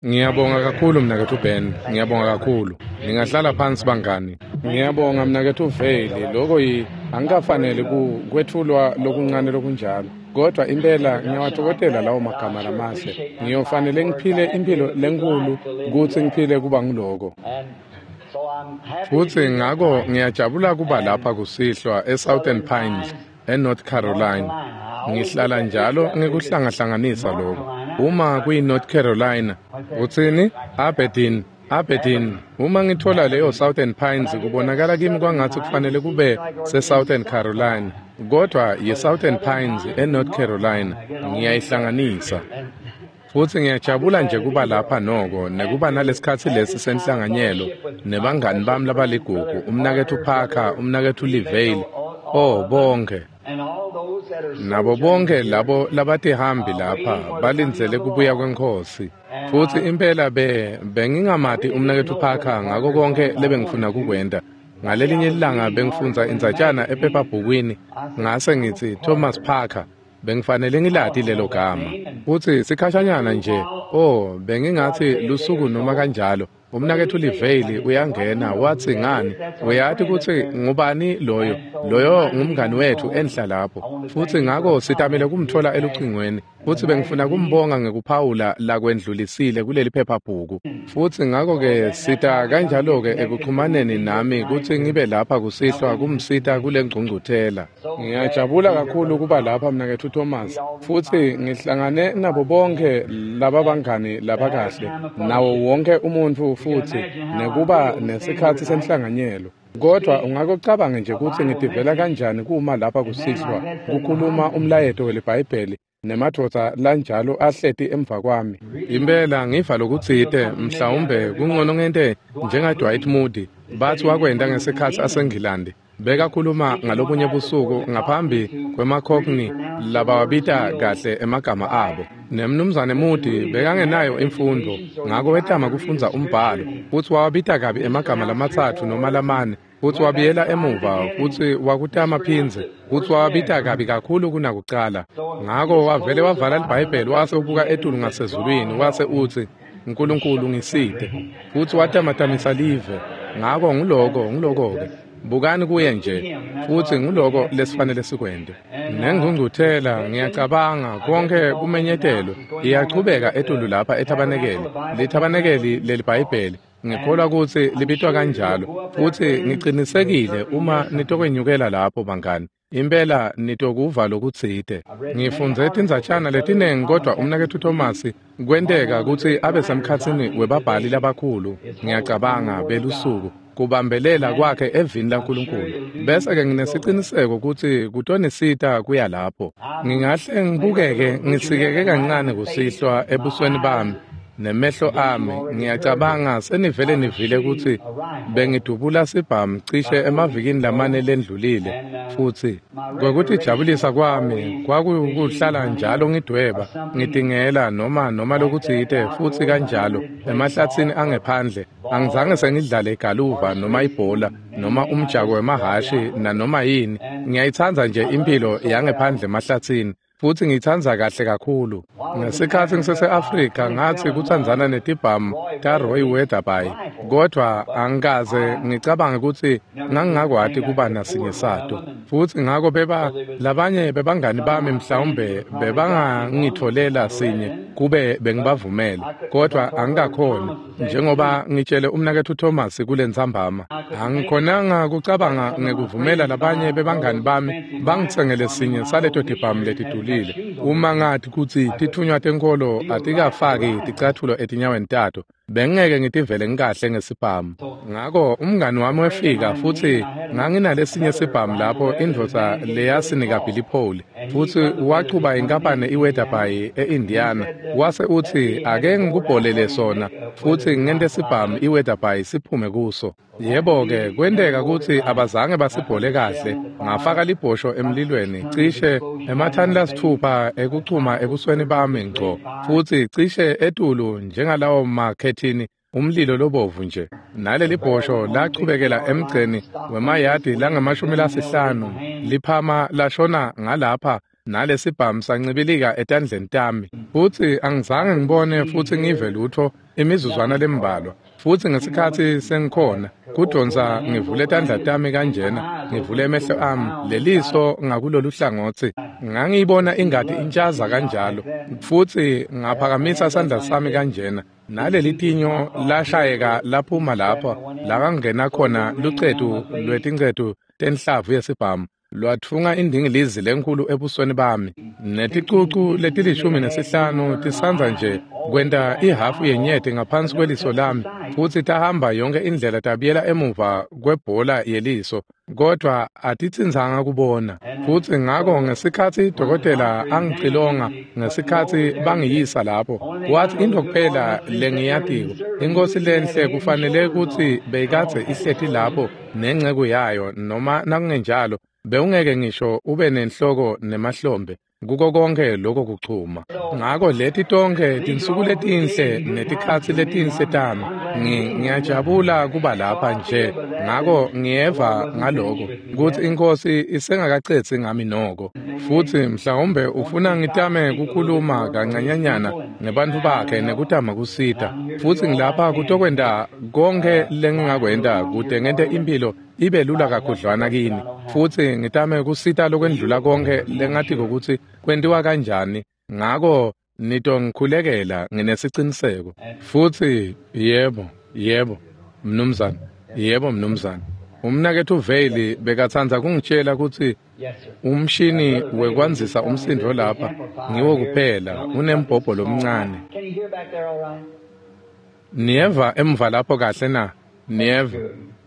Ngiyabonga kakhulu mnaketfu Ben, ngiyabonga kakhulu. Ningahlala phansi bangani. Ngiyabonga mnaketfu Vale, loko yi angikafanele ku kwetfulwa lokuncane lokunjalo. Kodwa impela ngiyawatfokotela lawo magama lamahle. Ngiyofanele ngiphile imphilo lenkhulu kutsi ngiphile kuba nguloko. Futsi ngako ngiyajabula kuba lapha kusihlwa eSouthern Pines, eNorth Carolina. Ngihlala njalo ngikuhlangahlanganisa lokho. Uma kuyi-North Carolina, utsini? Aberdeen, Aberdeen. Uma ngithola leyo Southern Pines kubonakala kimi kwangatsi kufanele kube se-Southern Carolina, kodwa yi-Southern Pines eNorth Carolina. Ngiyayihlanganisa. Futsi ngiyajabula nje kuba lapha noko nekuba nalesikhatsi lesi senhlanganyelo nebangani bami labaligugu, umnaketfu Parker, umnaketfu Lee Vayle, oh bonke. Nabo bonke labo labatihambi lapha balindzele kubuya kweNkhosi. Futsi impela bengingamati umnaketfu Parker ngako konke lebengifuna kukwenta. Ngalelinye ilanga bengifundza indzatjana ephephabhukwini ngase ngitsi Thomas Parker. Bengifanele ngilati lelo gama. Futsi sikhashanyana nje, oh, bengingatsi lusuku noma kanjalo, umnaketfu Lee Vayle uyangena watsi ngani, uyati kutsi ngubani loyo? Loyo ngumngani wetfu enhla lapho. Futsi ngako sitamile kumtfola elucingweni. Futsi bengifuna kumbonga ngekuphawula lakwendlulisile kuleli phephabhuku. Futsi ngako-ke sita kanjalo-ke ekuxhumaneni nami kutsi ngibe lapha kusihlwa kumsita kule ngcungcuthela. Ngiyajabula kakhulu kuba lapha mnaketfu Thomas. Futsi ngihlangane nabo bonke laba bangani labakahle, nawo wonke umuntfu futsi nekuba nesikhatsi senhlanganyelo. Kodwa ungakucabanga nje kutsi ngitivela kanjani kuma lapha kusihlwa kukhuluma umlayeto weliBhayibheli nemadvodza lanjalo ahleti emva kwami. Impela ngiva lokutsite, mhlawumbe kungcono ngente njenga-Dwight Moody, batsi wakwenta ngesikhatsi aseNgilandi. Bekakhuluma ngalobunye busuku ngaphambi kwemaCockney labawabita kahle emagama abo. Nemnumzane Moody bekangenayo imfundvo, ngako wetama kufundza umbhalo, futsi wawabita kabi emagama lamatsatfu noma lamane, futsi wabuyela emuva futsi wakutama phindze, futsi wawabita kabi kakhulu kunakucala. Ngako wavele wavala liBhayibheli wase ubuka etulu ngasezulwini wase utsi, "Nkulunkulu ngisite." Futsi watamatamisa live. Ngako nguloko-ke. Bukani kuye nje, futsi nguloko lesifanele sikwente. Nengcungcuthela, ngiyacabanga, konke kumenyetelwe, iyachubeka etulu lapha ethabanekeli, lithabanekeli leliBhayibheli. Ngikholwa kutsi libitwa kanjalo, futsi ngicinisekile uma nitokwenyukela lapho bangani, impela nitokuva lokutsite. Ngifundze tindzatjana letinengi kodwa umnaketfu Thomas kwenteka kutsi abe semkhatsini webabhali labakhulu, ngiyacabanga, belusuku, kubambelela kwakhe evini laNkulunkulu. Bese-ke nginesiciniseko kutsi kutonisita kuya lapho. Ngingahle ngibukeke ngisikeke kancane kusihlwa ebusweni bami nemehlo ami. Ngiyacabanga senivele nivile kutsi bengidubula sibhamu cishe emavikini lamane lendlulile, futsi kwekutijabulisa kwami kwakukuhlala njalo ngidweba, ngitingela noma lokutsite futsi kanjalo emahlatsini angephandle. Angizange sengidlale igaluva noma ibhola noma umjako wemahhashi nanoma yini. Ngiyayitsandza nje impilo yangephandle emahlatsini. Futsi ngiyitsandza kahle kakhulu. Ngesikhatsi ngisese-Afrika ngatsi kutsandzana netibhamu taRoy Weatherby, kodvwa angikaze ngicabange kutsi ngangingakwati kuba nasinye sato. Futsi ngako labanye bebangani bami mhlawumbe bebangangitfolela sinye kube bengibavumele, kodvwa angikakhoni, njengoba ngitshele umnaketfu Thomas kule ntsambama. Angikhonanga kucabanga ngekuvumela labanye bebangani bami bangitsengele sinye saleto tibhamu letidulile. Uma ngathi kutsi titfunywa tenkholo atikafaki ticatfulo etinyaweni tato, bengingeke ngitivele ngikahle ngesibhamu. Ngako umngani wami wefika futsi nganginalesinye sibhamu lapho indvodza leyasinika Billy Paul, futsi wachuba inkampani iWeatherby e-Indiana, wase utsi ake ngikubholele sona futsi ngente sibhamu iWeatherby siphume kuso. Yebo-ke, kwenteka kutsi abazange basibhole kahle. Ngafaka libhosho emlilweni cishe emathani lasitfupha ekuchuma ebusweni bami ngco, futsi cishe etulu njengalawo makhethini umlilo lobovu nje. Naleli bhosho lachubekela emgceni wemayadi langama-50 liphama lashona ngalapha. Nalesibhamu sancibilika etandleni tami, futsi angizange ngibone futsi ngive lutfo imizuzwana lembalwa. Futsi ngesikhatsi sengikhona kudonsa ngivule tandla tami kanjena, ngivule emehlo ami, leliso ngakulolu hlangotsi, ngangiyibona ingati intshaza kanjalo, futsi ngaphakamisa sandla sami kanjena, naleli tinyo lashayeka laphuma lapha lakangena khona lucetu lwetincetu tenhlavu yesibhamu, lwatfunga indingilizi lenkulu ebusweni bami, neticucu leti-15 tisandza nje kwenta ihhafu yenyeti ngaphansi kweliso lami, futsi tahamba yonke indlela tabuyela emuva kwebhola yeliso, kodvwa atitsinzanga kubona. Futsi ngako ngesikhatsi dokotela angicilonga, ngesikhatsi bangiyisa lapho, wathi intfo kuphela lengiyatiko, inkhosi lenhle kufanele kutsi beyikadze ihleti lapho nenceku yayo, noma nakungenjalo bewungeke ngisho ube nenhloko nemahlombe kuko konke lokho kuchuma. Ngako leti tonkhe tinsuku letinhle netikhatsi letinhle tami, ngiyajabula kuba lapha nje. Ngako ngiyeva ngaloko kutsi iNkhosi isengakacedzi ngami noko. Futsi mhlawumbe ufuna ngitame kukhuluma kancanyanyana nebantfu bakhe nekutama kusita. Futsi ngilapha kutokwenta konke lengingakwenta kute ngente impilo ibe lula kakhudlwana kini, futsi ngitame kusita lokwendlula konke lengatiko kutsi kwentiwa kanjani. Ngako nitongikhulekela nginesiciniseko. Futsi yebo, yebo, mnumzane, yebo, mnumzane. Umnaketfu Veli bekatsandza kungitjela kutsi umshini wekwandzisa umsindvo lapha ngiwo kuphela unembhobho lomncane. Niyeva emva lapho kahle na? Niyeva?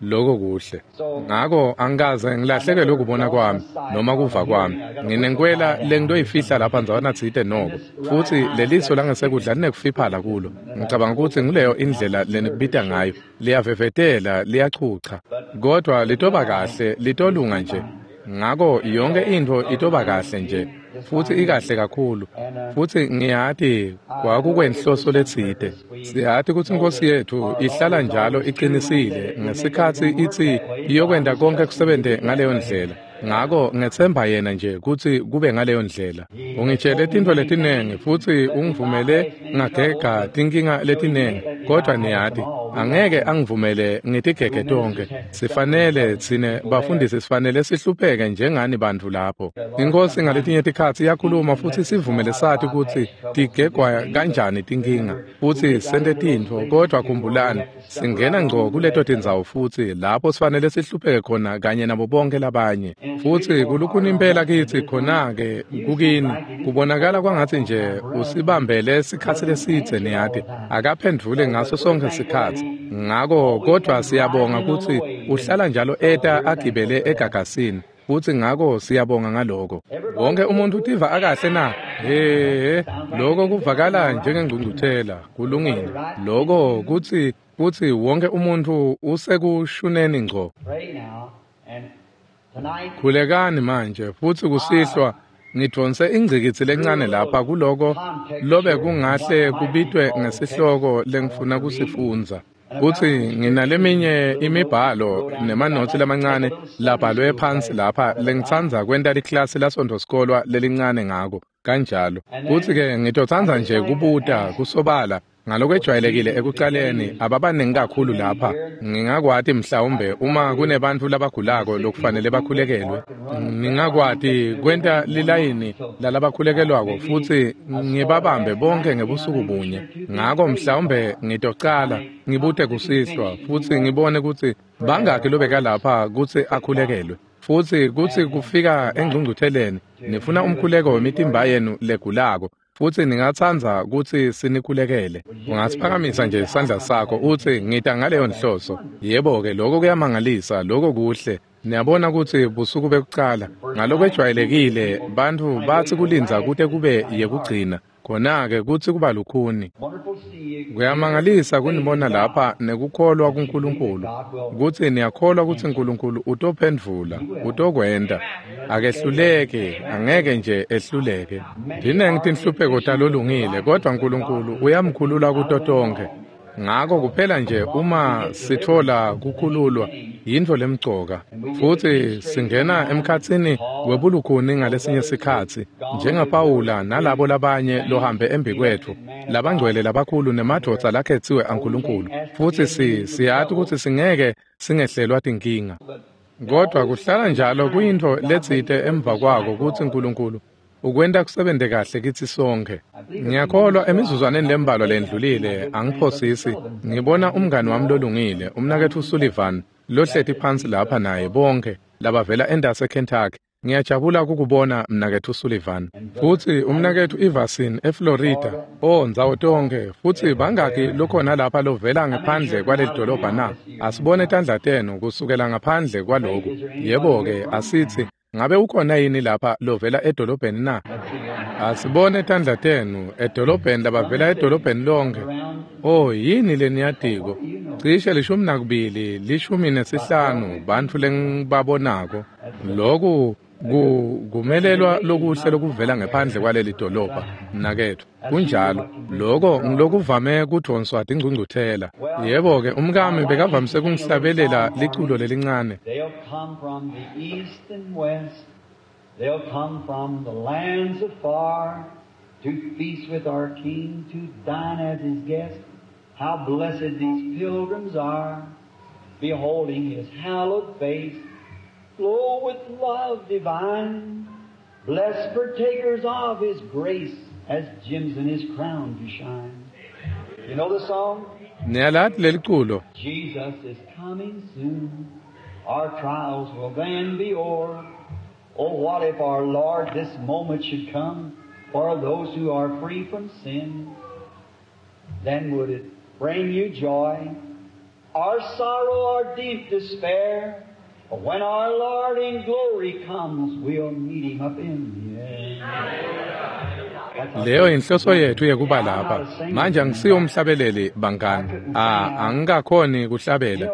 Lokho kuhle. Ngako angikaze ngilahlekelwe ukubona kwami noma kuva kwami. Nginenkwela lengitoyifihla lapha ndzawana tsite noko, futsi leliso langesekudla linekufiphala kulo. Ngicabanga kutsi nguleyo indlela lenikubita ngayo. Liyavevetela, liyachucha, kodvwa litoba kahle, litolunga nje. Ngako yonke intfo itoba kahle nje, futsi ikahle kakhulu. Futsi ngiyati kwakukwenhloso letsite. Siyati kutsi iNkhosi yetfu ihlala njalo iqinisile ngesikhatsi itsi iyokwenta konke kusebente ngaleyo ndlela. Ngako ngetsemba yena nje kutsi kube ngaleyo ndlela. Ungitjele tintfo letinengi futsi ungivumele ngagega tinkinga letinengi, kodvwa niyati angeke angivumele ngitigege tonkhe. Sifanele tsine bafundisi sifanele sihlupheke njengani bantfu lapho. Inkhosi ngaletinye tikhatsi iyakhuluma futsi sivumele sati kutsi tigegwa kanjani tinkinga futsi sente tintfo, kodvwa khumbulani singena ngco kuleto tindzawo futsi lapho sifanele sihlupheke khona kanye nabo bonke labanye. Futsi kulukhuni impela kitsi khona-ke kukini kubonakala kwangatsi nje usibambele sikhatsi lesidze, niyati akaphendvuli ngaso sonke sikhatsi. Ngako kodvwa siyabonga kutsi uhlala njalo eta agibele egagasini, futsi ngako siyabonga ngaloko. Wonke umuntu utiva akahle na? He, lokho kuvakala njengengcungcuthela. Kulungile lokho kutsi kutsi wonke umuntu usekushuneni ngco. Khulekani manje, futsi kusihlwa ngidvonse ingcikitsi lencane lapha kuloko lobe kungahle kubitwe ngesihloko lengifuna kusifundza. Kutsi nginaleminye imibhalo nemanotsi lamancane labhalwe phansi lapha lengitsandza kwenta liklasi lasontfosikolwa lelincane ngako kanjalo. Kutsi-ke ngitotsandza nje kubuta kusobala ngalokwejwayelekile ekucaleni ababaningi kakhulu lapha. Ngingakwati mhlawumbe uma kunebantfu labagulako lokufanele bakhulekelwe, ngingakwati kwenta lilayini lalabakhulekelwako futsi ngibabambe bonke ngebusuku bunye. Ngako mhlawumbe ngitocala ngibute kusihlwa futsi ngibone kutsi bangakhi lobeka lapha kutsi akhulekelwe. Futsi kutsi kufika engcungcutheleni nifuna umkhuleko wemitimba yenu legulako, futsi ningatsandza kutsi sinikhulekele. Ungasiphakamisa nje isandla sakho utsi ngita ngaleyo nhloso. Yebo-ke, lokho kuyamangalisa, lokho kuhle. Niyabona kutsi busuku bekucala ngalokwejwayelekile bantfu batsi kulindza kute kube yekugcina, khona-ke kutsi kuba lukhuni. Kuyamangalisa kunibona lapha nekukholwa kuNkulunkulu, kutsi niyakholwa kutsi Nkulunkulu utophendvula, utokwenta. Akehluleke, angeke nje ehluleke. Tinengi tinhlupheko talolungile, kodvwa Nkulunkulu uyamkhulula kuto tonkhe. Ngako kuphela nje uma sitfola kukhululwa, Yintfo lemcoka. Futsi singena emkhatsini webulukhuni ngalesinye sikhatsi, njengaPawula nalabo labanye lohambe embikwetfu, labangcwele labakhulu nemadvodza lakhetsiwe aNkulunkulu. Futsi siyati kutsi singeke singehlelwa tinkinga. Kodwa kuhlala njalo kuyintfo letsite emva kwako kutsi Nkulunkulu ukwenta kusebente kahle kitsi sonkhe. Ngiyakholwa emizuzwaneni lembalwa lendlulile, angiphosisi, ngibona umngani wami lolungile, umnaketfu Sullivan, lohleti phansi lapha naye bonkhe labavela endase Kentucky. Ngiyajabula kukubona mnaketfu Sullivan. Futsi umnaketfu Everson eFlorida, ndzawo tonkhe, futsi bangaki lokhona lapha lovela ngaphandle kwaleli dolobha na? Asibone tandla tenu kusukela ngaphandle kwaloku. Yebo-ke, asitsi, ngabe ukhona yini lapha lovela edolobheni na? Asibone tandla tenu edolobheni, labavela edolobheni lonke. Yini leniyatiko? Cishe 12, 15 bantfu lengibabonako. Loku kumelelwa lokuhle lokuvela ngephandle kwaleli dolobha, mnaketfu. Kunjalo, loko ngilokuvame kudvonswa tingcungcuthela. Yebo-ke, umkami bekavamise kungihlabelela liculo lelincane. They'll come from the east and west. They'll come from the lands afar to feast with our King, to dine as his guest. How blessed these pilgrims are, beholding his hallowed face, glow with love divine. Blessed partakers of his grace, as gems in his crown to shine. You know the song? Niyalati leliculo. Jesus is coming soon. Our trials will then be o'er. Oh, what if our Lord this moment should come for those who are free from sin? Then would it bring you joy, or sorrow, or deep despair? But when our Lord in glory comes, we'll meet him up in the air. Leyo inhloso yethu yekuba lapha. Manje angisiyo umhlabeleli bangani. Angikakhoni kuhlabela.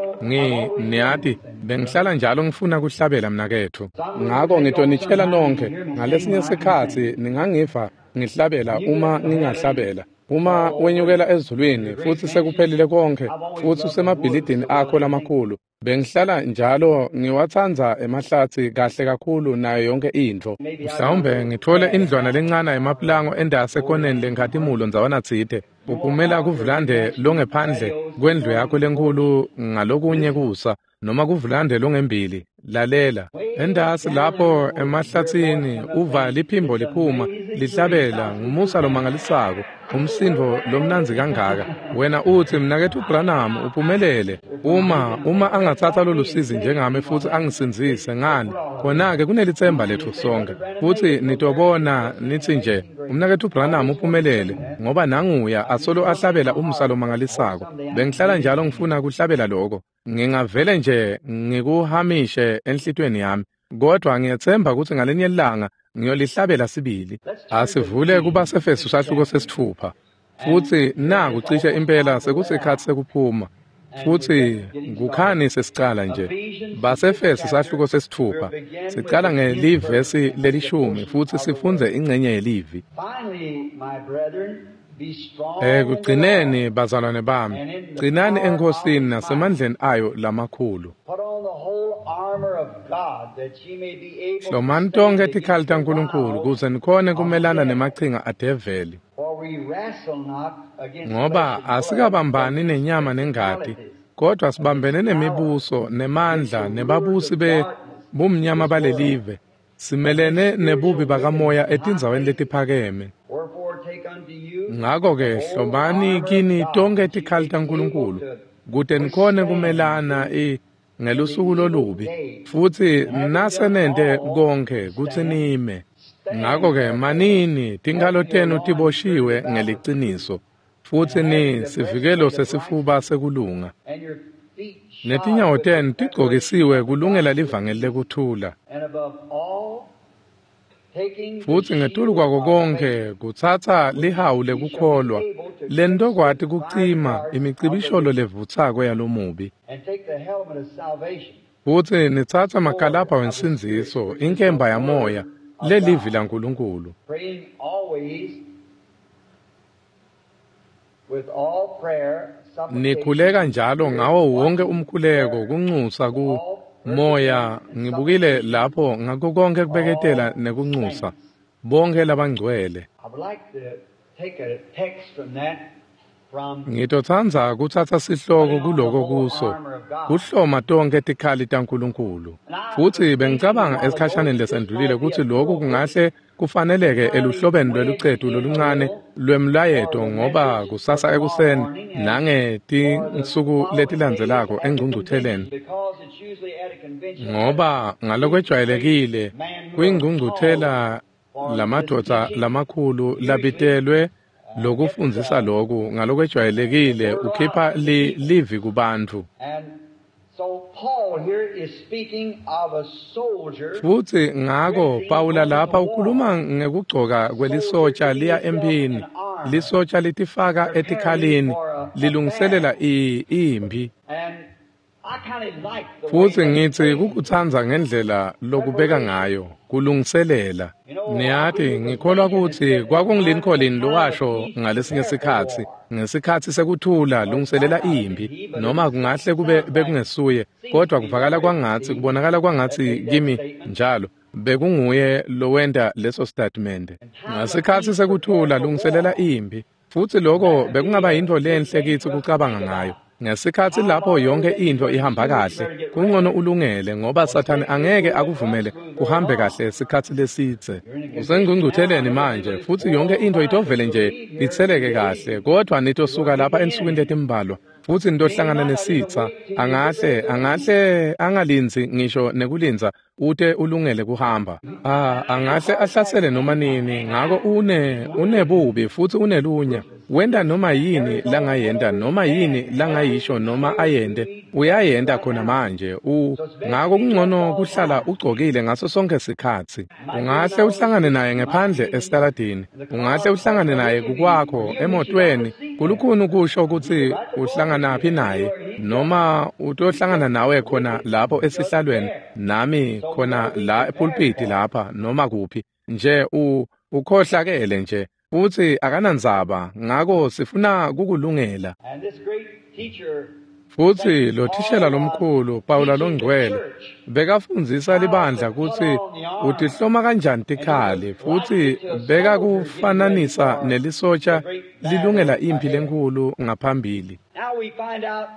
Niyati, bengihlala njalo ngifuna kuhlabela mnaketfu. Ngako ngitonitshela nonkhe, ngalesinye sikhatsi ningangiva ngihlabela uma ngingahlabela. Uma wenyukela ezulwini futsi sekuphelile konke, futsi usemabhilidini akho lamakhulu. Bengihlala njalo ngiwatsandza emahlatsi kahle kakhulu nayo yonke intfo. Mhlawumbe ngithole indlwana lencane emapulango endase ekoneni lenkhatimulo ndzawana tsite. Uphumela kuvulande longephandle kwendlu yakho lenkhulu ngalokunye kusa, noma kuvulande longembili. Lalela, endasi lapho emahlatsini uva liphimbo liphuma lihlabela ngumusa lomangalisako, umsindo lomnandzi kangaka. Wena utsi, mnaketfu Branham uphumelele. Uma angatsatsa lolusizi njengami futsi angisindzise ngani, khona-ke kunelitsemba letfu sonke. Futsi nitobona nitsi nje, umnaketfu Branham uphumelele, ngoba nanguya asolo ahlabela umusa lomangalisako. Bengihlala njalo ngifuna kuhlabela loko. Ngingavele nje ngikuhamishe enhlitiyweni yami, kodwa ngiyetsemba kutsi ngalinye ilanga ngiyolihlabela sibili. Asivule kubaseFesu sahluko 6. Futsi naku cishe impela sekusikhatsi sekuphuma. Futsi kukhani sesicala nje. Basefesu sahluko 6. Sicala ngelivesi lelishumi futsi sifundze ingcenye yelivi. Ekugcineni bazalwane bami, gcinani eNkhosini nasemandleni ayo lamakhulu. Hlomani tonkhe tikhali taNkulunkulu kuze nikhone kumelana nemachinga adeveli. Ngoba asikabambani nenyama nengati, kodwa sibambene nemibuso, nemandla, nebabusi bumnyama balelive. Simelene nebubi bakamoya etindzaweni letiphakeme. Ngako-ke hlomani kini tonkhe tikhali taNkulunkulu kute nikhone kumelana ngelusuku lolubi, futsi nasenente konkhe kutsi nime. Ngako-ke manini, tinkhalo tenu tiboshiwe ngeliciniso, futsi ni sivikelo sesifuba sekulunga. Netinyawo tenu tigcokisiwe kulungela livangeli lekuthula. Futsi ngetulu kwako konke kutsatsa lihawu lekukholwa, lentokwati kucima imicibisholo levutsako yalomubi. Futsi nitsatsa makalabha wensindziso, inkemba yamoya, lelivi laNkulunkulu. with all prayer, Nikhuleka njalo ngawo wonke umkhuleko kunxusa ku moya ngibukile lapho ngakho konke kubeketela nekunxusa bonke labangcwele. I would like to take a text from that from Ngitotsandza kutsatsa sihloko kuloko kuso kuhloma tonkhe tikhali taNkulunkulu. Futsi bengicabanga esikhashaneni lesendlulile kutsi lokhu kungahle kufaneleke eluhlobeni lwelucetu loluncane lwemlayeto ngoba kusasa ekuseni nangetinsuku letilandzelako engcungcutheleni because it's usually at a convention ngoba ngalokwejwayelekile kuyingcungcuthela lamadvodza lamakhulu labitelwe lokufundzisa loku ngalokwejwayelekile ukhipha livi kubantfu. And so Paul here is speaking of a soldier Futsi ngako Pawula lapha ukhuluma ngekugcoka kwelisotsha liya emphini. Lisotsha litifaka etikhalini lilungiselela imphi. and I kind of like the way Futsi that ngitsi kukutsandza ngendlela lokubeka ngayo kulungiselela. Niyati ngikholwa kutsi kwakunguLincoln lowasho ngalesinye sikhatsi ngesikhatsi sekuthula lungiselela imphi noma kungahle kube bekungesuye kodwa kuvakala kwangatsi kubonakala kwangatsi kimi njalo bekunguye lowenta leso statement. Ngesikhatsi sekuthula lungiselela imphi futsi loko bekungaba yintfo lenhle kitsi kucabanga ngayo. Ngesikhatsi lapho yonke intfo ihamba kahle kungcono ulungele ngoba Sathane angeke akuvumele kuhambe kahle sikhatsi lesidze. Usengcungcutheleni manje futsi yonke intfo itovele nje itseleke kahle kodwa nitosuka lapha ensukwini letimbalwa futsi nitohlangana nesitsa angahle angalindzi ngisho nekulindza ute ulungele kuhamba. Angahle ahlasele noma nini ngako unebubi futsi unelunya. Wenta noma yini langayenta noma yini langayisho noma ayente uyayenta khona manje ngako kungcono kuhlala ugcokile ngaso sonke sikhatsi. Ungahle uhlangane naye ngephandle esitaladini, ungahle uhlangane naye kukwakho emotweni, kulukhuni kusho kutsi uhlanganaphi naye noma utohlangana nawe khona lapho esihlalweni nami khona la epulpiti lapha noma kuphi nje ukhohlakele nje futsi akanandzaba ngako sifuna kukulungela. and this great teacher Futsi lo thishela lomkhulu Pawula longcwele bekafundzisa libandla kutsi utihloma kanjani tikhali futsi bekakufananisa nelisotsha lilungela imphi lenkhulu ngaphambili. Now we find out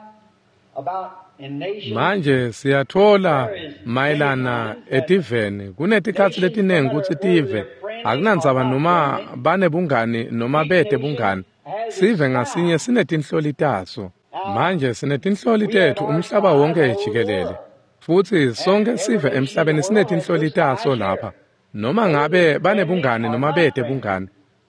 about in nations Manje siyathola mayelana etiveni kunetikhatsi letinengi kutsi tive akunandzaba noma banebungani noma bete bungani sive ngasinye sinetinhloli taso. Manje sinetinhloli tetfu umhlaba wonke jikelele futsi sonke sive emhlabeni sinetinhloli taso lapha noma ngabe banebungani noma bete bungani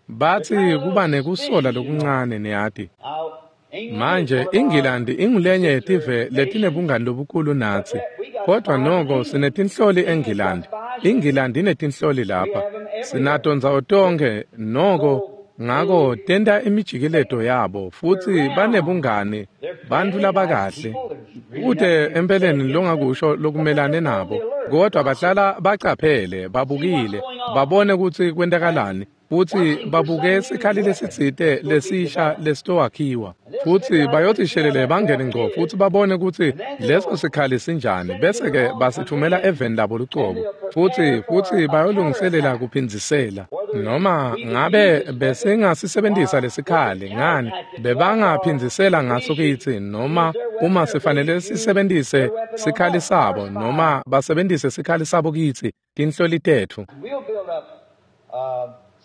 batsi kuba nekusola lokuncane niyati. Now, England Manje is one of our iNgilandi ingulenye yetive letinebungani lobukhulu natsi kodwa noko sinetinhloli eNgilandi. iNgilandi inetinhloli lapha sinato ndzawo tonkhe noko ngako tenta imijikileto yabo futsi banebungani bantfu labakahle kute empeleni longakusho lokumelane nabo kodwa bahlala bacaphele babukile babone kutsi kwentakalani futsi babuke sikhali lesitsite lesisha lesitowakhiwa futsi bayothi shelele bangene ngco futsi babone kutsi leso sikhali sinjani bese-ke basithumela eveni labo lucobo futsi bayolungiselela kuphindzisela noma ngabe besingasisebentisa lesikhali ngani bebangaphindzisela ngaso kitsi noma uma sifanele sisebentise sikhali sabo noma basebentise sikhali sabo kitsi tinhloli tetfu. We'll build up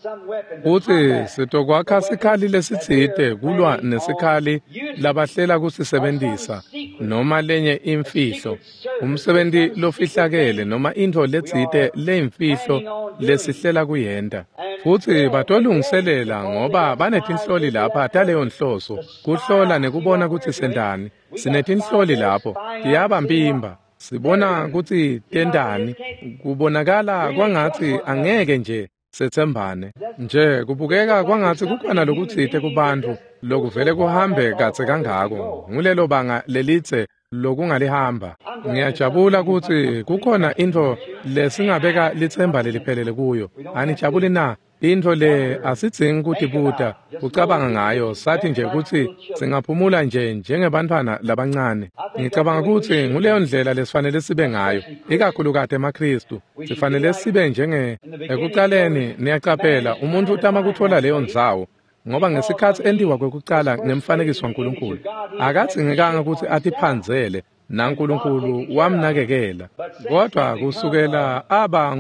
some weapon to Futsi combat sitokwakha sikhali lesitsite kulwa nesikhali labahlela kusisebentisa noma lenye imfihlo umsebenti lofihlakele noma intfo letsite leyimfihlo lesihlela kuyenta. Futsi batolungiselela ngoba banetinhloli lapha taleyo nhloso kuhlola nekubona kutsi sentani. Sinetinhloli lapho tiyabampimba sibona kutsi tentani kubonakala kwangatsi angeke nje setsembane nje kubukeka kwangatsi kukhona lokutsite kubantfu lokuvele kuhambe kadze kangako ngulelo banga lelitse lokungalihamba. Ngiyajabula kutsi kukhona intfo lesingabeka litsemba leliphelele kuyo. Anijabuli na? Intfo le asidzingi kutibuta ucabanga ngayo, sathi nje kutsi singaphumula nje njengebantfwana labancane. Ngicabanga kutsi nguleyo ndlela lesifanele sibe ngayo, ikakhulukati emaKhristu. Sifanele sibe njenge ekucaleni. Niyacaphela, umuntfu utama kutfola leyo ndzawo, ngoba ngesikhatsi entiwa kwekucala ngemfanekiso waNkulunkulu, akadzingekanga kutsi atiphandzele, naNkulunkulu wamnakekela. Kodwa kusukela aba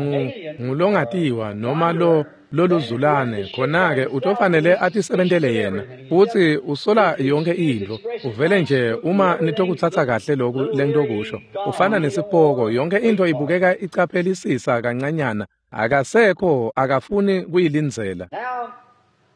ngulongatiwa noma lo loluzulane, khona-ke utofanele atisebentele yena, futsi usola yonke intfo. Uvele nje, uma nitokutsatsa kahle loku lengitokusho, ufana nesipoko, yonke intfo ibukeka icaphelisisa kancanyana, akasekho, akafuni kuyilindzela.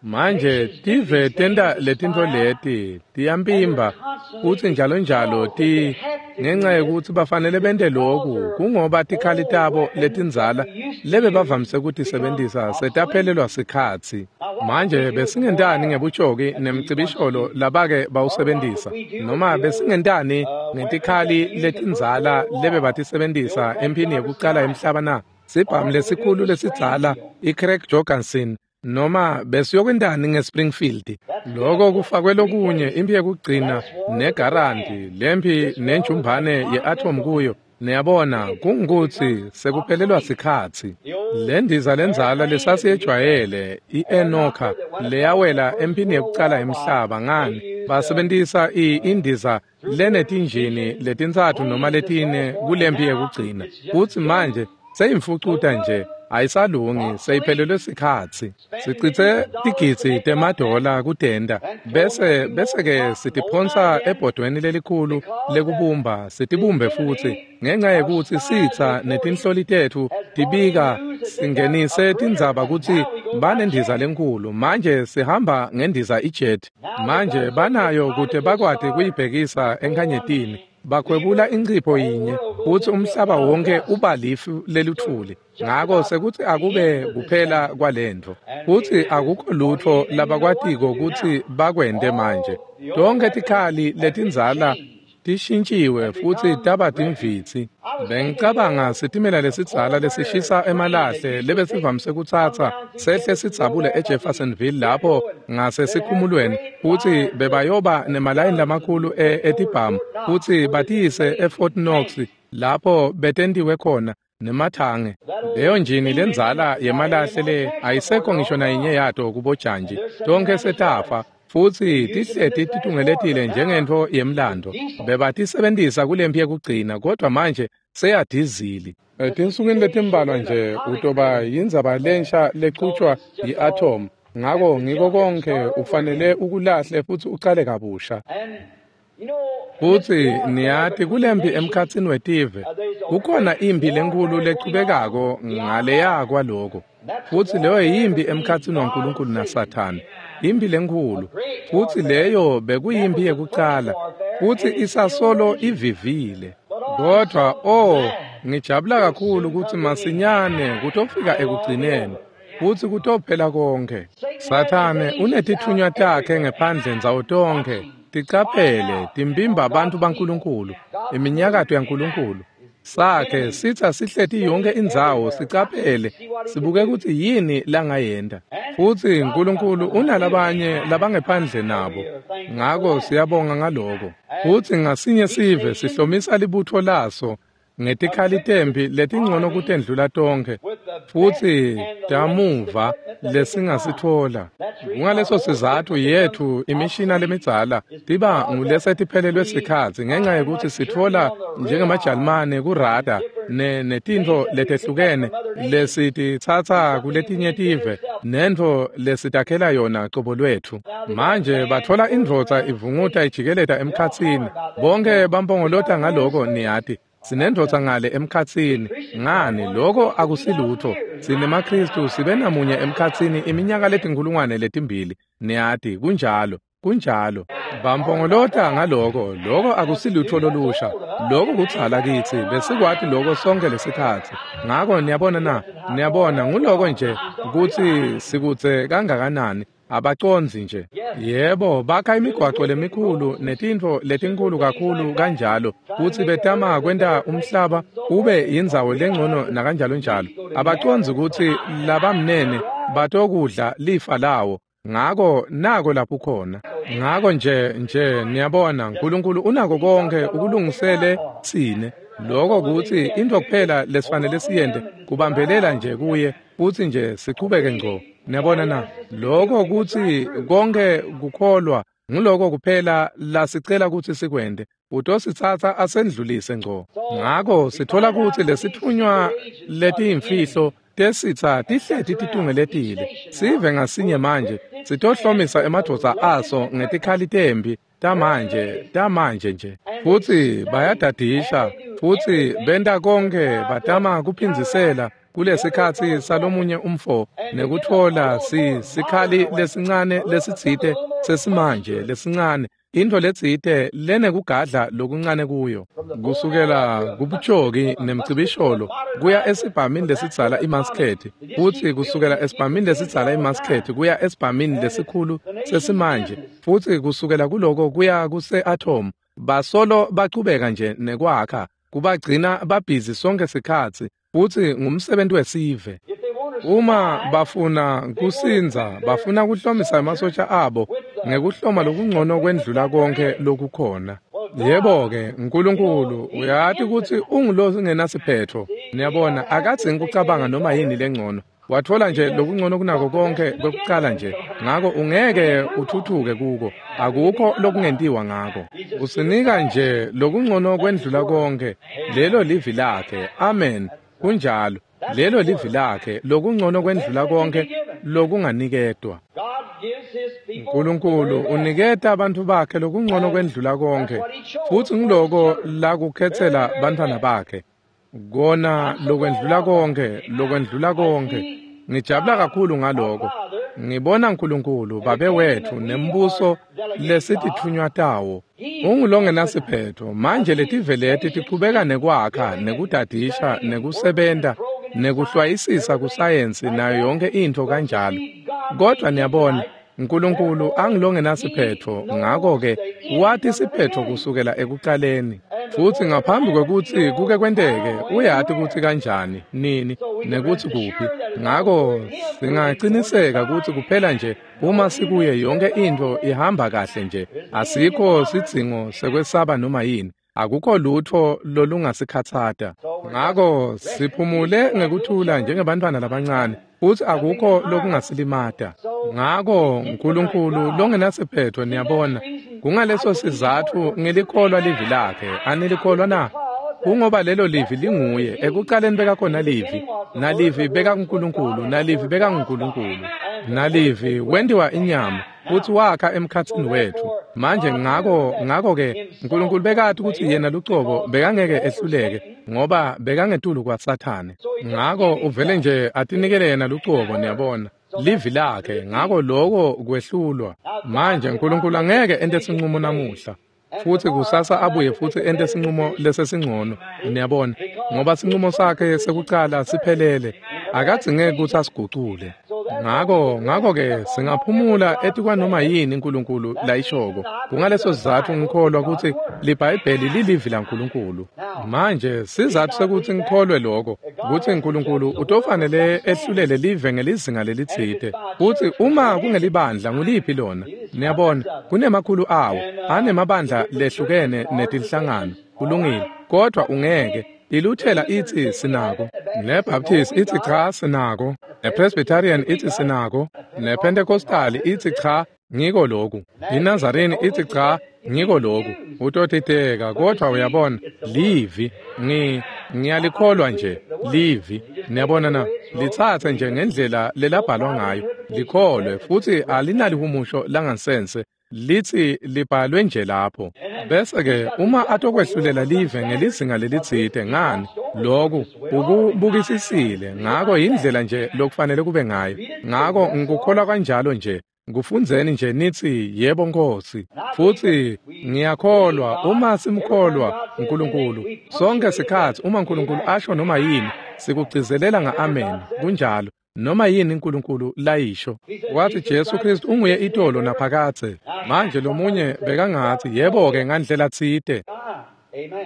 Manje tive tenta letintfo leti, tiyampimba futsi njalo njalo ti ngenxa yekutsi bafanele bente loku, kungoba tikhali tabo letindzala lebebavamise kutisebentisa setaphelelwa sikhatsi. Manje besingentani ngebutjoki nemcibisholo labake bawusebentisa, noma besingentani ngetikhali letindzala lebebatisebentisa emphini yekucala emhlaba na? Sibhamu lesikhulu lesidzala iCraig Jorgensen, noma besiyokwentani ngeSpringfield? Loko kufakwe lokunye, imphi yekugcina negaranti, lempi nenjumbane ye-atom kuyo. Niyabona, kungukutsi sekuphelelwa sikhatsi. Le ndiza lendzala lesasiyejwayele, i-Enoka, leyawela emphini yekucala emhlaba, ngani basebentisa indiza lenetinjini letintsatfu noma letine kulempi yekugcina. Futsi manje seyimfucuta nje, ayisalungi, seyiphelelwe sikhatsi. Sicitse tigidzi temadola kutenta, bese-ke sitiphonsa ebhodweni lelikhulu lekubumba, sitibumbe futsi, ngenxa yekutsi sitsa netinhloli tetfu tibika singenise tindzaba kutsi banendiza lenkhulu. Manje sihamba ngendiza ijet. Manje banayo kute bakwati kuyibhekisa enkhanyetini. Bakhwebula incipho yinye, futsi umhlaba wonke uba lifu lelutfuli. Ngako sekuthi akube kuphela kwalentfo, futsi akukho lutfo labakwatiko kutsi bakwente manje. Tonkhe tikhali letindzala tishintshiwe futsi taba timvitsi. Bengicabanga sitimela lesidzala lesishisa emalahle lebesivamise kutsatsa sehle sidzabule eJeffersonville lapho ngasesikhumulweni, futsi bebayoba nemalayini lamakhulu etibhamu futsi batiyise eFort Knox lapho betentiwe khona nemathange. Leyo njini lendzala yemalahle le ayisekho ngisho nayinye yato kubojanji, tonkhe setafa, futsi tihleti titungeletile njengentfo yemlando. Bebatisebentisa kulempi yekugcina, kodwa manje seyadizili. Etinsukwini letimbalwa nje utoba yindzaba lensha lechutjwa yi-atom. Ngako ngiko konke ufanele ukulahle futsi ucale kabusha. Futsi niyati, kulempi emkhatsini wetive kukhona imphi lenkhulu lechubekako ngaleya kwaloko, futsi leyo yimpi emkhatsini waNkulunkulu naSathane, imphi lenkhulu. Futsi leyo bekuyimpi yekucala, futsi isasolo ivivile. Kodwa ngijabula kakhulu kutsi masinyane kutofika ekugcineni, futsi kutophela konke. Sathane unetitfunywa takhe ngephandle ndzawo tonkhe, ticaphele, timpimba abantu baNkulunkulu, iminyakato yaNkulunkulu. Sakhe sitsa sihleti yonke indzawo, sicaphele, sibuke kutsi yini langayenta. Futsi Nkulunkulu unalabanye labangephandle nabo, ngako siyabonga ngaloko. Futsi ngasinye sive sihlomisa libutfo laso ngetikhali temphi letingcono kutendlula tonkhe, futsi tamuva lesingasitfola. Kungaleso sizatfu yetfu imishina lemidzala tiba ngulesetiphelelwe sikhatsi, ngenxa yekutsi sitfola njengemaJalimane kurada netintfo letehlukene lesititsatsa kuletinye tive, nentfo lesitakhela yona cobo lwetfu. Manje batfola indvodza ivunguta ijikeleta emkhatsini, bonke bampongolota ngaloko, niyati. Sinendvodza ngale emkhatsini, ngani loko akusilutfo. SinemaKhristu sibe namunye emkhatsini iminyaka 2000, niyati, kunjalo, kunjalo. Bampongolota ngaloko, loko akusilutfo lolusha, loko kudzala kitsi, besikwati loko sonke lesikhatsi. Ngako niyabona na, niyabona nguloko nje kutsi sikudze kangakanani. Abacondzi nje. Yebo, bakha imigwaco lemikhulu netintfo letinkhulu kakhulu kanjalo, futsi betama kwenta umhlaba ube yindzawo lengcono nakanjalo njalo. Abacondzi kutsi labamnene batokudla lifa lawo. Ngako nako lapho khona. Ngako nje niyabona uNkulunkulu unako konke ukulungisele tsine. Lokho kuthi into kuphela lesifanele siyente kubambelela nje kuye futhi nje siqhubeke ngco. Niyabona na? Lokho kuthi konke kukholwa nguloko kuphela lasicela ukuthi sikwente. Utositsatsa asendlulise ngco. Ngako sithola ukuthi lesithunywa letiyimfihlo tesitsa tihleti titungeletile. Sive ngasinye manje sitohlomisa emadvodza aso ngetikhali tembi tamanje nje. Futhi bayadadisha futhi benta konke batama kuphindzisela kulesikhatsi salomunye umfo nekutfola sikhali lesincane lesitsite sesimanje lesincane into letsite lenekugadla lokuncane kuyo kusukela kubutshoki nemcibisholo kuya esibhamini lesidzala imaskethi futhi kusukela esibhamini lesidzala imaskethi kuya esibhamini lesikhulu sesimanje futhi kusukela kuloko kuya kuse-atom basolo bachubeka nje nekwakha kubagcina babhizi sonke sikhatsi futhi ngumsebenzi wesive. Uma bafuna kusinza bafuna kuhlomisa emasosha abo ngekuhloma lokungcono kwendlula konke lokukhona. Yebo-ke uNkulunkulu uyati ukuthi ungulo singenasiphetho. Niyabona akadzingi kucabanga noma yini lengcono. Wathola nje lokungcono kunako konke kwekucala nje. Ngako ungeke uthuthuke kuko. Akukho lokungentiwa ngako. Usinika nje lokungcono kwendlula konke. Lelo livi lakhe. Amen. Kunjalo. Lelo livi lakhe lokungcono kwendlula konke lokunganikedwa. uNkulunkulu uniketa abantu bakhe lokungcono kwendlula konke futhi ngiloko lakukhetsela bantwana bakhe. Kona lokwendlula konke, lokwendlula konke. Ngijabula kakhulu ngaloko. Ngibona uNkulunkulu babe wethu nembuso lesitithunywa tawo. Ungulongenasiphetho. Manje letive leti tichubeka nekwakha, nekudadisha, nekusebenta, nekuhlwayisisa kusayensi nayo yonke into kanjalo. Kodwa niyabona uNkulunkulu angilongenasiphetho, ngako-ke wathi siphetho kusukela ekuqaleni. Futhi ngaphambi kwekuthi kuke kwenteke uyati ukuthi kanjani, nini, nekuthi kuphi. Ngako singaqiniseka ukuthi kuphela nje uma sikuye yonke into ihamba kahle nje. Asikho sidzingo sekwesaba noma yini. Akukho lutho lolungasikhatsata. Ngako siphumule ngekuthula njengebantwana labancane futhi akukho lokungasilimata. Ngako uNkulunkulu longenasiphetho niyabona kungaleso sizathu ngilikholwa livi lakhe. Anilikholwa na? Kungoba lelo livi linguye. Ekuqaleni bekakhona livi, nalivi bekakuNkulunkulu, nalivi bekanguNkulunkulu, nalivi wentiwa inyama futhi wakha emkhatsini wethu. Manje ngako-ke uNkulunkulu bekati ukuthi yena lucobo bekangeke ehluleke ngoba bekangetulu kwaSathane. Ngako uvele nje atinikele yena lucobo niyabona livi lakhe. Ngako lokho kwehlulwa. Manje uNkulunkulu angeke ente sinqumo namuhla futhi kusasa abuye futhi ente sinqumo lesesingcono niyabona ngoba sinqumo sakhe sekucala siphelele. Akadzingeki ukuthi asigucule. Ngako-ke singaphumula etikwanoma yini uNkulunkulu layishoko. Kungaleso sizathu ngikholwa ukuthi liBhayibheli lilivi laNkulunkulu. Manje sizathu sekuthi ngikholwe lokho ukuthi uNkulunkulu utofanele ehlulele live ngelizinga lelitsite. Futhi uma kungelibandla nguliphi lona? Niyabona kunemakhulu awo anemabandla lehlukene netinhlangano. Kulungile, kodwa ungeke. ILuthela ithi sinako, neBaptist ithi cha sinako, nePresbyterian ithi sinako, nePentecostal ithi cha ngiko lokhu, iNazarene ithi cha ngiko lokhu. Utotiteka, kodwa uyabona livi ngiyalikholwa nje livi. Niyabona na? Litsatse nje ngendlela lelabhalwa ngayo, likholwe futhi alinalihumusho langansense. Lithi libhalwe nje lapho. Bese-ke uma atokwehlulela live ngelizinga lelitsite ngani lokhu ukubukisisile. Ngako indlela nje lokufanele kube ngayo. Ngako ngikukholwa kanjalo nje. Kufundzeni nje nithi yebo Nkosi. Futhi ngiyakholwa uma simkholwa uNkulunkulu sonke sikhathi uma uNkulunkulu asho noma yini sikugcizelela nga-amen. Kunjalo. Noma yini uNkulunkulu layisho. Wathi Jesu Kristu unguye itolo naphakadze. Manje lomunye bekangathi yebo-ke ngandlela tsite.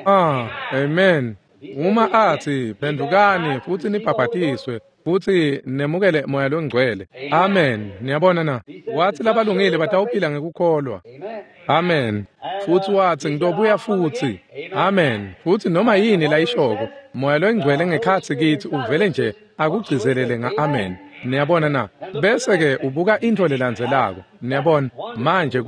Amen. Uma athi phendukani futhi nibhabhatiswe Futsi nemukele Moya loNgcwele. Amen. Niyabona na? Watsi labalungile batawuphila ngekukholwa. Amen. Futsi watsi ngitobuya futsi. Amen. Futsi noma yini layishoko, Moya loNgcwele ngekhatsi kitsi uvele nje akugcizelele nga-amen. Niyabona na? Bese-ke ubuka intfo lelandzelako. Niyabona? Manje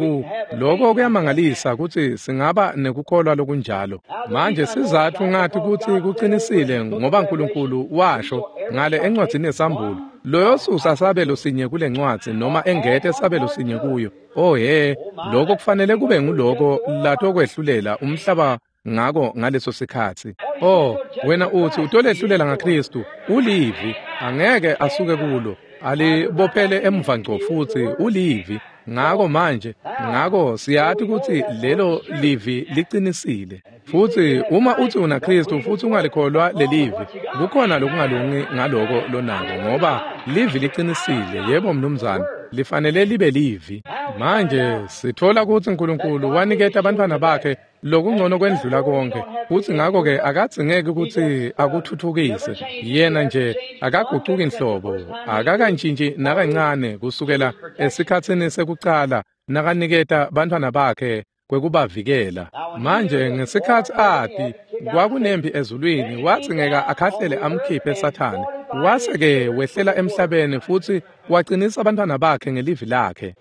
lokho kuyamangalisa kutsi singaba nekukholwa lokunjalo. Manje sizatfu ngathi kutsi kucinisile ngoba uNkulunkulu washo ngale encwadzini yeSambulo, loyosusa sabelo sinye kule ncwadzi noma engete sabelo sinye kuyo. Oh he, lokho kufanele kube nguloko latokwehlulela umhlaba ngako ngaleso sikhatsi. Oh, wena uthi utolehlulela ngaKristu, ulivi, angeke asuke kulo, alibophele emva ngco futsi ulivi. Ngako manje, ngako siyati kutsi lelo livi liqinisile. Futsi uma uthi una Kristu futsi ungalikholwa lelivi, kukhona lokungalungi ngaloko lonako, ngoba livi liqinisile. Yebo mnumzane, lifanele libe livi. Manje sithola kutsi uNkulunkulu waniketa abantwana bakhe lokungcono kwendlula konke, futsi ngako-ke akadzingeki kutsi akuthuthukise. Yena nje akagucuki nhlobo, akakantshintshi nakancane kusukela esikhatsini sekucala nakaniketa bantfwana bakhe kwekubavikela. Manje ngesikhatsi ati kwakunempi ezulwini, wadzingeka akhahlele amkhiphe Sathane. Wase-ke wehlela emhlabeni futsi wacinisa bantfwana bakhe ngelivi lakhe.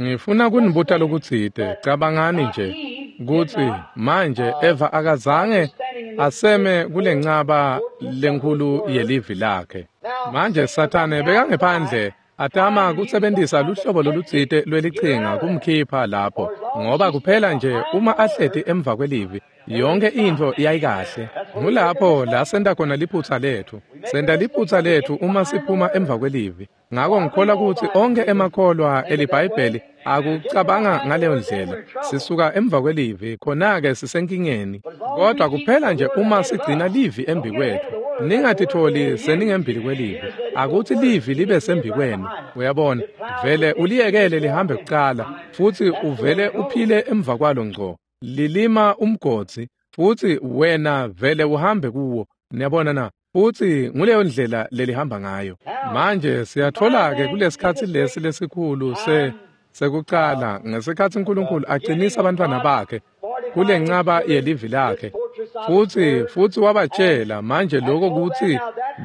Ngifuna kunibuta lokutsite. Cabangani nje kutsi manje Eva akazange aseme kulencaba lenkhulu yelivi lakhe. Manje Sathane bekangephandle atama kusebentisa luhlobo lolutsite lwelichinga kumkhipha lapho, ngoba kuphela nje uma ahleti emva kwelivi yonke intfo yayikahle. Ngulapho la senta khona liphutsa letfu. Senta liphutsa letfu uma siphuma emva kwelivi. Ngako ngikholwa kutsi onkhe emakholwa eliBhayibheli akucabanga ngaleyo ndlela. Sisuka emva kwelivi, khona-ke sisenkingeni. Kodwa kuphela nje uma sigcina livi embikwethu, ningatitholi seningembili kwelivi. Akuthi livi libe sembikwenu. Uyabona, vele uliyekele lihambe kucala, futsi uvele uphile emva kwalo ngco. Lilima umgodzi, futsi wena vele uhambe kuwo. Niyabona na? Futsi nguleyo ndlela lelihamba ngayo. Manje siyatfola-ke kulesikhatsi lesi lesikhulu sekucala, ngesikhatsi uNkulunkulu acinisa abantwana bakhe kulencaba yelivi lakhe. Futsi wabatshela manje lokho kutsi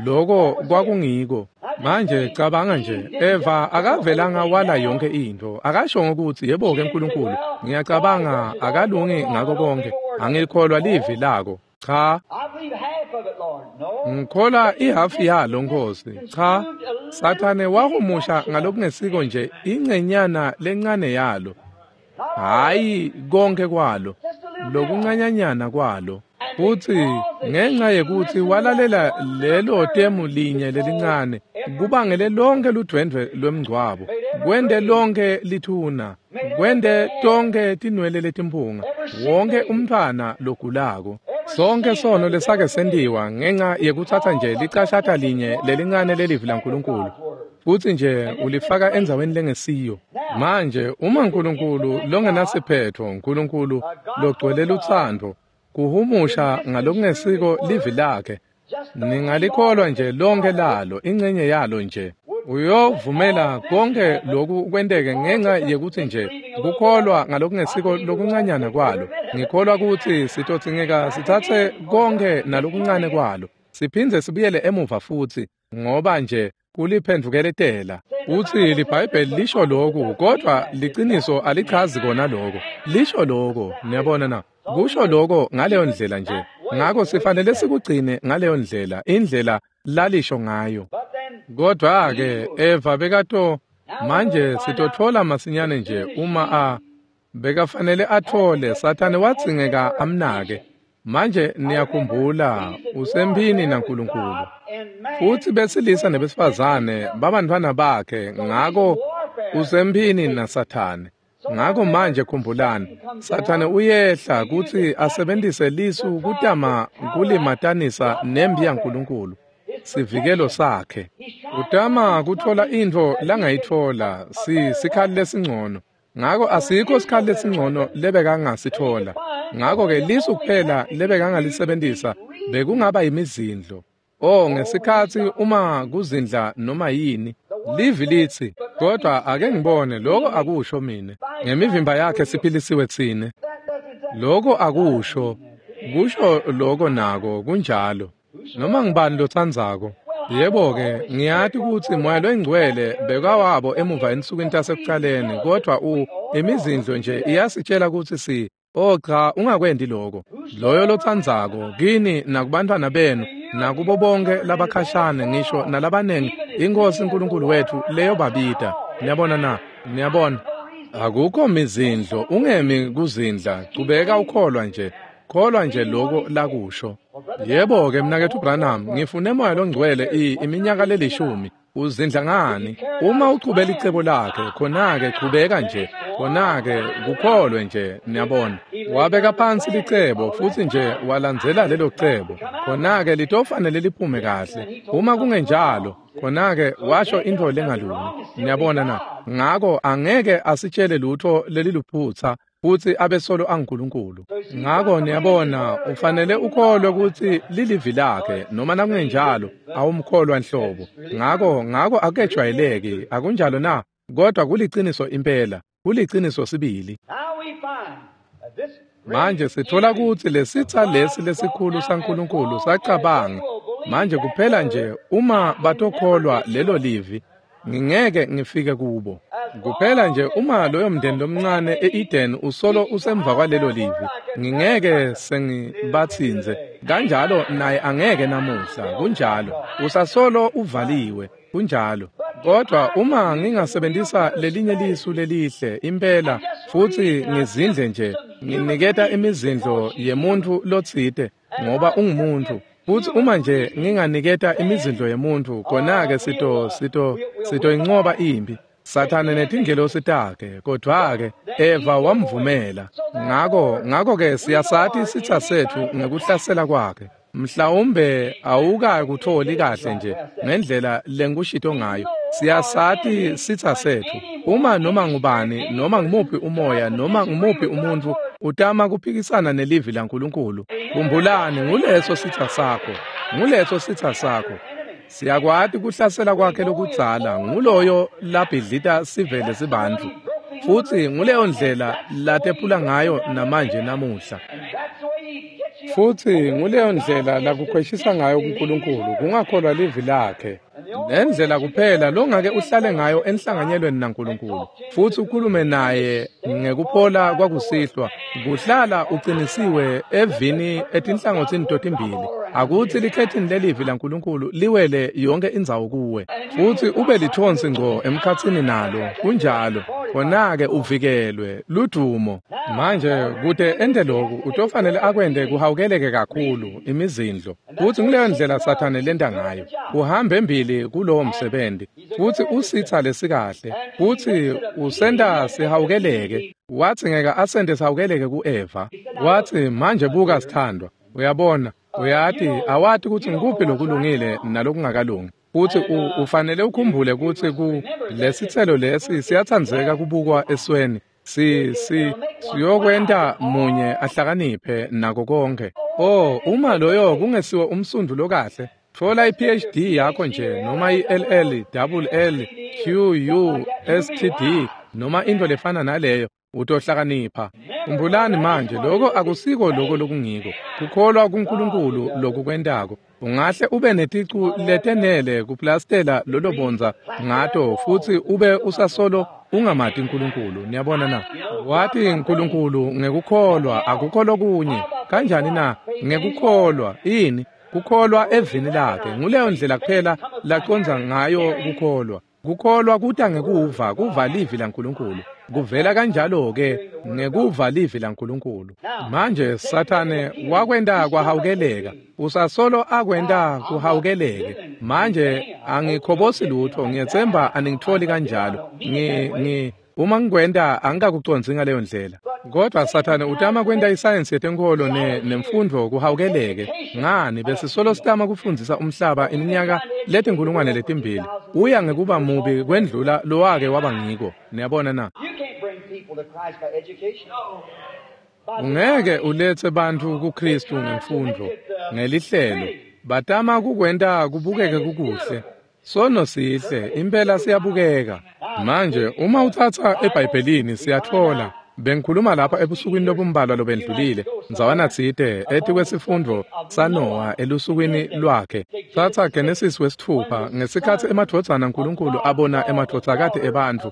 lokho kwakungiko. Manje cabanga nje, Eva akavelanga wala yonke intfo. Akashongo kutsi yebo-ke uNkulunkulu, ngiyacabanga akalungi ngako konke, angikholwa livi lako. Cha, ngikholwa ihafu yalo Nkosi. Cha, Sathane wahumusha ngalokungesiko nje ingcenyana lencane yalo, hhayi konke kwalo, lokuncanyanyana kwalo. Futsi ngenxa yekutsi walalela lelo temu linye lelincane, kubangele lonke ludvwendvwe lwemngcwabo, kwente lonke lithuna, kwente tonke tinwele letimphunga, wonke umntfwana logulako. Sonke sono lesake sentiwa ngenxa yekutsatsa nje licashata linye lelincane lelivi laNkulunkulu, futsi nje ulifaka endzaweni lengesiyo. Manje uma uNkulunkulu longenasiphetho, uNkulunkulu logcwele lutsandvo, kuhumusha ngalokungesiko livi lakhe, ningalikholwa nje lonke lalo, ingcenye yalo nje. Uyovumela konke lokhu kwenteke ngenxa yekutsi nje kukholwa ngalokungesiko lokuncanyana kwalo. Ngikholwa kutsi sitodzingeka sitsatse konke nalokuncane kwalo, siphindze sibuyele emuva futsi, ngoba nje kuliphendvukeletela. Utsi liBhayibheli lisho lokhu, kodvwa liciniso alichazi kona lokho. Lisho lokho, niyabona na? Kusho lokho ngaleyo ndlela nje. Ngako sifanele sikugcine ngaleyo ndlela, indlela lalisho ngayo. Kodwa-ke Eva bekato, manje sitotfola masinyane nje uma bekafanele athole, Sathane wadzingeka amnake. Manje niyakhumbula usemphini naNkulunkulu. Futsi besilisa nebesifazane babantfwana bakhe, ngako usemphini naSathane. Ngako manje khumbulani, Sathane uyehla kutsi asebentise lisu kutama kulimatanisa nempi yaNkulunkulu, sivikelo sakhe. Utama kutfola intfo langayitfola, sikhali lesingcono. Ngako asikho sikhali lesingcono lebekangasitfola. Ngako-ke lisu kuphela lebekangalisebentisa bekungaba imizindlo. O, ngesikhatsi uma kuzindla noma yini, livi litsi, kodwa ake ngibone lokho akusho mine. Ngemivimba yakhe siphilisiwe tsine. Lokho akusho, kusho lokho nako kunjalo. Noma ngibani lotsandzako. Yebo-ke, ngiyati kutsi Moya loyiNgcwele bekawabo emuva ensukwini tasekucaleni, kodwa imizindlo nje iyasitshela kutsi oh cha, ungakwendi lokho. Loyo lotsandzako kini nakubantwana benu nakubo bonke labakhashane ngisho nalabanengi iNkosi uNkulunkulu wethu leyo babita. Niyabona na? Niyabona? Akukho mizindlo, ungemi kuzindla, chubeka ukholwa nje. Kholwa nje lokho lakusho. Yebo-ke mnaketfu Branham, ngifune Moya loNgcwele iminyaka lelishumi. Uzindla ngani? Uma uchubela icebo lakhe, khona-ke chubeka nje, khona-ke kukholwe nje, niyabona. Wabeka phansi licebo futsi nje walandzela lelo cebo. Khona-ke litofanele liphume kahle. Uma kungenjalo, khona-ke washo intfo lengalungi. Niyabona na? Ngako angeke asitshele lutho leliluphutsa futsi abesolo anguNkulunkulu. Ngako niyabona, ufanele ukholwe kutsi lilivi lakhe, noma nakungenjalo awumkholwa nhlobo. Ngako akejwayeleki, akunjalo na? Kodwa kuliciniso impela, kuliciniso sibili. Manje sithola kutsi lesitsa lesi lesikhulu saNkulunkulu sacabanga, manje kuphela nje uma batokholwa lelo livi, ngingeke ngifike kubo. Kuphela nje uma loyo mndeni lomncane e-Eden usolo usemva kwalelo livi, ngingeke sengibatsinze. Kanjalo naye angeke namuhla, kunjalo. Usasolo uvaliwe, kunjalo. Kodwa uma ngingasebenzisa lelinye lisu lelihle impela futsi ngizindle nje, nginiketa imizindlo yemuntfu lotsite ngoba ungumuntu. Futsi uma nje nginganiketa imizindlo yemuntfu, khona-ke sitoyincoba impi. Sathane netingelosi takhe, kodwa-ke Eva wamvumela. Ngako-ke siyasati sitsa setfu ngekuhlasela kwakhe. Mhlawumbe awukakutholi kahle nje ngendlela lengikushito ngayo. Siyasati sitsa setfu. Uma noma ngubani, noma ngumuphi umoya, noma ngumuphi umuntfu utama kuphikisana nelivi laNkulunkulu, khumbulani, nguleso sitsa sakho. Nguleso sitsa sakho. Siyakwati kuhlasela kwakhe lokudzala, nguloyo labhidlita sivele sibantfu. Futsi nguleyo ndlela latephula ngayo namanje namuhla. Futsi nguleyo ndlela lakukhweshisa ngayo kuNkulunkulu, kungakholwa livi lakhe. Nendlela kuphela longake uhlale ngayo enhlanganyelweni naNkulunkulu futsi ukhulume naye ngekuphola kwakusihlwa, kuhlala uqinisiwe evini etinhlangothini totimbili. Akutsi likhethini lelivi laNkulunkulu liwele yonke indzawo kuwe, futsi ube lithonsi ngco emkhatsini nalo. Kunjalo, khona-ke uvikelwe ludumo. Manje kute ente loku, utofanele akwente kuhawukeleke kakhulu imizindlo. Futsi nguleyo ndlela Sathane lenta ngayo. Uhambe embili kulowo msebenzi, futsi usitsa lesikahle, futsi usenta sihawukeleke. Watsi ngeke asente sihawukeleke ku-Eva. Watsi, manje buka sithandwa, uyabona, uyati, awati kutsi ngikuphi lokulungile nalokungakalungi. Futsi ufanele ukhumbule kutsi lesitselo lesi siyatsandzeka kubukwa esweni. Siyokwenta munye ahlakaniphe nako konke. Oh, uma loyo kungesiwo umsundvu lokahle, tfola i-PhD yakho nje, noma i-LL, double L, Q, U, S, T, D, noma intfo lefana naleyo, utohlakanipha. Khumbulani manje, lokho akusiko lokho lokungiko. Kukholwa kuNkulunkulu lokukwentako. Ungahle ube neticu letenele kuplastela lolo bondza ngato futsi ube usasolo ungamati uNkulunkulu. Niyabona na? Wati uNkulunkulu ngekukholwa, akukho lokunye. Kanjani na? Ngekukholwa. Ini? Kukholwa evini lakhe. Nguleyo ndlela kuphela lacondza ngayo kukholwa. Kukholwa kuta ngekuva, kuva livi laNkulunkulu. Kuvela kanjalo-ke ngekuva livi laNkulunkulu. Manje Sathane wakwenta kwahawukeleka. Usasolo akwenta kuhawukeleke. Manje angikhobosi lutho, ngiyetsemba aningitholi kanjalo. Uma ngikwenta angikakucondzi ngaleyo ndlela. Kodwa Sathane utama kwenta isayensi yetenkholo nemfundo kuhawukeleke. Ngani besisolo sitama kufundzisa umhlaba iminyaka letinkulungwane letimbili. Uya ngekuba mubi kwendlula lowake waba ngiko. Niyabona na? Ungeke uletse bantfu kuKristu ngemfundo, ngelihlelo. Batama kukwenta kubukeke kukuhle. Sono sihle, impela siyabukeka. Manje uma utsatsa eBhayibhelini siyatfola. Bengikhuluma lapha ebusukwini lobumbalwa lobendlulile, ndzawana tsite etikwesifundvo saNowa elusukwini lwakhe. Tsatsa Genesis 6 ngesikhatsi emadvodzana aNkulunkulu abona emadvodzakati ebantfu.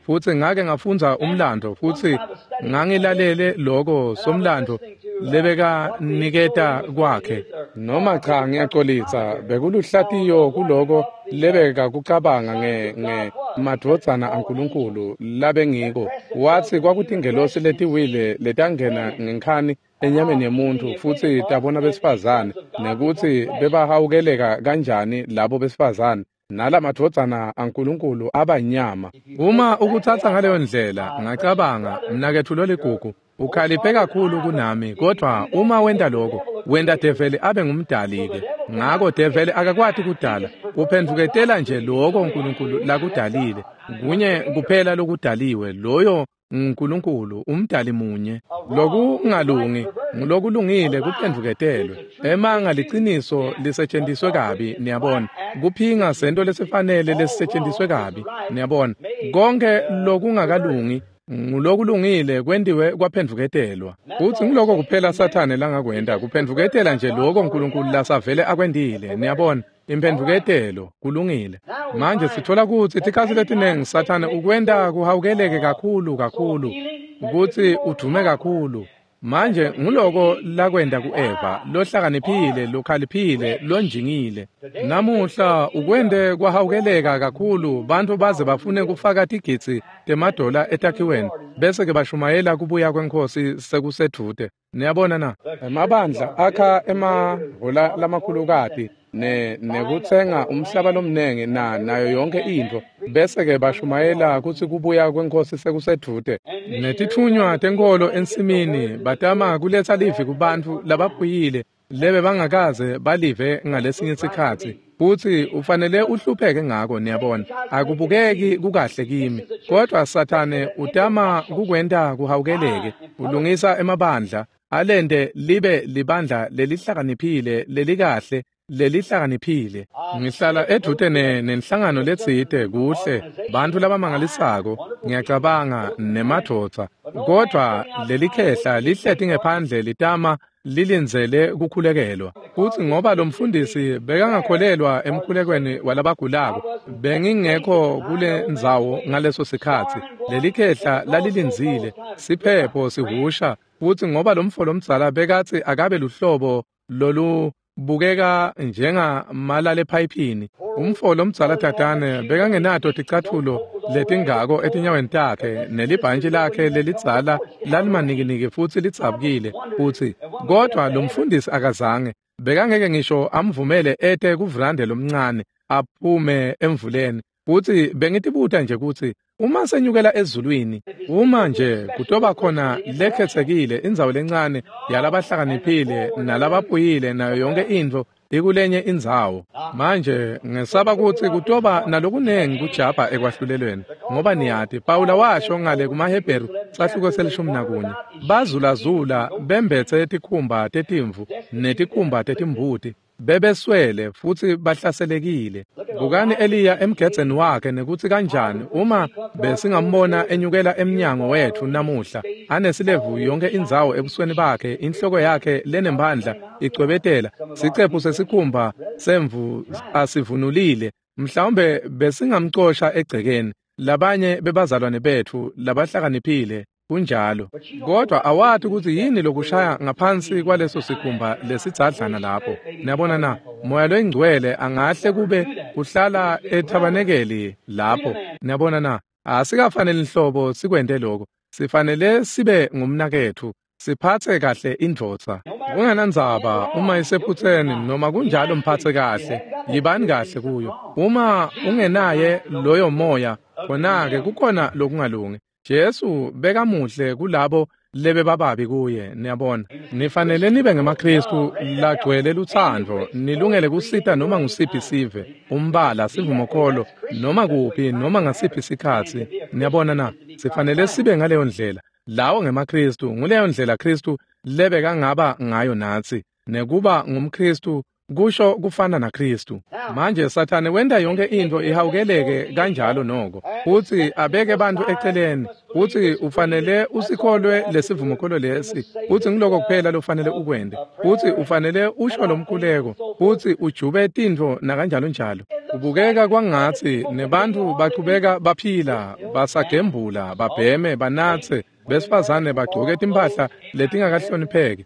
Futsi ngake ngafundza umlando futsi ngangilalele loko somlando lebekaniketa kwakhe. Noma cha, ngiyacolisa, bekuluhlatiyo kuloko lebekakucabanga nge madvodzana aNkulunkulu labengiko. Watsi kwakutingelosi letiwile letangena ngenkhani enyameni yemuntfu futsi tabona besifazane, nekutsi bebahawukeleka kanjani labo besifazane nalamadvodzana aNkulunkulu abanyama. Uma ukutsatsa ngaleyo ndlela, ngacabanga, mnaketfu loligugu, ukhaliphe kakhulu kunami, kodvwa uma wenta lokho, wenta develi abe ngumdali-ke. Ngako develi akakwati kudala, uphendvuketela nje lokho uNkulunkulu lakudalile. Kunye kuphela lokudaliwe, loyo nguNkulunkulu, umdali munye. Lokungalungi ngulokulungile kuphendvuketelwe. Emanga liciniso lisetjentiswe kabi, niyabona. Kuphinga sento lesifanele lesisetjentiswe kabi, niyabona. Konke lokungakalungi ngulokulungile kwentiwe kwaphendvuketelwa. Futsi nguloko kuphela Sathane langakwenta, kuphendvuketela nje lokho uNkulunkulu lasavele akwentile, niyabona. Imphendvuketelo kulungile. Manje sithola kutsi tikhatsi letinengi Sathane ukwenta kuhawukeleke kakhulu kakhulu, kutsi udume kakhulu. Manje nguloko lakwenta ku-Eva, lohlakaniphile, lokhaliphile, lonjingile. Namuhla ukwente kwahawukeleka kakhulu, bantfu baze bafune kufaka tigidzi temadola etakhiweni, bese-ke bashumayela kubuya kweNkhosi sekusedvute. Niyabona na? Emabandla akha emahhola lamakhulukati nekutsenga umhlaba lomnengi nayo yonke intfo, bese-ke bashumayela kutsi kubuya kweNkhosi sekusedvute. Netitfunywa tenkholo ensimini batama kuletsa livi kubantfu labaphuyile lebe bangakaze balive ngalesinye sikhatsi. Futsi ufanele uhlupheke ngako, niyabona. Akubukeki kukahle kimi, kodvwa Sathane utama kukwenta kuhawukeleke. Ulungisa emabandla alente libe libandla lelihlakaniphile, lelikahle, lelihlakaniphile. Ngihlala edvute nenhlangano letsite kuhle, bantfu labamangalisako, ngiyacabanga, nemadvodza. Kodvwa lelikhehla lihleti ngephandle litama lilindzele kukhulekelwa. Futsi ngoba lo mfundisi bekangakholelwa emkhulekweni walabagulako, bengingekho kule ndzawo ngaleso sikhatsi. Lelikhehla lalilindzile, siphepho sihusha, futsi ngoba lo mfo lomdzala bekatsi akabe luhlobo lolu bukeka njengamalale ephayiphini. Umfo lomdzala tatane bekangenato ticatfulo letingako etinyaweni takhe, nelibhantshi lakhe lelidzala lalimanikiniki futsi lidzabukile. Futsi kodvwa lo mfundisi akazange, bekangeke ngisho amvumele ete kuvrande lomncane aphume emvuleni. Futsi bengitibuta nje kutsi uma senyukela ezulwini, uma nje kutoba khona lekhetsekile indzawo lencane yalabahlakaniphile nalabaphuyile nayo yonke intfo ikulenye indzawo. Manje ngesaba kutsi kutoba nalokunengi kujabha ekwahlulelweni, ngoba niyati Pawula washo ngale kumaHebheru sahluko se-11, bazulazula bembetse tikhumba tetimvu netikhumba tetimbuti, bebeswele futsi bahlaselekile. Bukani Eliya emgedzeni wakhe nekutsi kanjani uma besingambona enyukela emnyango wetfu namuhla, anesilevu yonke indzawo ebusweni bakhe, inhloko yakhe lenemphandla icwebetela, sicephu sesikhumba semvu asivunulile, mhlawumbe besingamcosha egcekeni. Labanye bebazalwane betfu labahlakaniphile kunjalo, kodwa awati kutsi yini lokushaya ngaphansi kwaleso sikhumba lesidzadlana lapho. Niyabona na? Moya loyingcwele angahle kube kuhlala ethabanekeli lapho. Niyabona na? Asikafanele nhlobo sikwente lokho. Sifanele sibe ngumnaketfu, siphatse kahle indvodza. Kungenandzaba uma isephutseni noma kunjalo, mphatse kahle, yibani kahle kuyo. Uma ungenaye loyo moya, khona-ke kukhona lokungalungi. Jesu bekamuhle kulabo lebebababi kuye, niyabona. Nifanele nibe ngemaKhristu lagcwele lutsandvo, nilungele kusita noma ngusiphi sive, umbala, sivumokholo, noma kuphi, noma ngasiphi sikhatsi. Niyabona na? Sifanele sibe ngaleyo ndlela. Lawo ngemaKhristu, nguleyo ndlela Khristu lebekangaba ngayo natsi. Nekuba ngumKhristu Kusho kufana naKristu. Manje Sathane wenta yonke into ihawukeleke kanjalo noko. Futsi abeke bantfu eceleni. Futsi ufanele usikholwe lesivumokholo lesi. Futsi ngiloko kuphela lofanele ukwente. Futsi ufanele usho lomkhuleko. Futsi ujube tintfo nakanjalo njalo. Ubukeka kwangatsi nebantfu bachubeka baphila, basagembula, babheme, banatse, besifazane bagcoke timphahla letingakahlonipheki.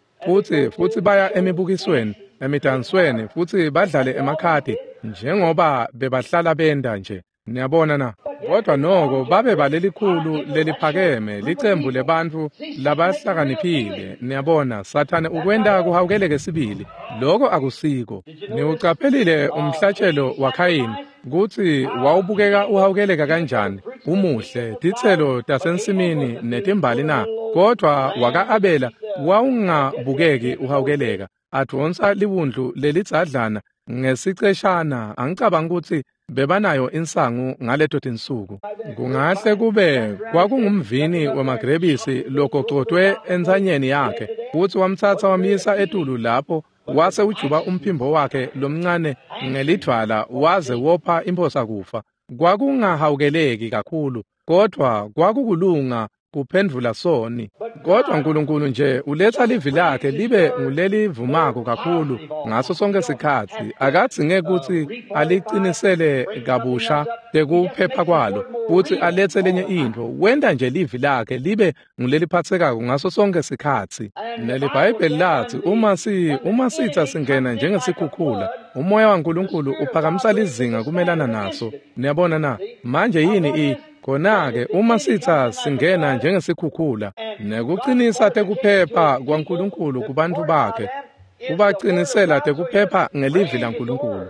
Futsi baya emibukisweni, emidansweni, futsi badlale emakhadi njengoba bebahlala benda nje. Niyabona na? Kodwa noko babe balelikhulu leliphakeme licembu lebantfu labahlakaniphile. Niyabona, Sathane ukwenta kuhawukeleke sibili. Loko akusiko. Niwucaphelile umhlatshelo waKhayini kutsi wawubukeka uhawukeleka kanjani, umuhle, titselo tasensimini netimbali na? Kodwa waka-Abela wawungabukeki uhawukeleka, advonsa liwundlu lelidzadlana ngesiceshana. Angicabangi kutsi bebanayo insangu ngaleto tinsuku. Kungahle kube kwakungumvini wemagrebisi logocotwe entsanyeni yakhe, futsi wamtsatsa wamyisa etulu lapho, wase ujuba umphimbo wakhe lomncane ngelidvwala waze wopha imphosa kufa. Kwakungahawukeleki kakhulu, kodwa kwakukulunga kuphendvula soni. Kodwa uNkulunkulu nje uletha livi lakhe libe ngulelivumako kakhulu ngaso sonke sikhatsi. Akadzinge kutsi alicinisele kabusha tekuphepha kwalo futsi aletse lenye intfo. Wenta nje livi lakhe libe nguleliphatsekako ngaso sonke sikhatsi. NeliBhayibheli latsi uma sitsa singena njengesikhukhula, umoya waNkulunkulu uphakamisa lizinga kumelana naso. Niyabona na? Manje yini khona-ke uma sitsa singena njengesikhukhula, nekucinisa tekuphepha kwaNkulunkulu kubantfu bakhe, kubacinisela tekuphepha ngelivi laNkulunkulu.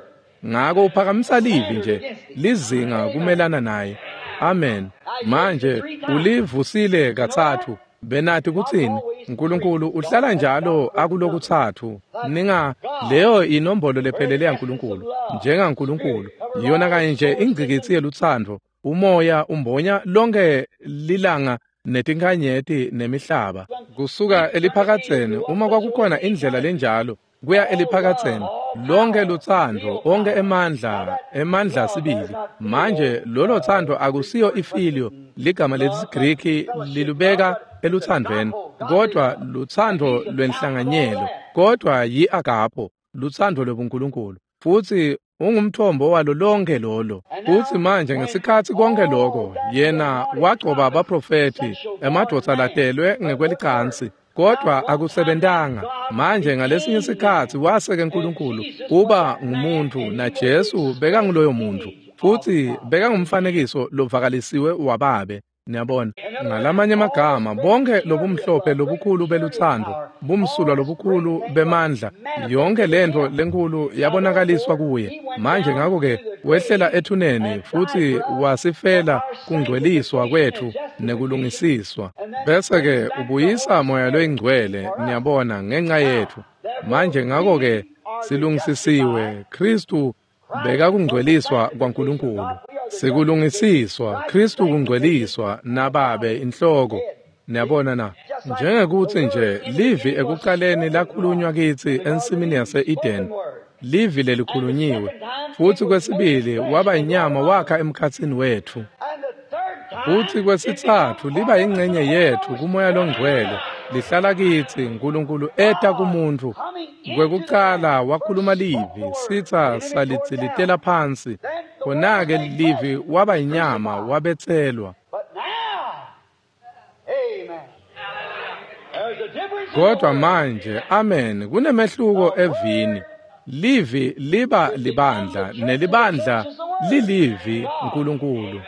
Ngako uphakamisa livi nje lizinga kumelana naye. Amen. Manje ulivusile katsatfu. Benati kutsini? uNkulunkulu uhlala njalo akulokutsatfu. Ninga leyo inombolo lephelele yaNkulunkulu. NjengaNkulunkulu iyona kanye nje ingcikitsi yelutsandvo. Umoya umbonya lonke lilanga netinkhanyeti nemihlaba. Kusuka eliphakadzeni, uma kwakukhona indlela lenjalo kuya eliphakadzeni, lonke lutsandvo, onke emandla sibili. Manje lolo tsandvo akusiyo ifilio, ligama lesiGriki lilubeka elutsandvweni, kodwa lutsandvo lwenhlanganyelo, kodwa yi-agapo, lutsandvo lwebuNkulunkulu. Futsi ungumthombo walo lonke lolo. Futsi manje ngesikhatsi konke lokho, yena wagcoba abaprofethi, emadvodza latelwe ngekwelicansi, kodwa akusebentanga. Manje ngalesinye sikhatsi waseke uNkulunkulu uba ngumuntu, naJesu bekanguloyo muntu, futsi bekangumfanekiso lovakalisiwe waBabe. Niyabona, ngalamanye amagama, bonke lobumhlophe lobukhulu belutsandvo, bumsulwa lobukhulu bemandla, yonke lentfo lenkulu yabonakaliswa kuye. Manje ngakho-ke wehlela ethuneni futsi wasifela kungcweliswa kwetfu nekulungisiswa. Bese-ke ubuyisa Moya loyiNgcwele, niyabona, ngenxa yetfu. Manje ngakho-ke silungisisiwe. Kristu bekakungcweliswa kwaNkulunkulu. Sikulungisiswa, Kristu kungcweliswa naBabe inhloko. Niyabona na? Njengekuthi nje livi ekuqaleni lakhulunywa kitsi ensimini yase-Eden, livi lelikhulunyiwe, futsi kwesibili waba inyama wakha emkhatsini wetfu. Futsi kwesitsatfu liba ingcenye yetfu kuMoya loNgcwele, lihlala kitsi. Nkulunkulu eta kumuntfu. Kwekucala wakhuluma livi, sitsa salidzilitela phansi. Khona-ke livi waba inyama wabetselwa. Kodwa manje, amen, kunemehluko evini. Livi liba libandla, nelibandla lilivi Nkulunkulu.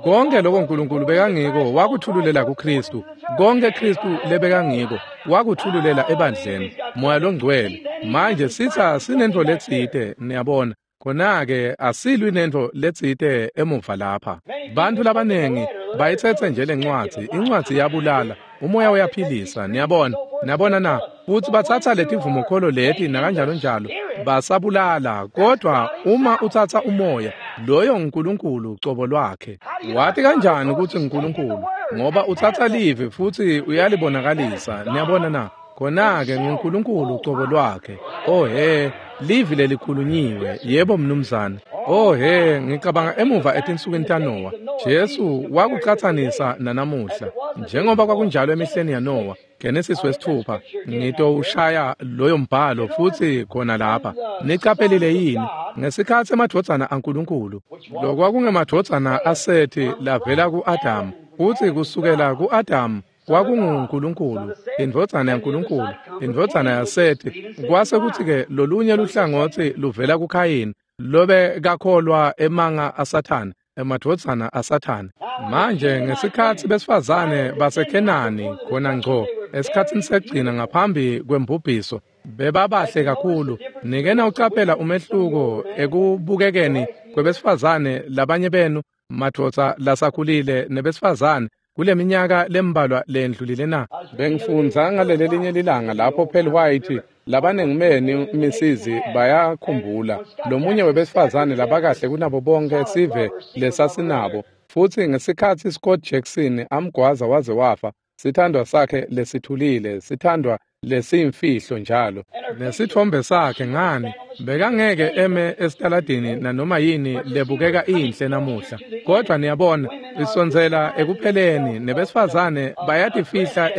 Konke lokho uNkulunkulu bekangiko wakuthululela kuKristu. Konke Kristu lebekangiko wakuthululela ebandleni, Moya loNgcwele. Manje sitsa sinentfo letsite, niyabona. Khona-ke asilwi nentfo letsite emuva lapha. Bantfu labanengi bayitsetse nje lencwadzi, incwadzi iyabulala, umoya uyaphilisa, niyabona. Niyabona na? Futsi batsatsa letivumokholo leti nakanjalo njalo, basabulala. Kodwa uma utsatsa umoya, loyo nguNkulunkulu cobo lwakhe. Wati kanjani kutsi nguNkulunkulu? Ngoba utsatsa livi futsi uyalibonakalisa, niyabona na? Khona-ke nguNkulunkulu cobo lwakhe. Oh he, Livi lelikhulunyiwe. Yebo mnumzane. Oh he, ngicabanga emuva etinsukwini taNowa. Jesu wakucatsanisa nanamuhla. Njengoba kwakunjalo emihleni yaNowa, Genesis 6, ngitowushaya loyo mbhalo futhi khona lapha. Niqaphelile yini? Ngesikhathi emadvodzana aNkulunkulu, lokwakungemadvodzana aSethi lavela ku-Adamu, futhi kusukela ku-Adamu kwakunguNkulunkulu, indvodzana yaNkulunkulu, indvodzana yaSethi. Kwase kuthi-ke lolunye luhlangotsi luvela kuKhayini, lobe kakholwa emanga aSathane, emadvodzana aSathane. Manje ngesikhathi besifazane baseKhenani khona ngco esikhatsini sekugcina ngaphambi kwembubhiso, bebabahle kakhulu. Nike nawucaphela umehluko ekubukekeni kwebesifazane labanye benu madvodza lasakhulile nebesifazane kuleminyaka lembalwa lendlulile na? Bengifundza ngaleli linye lilanga lapho Pearl White labanengi benu misizi bayakhumbula lomunye webesifazane labakahle kunabo bonke sive lesasinabo, futhi ngesikhathi Scott Jackson amgwaza waze wafa, sithandwa sakhe lesithulile, sithandwa lesiyimfihlo njalo nesithombe sakhe, ngani bekangeke eme esitaladini nanoma yini lebukeka inhle namuhla. Kodwa niyabona, isondzela ekupheleni, nebesifazane bayatifihla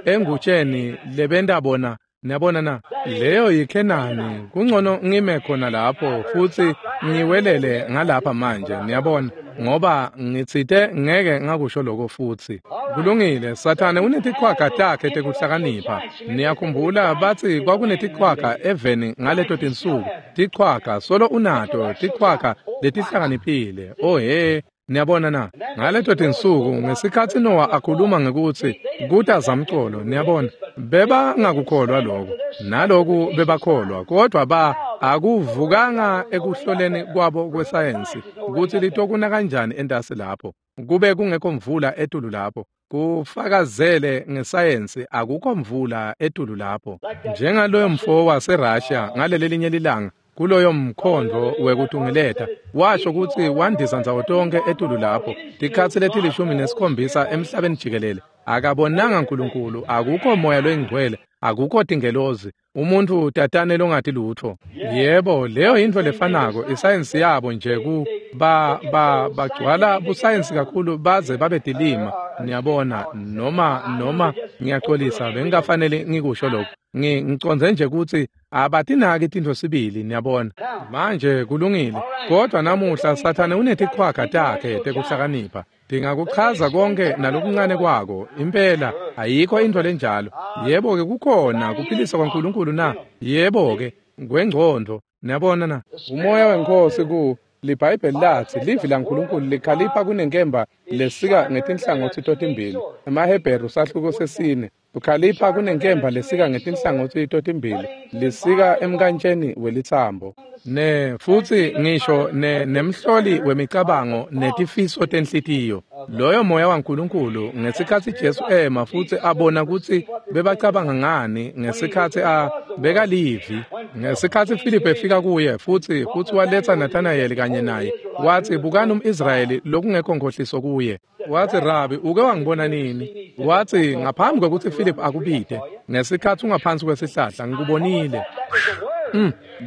engutsheni lebenta bona. Niyabona na? Leyo yiKhenani. Kungcono ngime khona lapho futhi ngiwelele ngalapha manje, niyabona, ngoba ngitsite ngeke ngakusho lokho futhi. Kulungile, Sathane unetichwaga takhe tekuhlakanipha. Niyakhumbula bathi kwakunetichwaga eveni ngaleto tinsuku. Tichwaga solo unato, tichwaga letihlakaniphile. Oh he, niyabona na? Ngaleto tinsuku ngesikhathi Noah akhuluma ngekuthi kuta zamcolo, niyabona, bebangakukholwa lokho. Naloku bebakholwa, kodwa akuvukanga ekuhloleni kwabo kwesayensi ukuthi litokuna kanjani entasi lapho. Kube kungekho mvula etulu lapho. Kufakazele ngesayensi akukho mvula etulu lapho. Njengaloyo mfo waseRussia ngaleli linye lilanga kuloyo mkhondo wekutungeleta, washo ukuthi wandisa ndzawo tonke etulu lapho tikhatsi leti-17 emhlabeni jikelele. Akabonanga uNkulunkulu, akukho moya loyingcwele, akukho tingelozi, umuntu tatane longathi lutho. Yebo, leyo yintfo lefanako isayensi yabo nje ku bagcwala busayensi kakhulu baze babe dilima. Niyabona, noma ngiyaxolisa, bengingafanele ngikusho lokho. Ngicondze nje ukuthi abatinaki tintfo sibili, niyabona. Manje kulungile, kodwa namuhla Sathane unetichwaga takhe tekuhlakanipha. Tingakuchaza konke nalokuncane kwako. Impela ayikho intfo lenjalo. Yebo-ke kukhona kuphilisa kwaNkulunkulu na? Yebo-ke kwengcondvo. Niyabona na? Umoya weNkhosi ku liBhayibheli lathi livi laNkulunkulu likhalipha kunenkemba lesika ngetinhlangotsi totimbili. EmaHebheru sahluko 4. Ukhalipha kunenkemba lesika ngetinhlangotsi totimbili, lisika emkantsheni welitsambo. Ne futhi ngisho nemhloli wemicabango netifiso tenhlitiyo. Loyo moya waNkulunkulu ngesikhathi Jesu ema futhi abona ukuthi bebacabanga ngani ngesikhathi bekalivi. Ngesikhathi Philip efika kuye futhi waletha Nathanael kanye naye, wathi bukani umIsrayeli lokungekho nkhohliso kuye. Wathi Rabi, uke wangibona nini? Wathi ngaphambi kwekuthi Philip akubide, ngesikhathi ungaphansi kwesihlahla ngikubonile.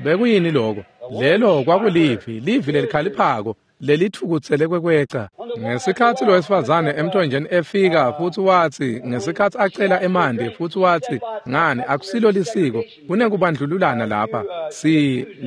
Bekuyini lokho? Lelo kwakulivi, livi lelikhaliphako lelithukutsele kwekweca. Ngesikhathi lo wesifazane emthonjeni efika futhi wathi ngesikhathi acela emanti futhi wathi ngani akusilo lisiko, kunekubandlululana lapha,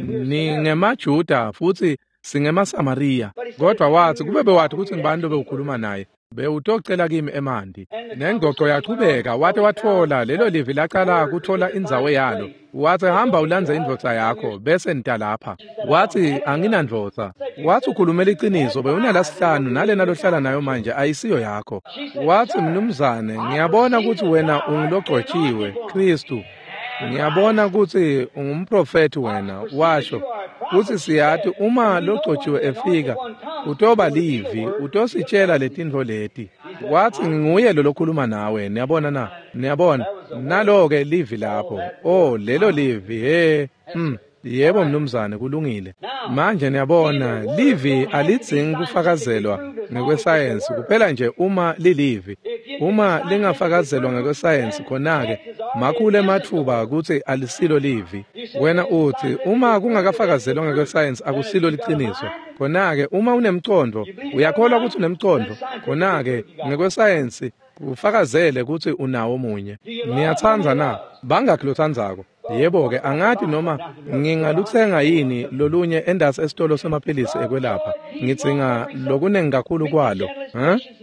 ningemaJuda futhi singemaSamariya. Kodwa wathi kube bewathi ukuthi ngibani lo bewukhuluma naye, bewutocela kimi emanti. Nengxoxo yachubeka, wathi wathola lelo livi laqala kuthola indzawo yalo. Wathi hamba ulandze indvodza yakho bese nita lapha. Wathi anginandvodza. Wathi ukhulumela iqiniso, bewunalasihlanu nalena lohlala nayo manje ayisiyo yakho. Wathi mnumzane, ngiyabona ukuthi wena ungulogcotshiwe Kristu. Ngiyabona ukuthi ungumprofeti wena. Washo kuthi siyati uma logcotshiwe efika utoba livi, utositshela letintfo leti. Wathi nginguye lo lokhuluma nawe. Niyabona na? Niyabona nalo-ke livi lapho. Oh, lelo livi. He, yebo mnumzane, kulungile. Manje niyabona, livi alidzingi kufakazelwa ngekwesayensi kuphela nje uma lilivi. Uma lingafakazelwa ngekwesayensi, khona-ke makhulu ematfuba kutsi alisilo livi. Wena utsi, uma kungakafakazelwa ngekwesayensi akusilo liciniso. Khona-ke uma unemcondvo, uyakholwa kutsi unemcondvo, khona-ke ngekwesayensi kufakazele kutsi unawo munye. Niyatsandza na? Bangakhi lotsandzako? Yebo-ke, angati noma ngingalutsenga yini lolunye endasi esitolo semaphilisi ekwelapha. Ngidzinga lokunengi kakhulu kwalo.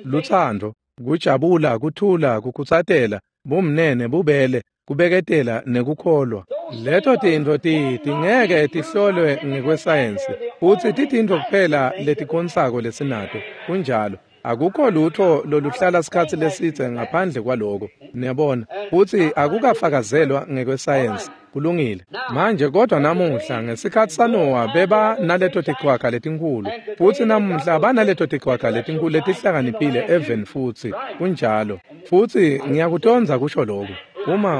Lutsandvo, kujabula, kuthula, kukhutsatela, bumnene, bubele, kubeketela nekukholwa. Leto tintfo tingeke tihlolwe ngekwesayensi, futsi titintfo kuphela letikhonsako lesinato. Kunjalo. Akukho lutho loluhlala sikhatsi lesidze ngaphandle kwaloko, niyabona, futsi akukafakazelwa ngekwesayensi. Kulungile. Manje kodwa namuhla ngesikhatsi saNowa beba naleto tichwaga letinkhulu, futsi namuhla banaleto tichwaga letinkhulu letihlakaniphile eveni futsi. Kunjalo. Futsi ngiyakutondza kusho lokhu.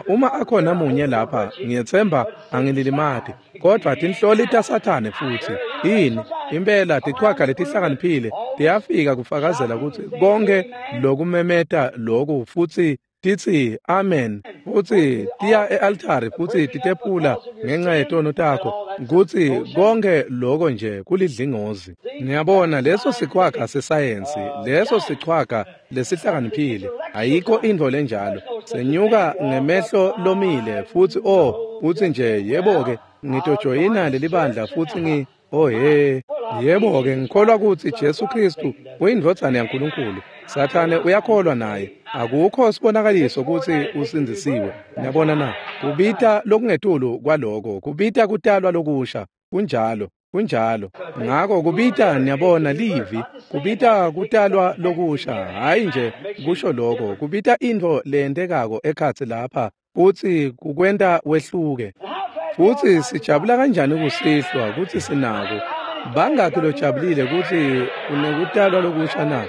Uma akhona munye lapha, ngiyetsemba angililimati, kodvwa tinhloli taSathane futsi. Yini? Impela tichwaga letihlakaniphile tiyafika kufakazela kutsi konke lokumemeta loku futsi titsi amen, futsi tiya e-altari futsi titephula ngenxa yetono takho, kutsi konke loko nje kulidlingozi. Niyabona, leso sichwaga sesayensi, leso sichwaga lesihlakaniphile, ayikho intfo lenjalo. Senyuka ngemehlo lomile futsi utsi nje yebo-ke ngitojoyina lelibandla futsi yebo-ke ngikholwa kutsi Jesu Khristu uyindvodzana yaNkulunkulu. Sathane uyakholwa naye. Akukho sibonakaliso kutsi usindzisiwe. Niyabona na? Kubita lokungetulu kwaloko, kubita kutalwa lokusha. Kunjalo, kunjalo. Ngako kubita, niyabona, livi, kubita kutalwa lokusha, hhayi nje kusho lokho, kubita intfo leyentekako ekhatsi lapha, futsi kukwenta wehluke. Futsi sijabula kanjani kusihlwa kutsi sinako. Bangakhi lojabulile kutsi unekutalwa lokusha na?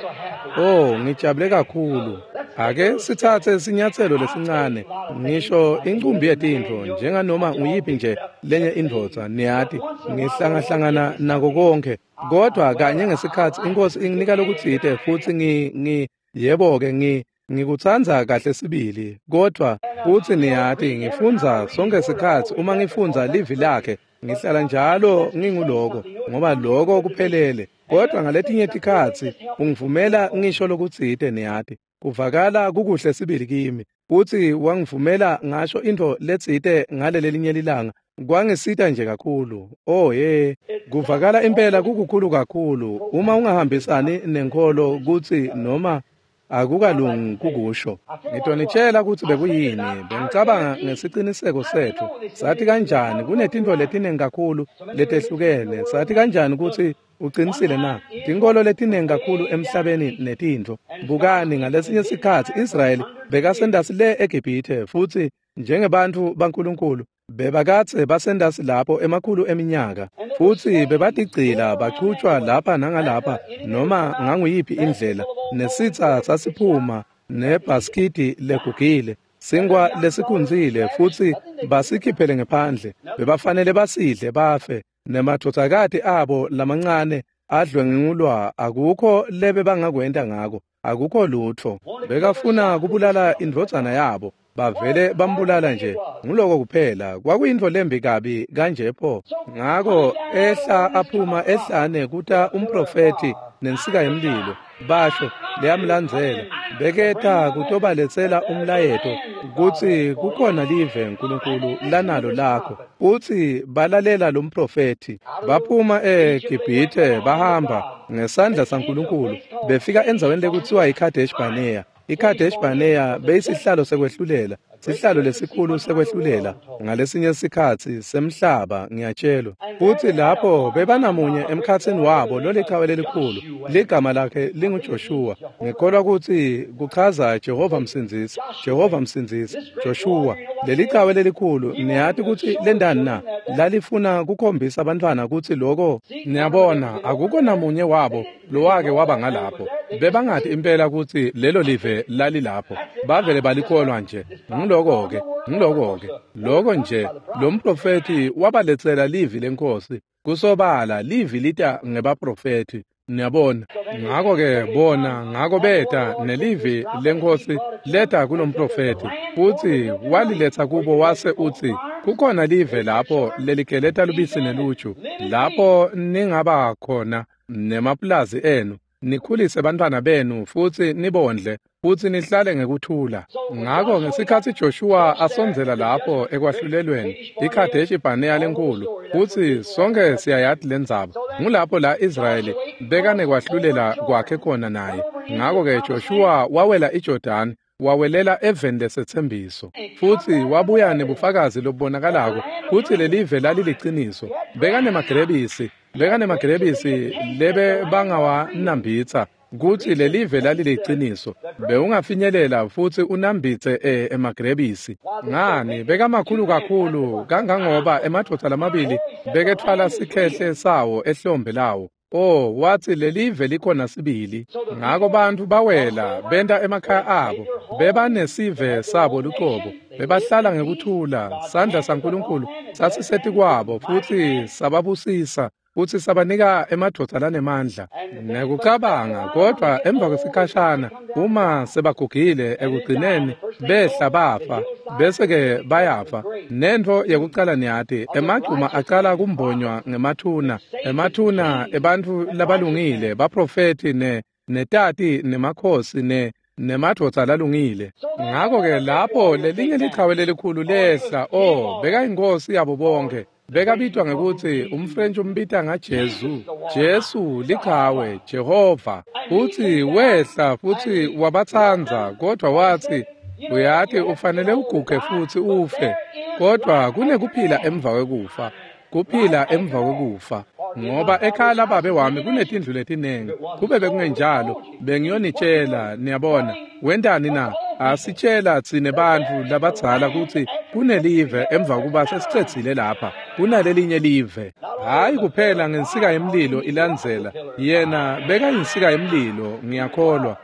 Oh, ngijabule kakhulu. Ake sitsatse sinyatselo lesincane, ngisho incumbi yetintfo njenganoma nguyiphi nje lenye indvodza, niyati, ngihlangahlangana nako konke. Kodwa kanye ngesikhatsi iNkhosi inginika lokutsite futsi yebo-ke ngikutsandza kahle sibili, kodvwa futsi niyati ngifundza sonke sikhatsi uma ngifundza livi lakhe, ngihlala njalo nginguloko, ngoba loko kuphelele. Kodwa ngaletinye tikhatsi ungivumela ngisho lokutsite, niyati, kuvakala kukuhle sibili kimi, futsi wangivumela ngasho intfo letsite ngalelelinye lilanga, kwangisita nje kakhulu. Oh ye, kuvakala impela kukukhulu kakhulu uma ungahambisani nenkholo kutsi noma akukalungi kukusho. Ngitonitshela kutsi bekuyini. Bengicabanga ngesiciniseko setfu. Sathi kanjani kunetintfo letinengi kakhulu letehlukene. Sathi kanjani kutsi uqinisile na? Tinkholo letinengi kakhulu emhlabeni netintfo. Bukani, ngalesinye sikhatsi Israyeli bekasendasi le eGibhithe, futsi njengebantfu baNkulunkulu bebakadze basendasi lapho emakhulu eminyaka, futsi bebatigcila bachutjwa lapha nangalapha noma nganguyiphi indlela, nesitsa sasiphuma nebhaskidi legugile, sinkwa lesikhunzile, futsi basikhiphele ngephandle. Bebafanele basidle bafe, nemadvodzakati abo lamancane adlwengulwa. Akukho lebe bangakwenta ngako, akukho lutfo. Bekafuna kubulala indvodzana yabo, bavele bambulala nje. Nguloko kuphela. Kwakuyintfo lembi kabi kanje pho. Ngako ehla aphuma ehlane kuta umprofethi nensika yemlilo, basho leyamlandzela, beketa kutobaletsela umlayeto kutsi kukhona live uNkulunkulu lanalo lakho. Futsi balalela lo mprofethi, baphuma eGibhithe bahamba ngesandla saNkulunkulu, befika endzaweni lekutsiwa yiKadesh Barnea. iKadesh Barnea beyisihlalo sekwehlulela, sihlalo lesikhulu sekwehlulela ngalesinye sikhatsi semhlaba, ngiyatshelwa. Futsi lapho bebanamunye emkhatsini wabo lolichawe lelikhulu, ligama lakhe linguJoshua. Ngikholwa kutsi kuchaza Jehova Msindzisi, Jehova Msindzisi, Joshua. Lelichawe lelikhulu, niyati kutsi lendani na? Lalifuna kukhombisa abantwana kutsi loko, niyabona, akukho namunye wabo lowake waba ngalapho. Bebangati impela kutsi lelo live lalilapho, bavele balikholwa nje. Ngiloko-ke, ngiloko-ke, loko nje. Lo mprofethi wabaletsela livi leNkhosi. Kusobala livi lita ngebaprofethi. Niyabona. Ngako-ke bona, ngako beta nelivi leNkhosi leta kulomprofethi, futsi waliletsa kubo wase utsi, kukhona live lapho leligeleta lubisi neluju, lapho ningaba khona nemapulazi enu, nikhulise bantfwana benu futsi nibondle futsi nihlale ngekuthula. Ngako ngesikhatsi Joshua asondzela lapho ekwahlulelweni iKhadeshi Barnea lenkhulu, futsi sonke siyayati lendzaba, ngulapho la Israyeli bekanekwahlulela kwakhe khona naye. Ngako-ke Joshua wawela iJordani, wawelela eveni lesetsembiso, futsi wabuya nebufakazi lobubonakalako kutsi lelive laliliciniso. Bekanemagrebisi lebe bangawanambitsa kutsi lelive laliliciniso. Bewungafinyelela futsi unambitse emagrebisi. Ngani, bekamakhulu kakhulu kangangoba emadvodza lamabili beketfwala sikhehle sawo ehlombe lawo. Oh, watsi lelive likhona sibili. Ngako bantfu bawela benta emakhaya abo, bebanesive sabo lucobo, bebahlala ngekuthula. Sandla saNkulunkulu sasisetikwabo futsi sababusisa, futsi sabanika emadvodza lanemandla nekucabanga. Kodvwa emva kwesikhashana, uma sebagugile ekugcineni behla bafa, bese-ke bayafa. Nentfo yekucala niyati, emagcuma acala kumbonywa ngemathuna, emathuna ebantfu labalungile, baprofethi netati nemakhosi nemadvodza lalungile. Ngako-ke lapho lelinye lichawe lelikhulu lehla, oh, bekayinkosi yabo bonke. Bekabitwa ngekutsi umFrench umbita ngaJesu. Jesu lichawe, Jehova. Futsi wehla futsi wabatsandza, kodvwa watsi, uyati ufanele uguge futsi ufe, kodvwa kunekuphila emva kwekufa, kuphila emva kwekufa. Ngoba ekhaya lababe wami kunetindlu letinengi, kube bekungenjalo bengiyonitshela. Niyabona, wentani na? Asitshela tsine bantfu labadzala kutsi kunelive emva kuba sesicedzile lapha, kunalelinye live. Hhayi kuphela ngensika yemlilo ilandzela, yena bekayinsika yemlilo, ngiyakholwa.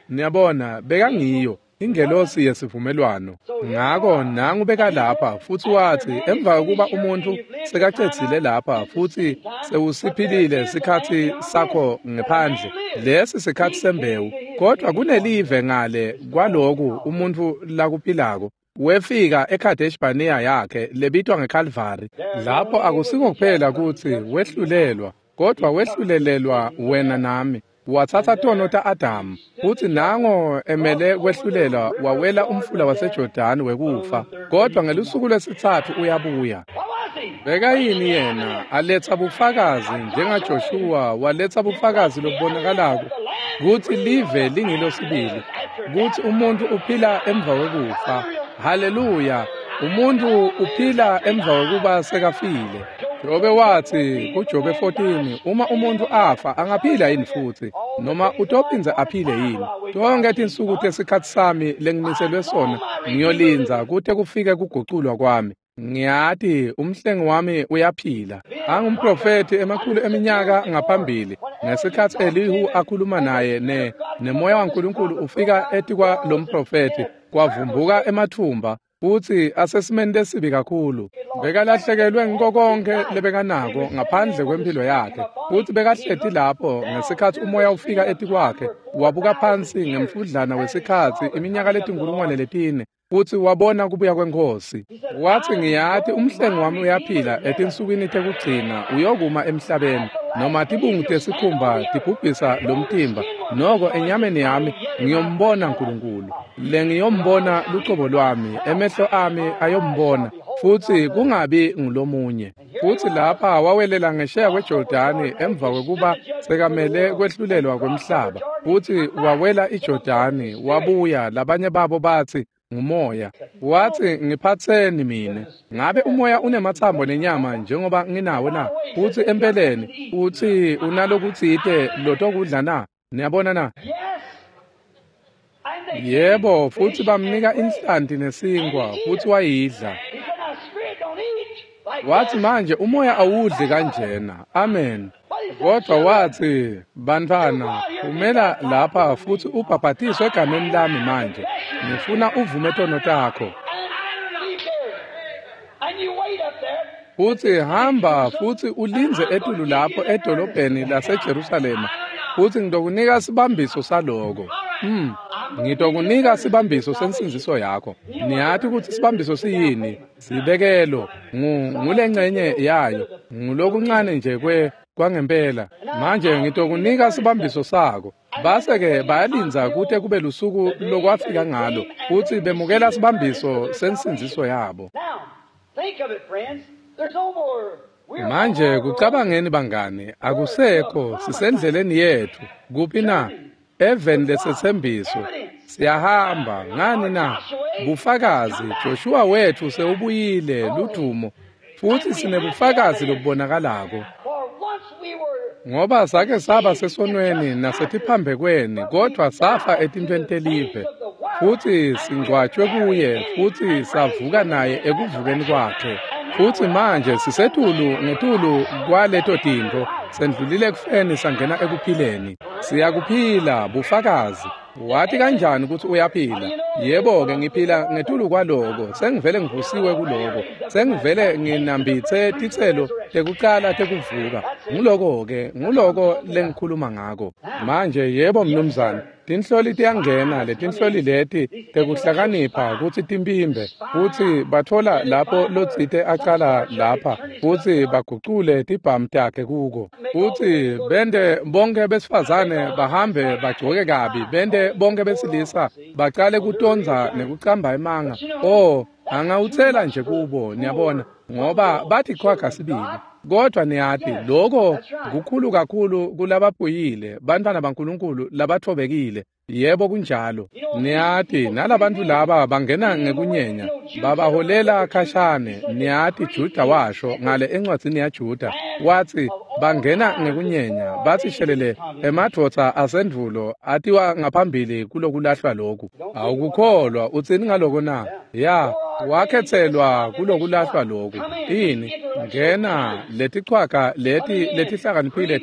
Niyabona, bekangiyo ingelosi yesivumelwano. Ngako nangu bekalapha futsi watsi emva kokuba umuntfu sekacedzile lapha futsi sewusiphilile sikhatsi sakho ngephandle, lesi sikhatsi sembewu, kodvwa kunelive ngale kwaloku umuntfu lakuphilako. Wefika eKhadesh Barnea yakhe lebitwa ngeKalvari. Lapho akusiko kuphela kutsi wehlulelwa, kodvwa wehlulelelwa wena nami. Watsatsa tono ta-Adamu, futsi nango emele kwehlulelwa wawela umfula waseJordani wekufa, kodvwa ngelusuku lwesitsatfu uyabuya. Bekayini yena? Aletsa bufakazi njengaJoshua waletsa bufakazi lobubonakalako kutsi live lingilo sibili, kutsi umuntfu uphila emva kwekufa. Haleluya! Umuntfu uphila emva kwekuba sekafile. Jobe watsi kuJobe 14, uma umuntfu afa angaphila yini futsi, noma utophindze aphile yini? Tonkhe tinsuku tesikhatsi sami lengimiselwe sona ngiyolindza kute kufike kuguculwa kwami. Ngiyati umhlengi wami uyaphila. Angumprofethi emakhulu eminyaka ngaphambili, ngesikhatsi Elihu akhuluma naye nemoya waNkulunkulu ufika etikwa lomprofethi, kwavumbuka emathumba futsi asesimeni lesibi kakhulu. Bekalahlekelwe ngiko konkhe lebekanako ngaphandle kwemphilo yakhe, futsi bekahleti lapho ngesikhatsi umoya ufika etikwakhe, wabuka phansi ngemfudlana wesikhatsi iminyaka 4,000, futsi wabona kubuya kweNkhosi. Watsi, ngiyati umhlengi wami uyaphila etinsukwini tekugcina, uyokuma emhlabeni. Noma tibungu tesikhumba tibhubhisa lomtimba, noko enyameni yami ngiyombona Nkulunkulu. Lengiyombona lucobo lwami, emehlo ami ayombona, futsi kungabi ngulomunye. Futsi lapha wawelela ngesheya kweJordani emva kwekuba sekamele kwehlulelwa kwemhlaba, futsi wawela iJordani wabuya. Labanye babo batsi ngumoya. Watsi, ngiphatseni mine. Ngabe umoya unematsambo nenyama njengoba nginawo na? Futsi empeleni utsi unalokutsite lotokudla na? Niyabona na? Yebo, futsi bamnika inhlanti nesinkwa, futsi wayidla. Watsi, manje umoya awudli kanjena. Amen. Kodvwa watsi, bantfwana, phumela lapha futsi ubhabhatiswe egameni lami manje. Ngifuna uvume tono takho. Futsi hamba futsi ulindze etulu lapho edolobheni laseJerusalema, futsi ngitokunika sibambiso saloko. Ngitokunika sibambiso sensindziso yakho. Niyati kutsi sibambiso siyini? Sibekelo ngulencenye yayo, ngulokuncane nje kwangempela. Manje ngitokunika sibambiso sako. Base-ke bayalindza kute kube lusuku lokwafika ngalo, futsi bemukela sibambiso sensindziso yabo. Manje kucabangeni bangani, akusekho, sisendleleni yetfu. Kuphi na? Eveni lesetsembiso. Siyahamba, ngani na? Bufakazi, Joshua wetfu sewubuyile, ludumo, futsi sinebufakazi lobubonakalako. Ngoba sake saba sesonweni nasetiphambekweni, kodvwa safa etintfweni telive, futsi singcwatjwe kuye, futsi savuka naye ekuvukeni kwakhe. Futsi manje sisetulu ngetulu kwaleto tintfo, sendlulile ekufeni sangena ekuphileni. Siyakuphila, bufakazi. Wati kanjani kutsi uyaphila? Yebo-ke, ngiphila ngetulu kwaloko, sengivele ngivusiwe kuloko, sengivele nginambitse titselo tekucala tekuvuka. Nguloko-ke, nguloko lengikhuluma ngako. Manje, yebo mnumzane, tinhloli tiyangena, letinhloli leti tekuhlakanipha kutsi timpimbe, futsi batfola lapho lotsite acala lapha, futsi bagucule tibhamu takhe kuko. Futsi bente bonke besifazane bahambe bagcoke kabi, bente bonke besilisa bacale kutondza nekucamba emanga. Oh, angawutsela nje kubo, niyabona, ngoba bathi qhwaga sibili. Kodwa niyati, loko kukhulu kakhulu kulabaphuyile, bantfwana baNkulunkulu labathobekile. Yebo kunjalo. Niyati, nalabantu laba bangena ngekunyenya, babaholela khashane. Niyati, Juda washo ngale encwadzini yaJuda, watsi bangena ngekunyenya, batsi shelele emadvodza asendvulo atiwa ngaphambili kulokulahlwa loku. Awukukholwa, utsini ngaloko na? Ya, wakhetselwa kulokulahlwa loku. Ini? Ngena letichwaga leti letihlakaniphile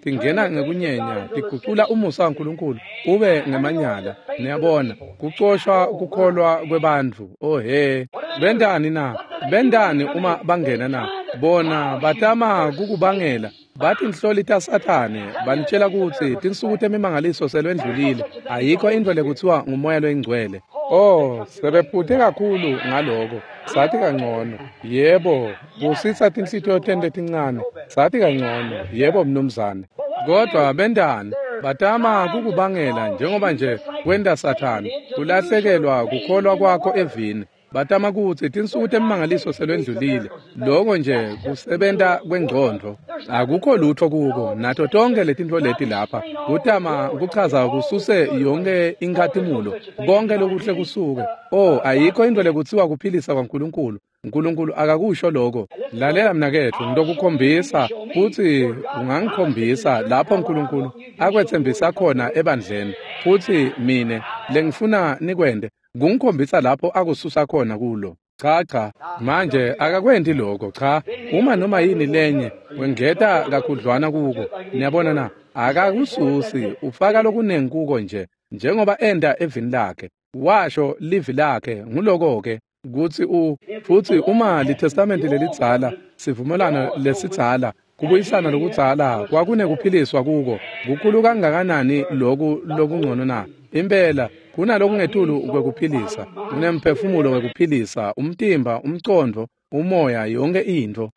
tingena ngekunyenya, tigucula umusa waNkulunkulu ube ngemanyala. Niyabona, kucoshwa kukholwa kwebantfu. Oh he, bentani na? Bentani uma bangena na? Bona batama kukubangela. Bathi inhloli taSathane banitshela kutsi tinsuku temimangaliso selwendlulile, ayikho intfo lekuthiwa ngumoya loyingcwele. Oh, sebephuthe kakhulu ngaloko. Sathi kangcono. Yebo, kusitsa tinhlitiyo tenu letincane. Sathi kangcono. Yebo mnumzane. Kodwa bentani? Batama kukubangela njengoba nje kwenta Sathane, kulahlekelwa kukholwa kwakho evini. Batama kutsi tinsuku temimangaliso selwendlulile. Loko nje kusebenta kwengcondvo. Akukho lutho kuko, nato tonke letintfo leti lapha. Kutama kuchaza kususe yonke inkhatimulo, konke lokuhle kusuke. Oh, ayikho intfo lekutsiwa kuphilisa kwaNkulunkulu. Nkulunkulu akakusho lokho. Lalela mnaketfu, ngitokukhombisa futsi ungangikhombisa lapho Nkulunkulu akwetsembisa khona ebandleni. Futsi mine lengifuna nikwente kungikhombisa lapho akususa khona kulo. Cha cha, manje akakwenti lokho. Cha, uma noma yini lenye wengeta kakhudlwana kuko. Niyabona na? Akakususi, ufaka lokunengi kuko nje, njengoba enda evini lakhe. Washo livi lakhe, nguloko-ke kutsi futsi uma liTestamenti lelidzala, sivumelwano lesidzala, kubuyisana lokudzala kwakunekuphiliswa kuko, kukhulu kangakanani loku lokungcono na? Impela kunalokungetulu kwekuphilisa, kunemphefumulo wekuphilisa, umtimba, umcondvo, umoya, yonke intfo.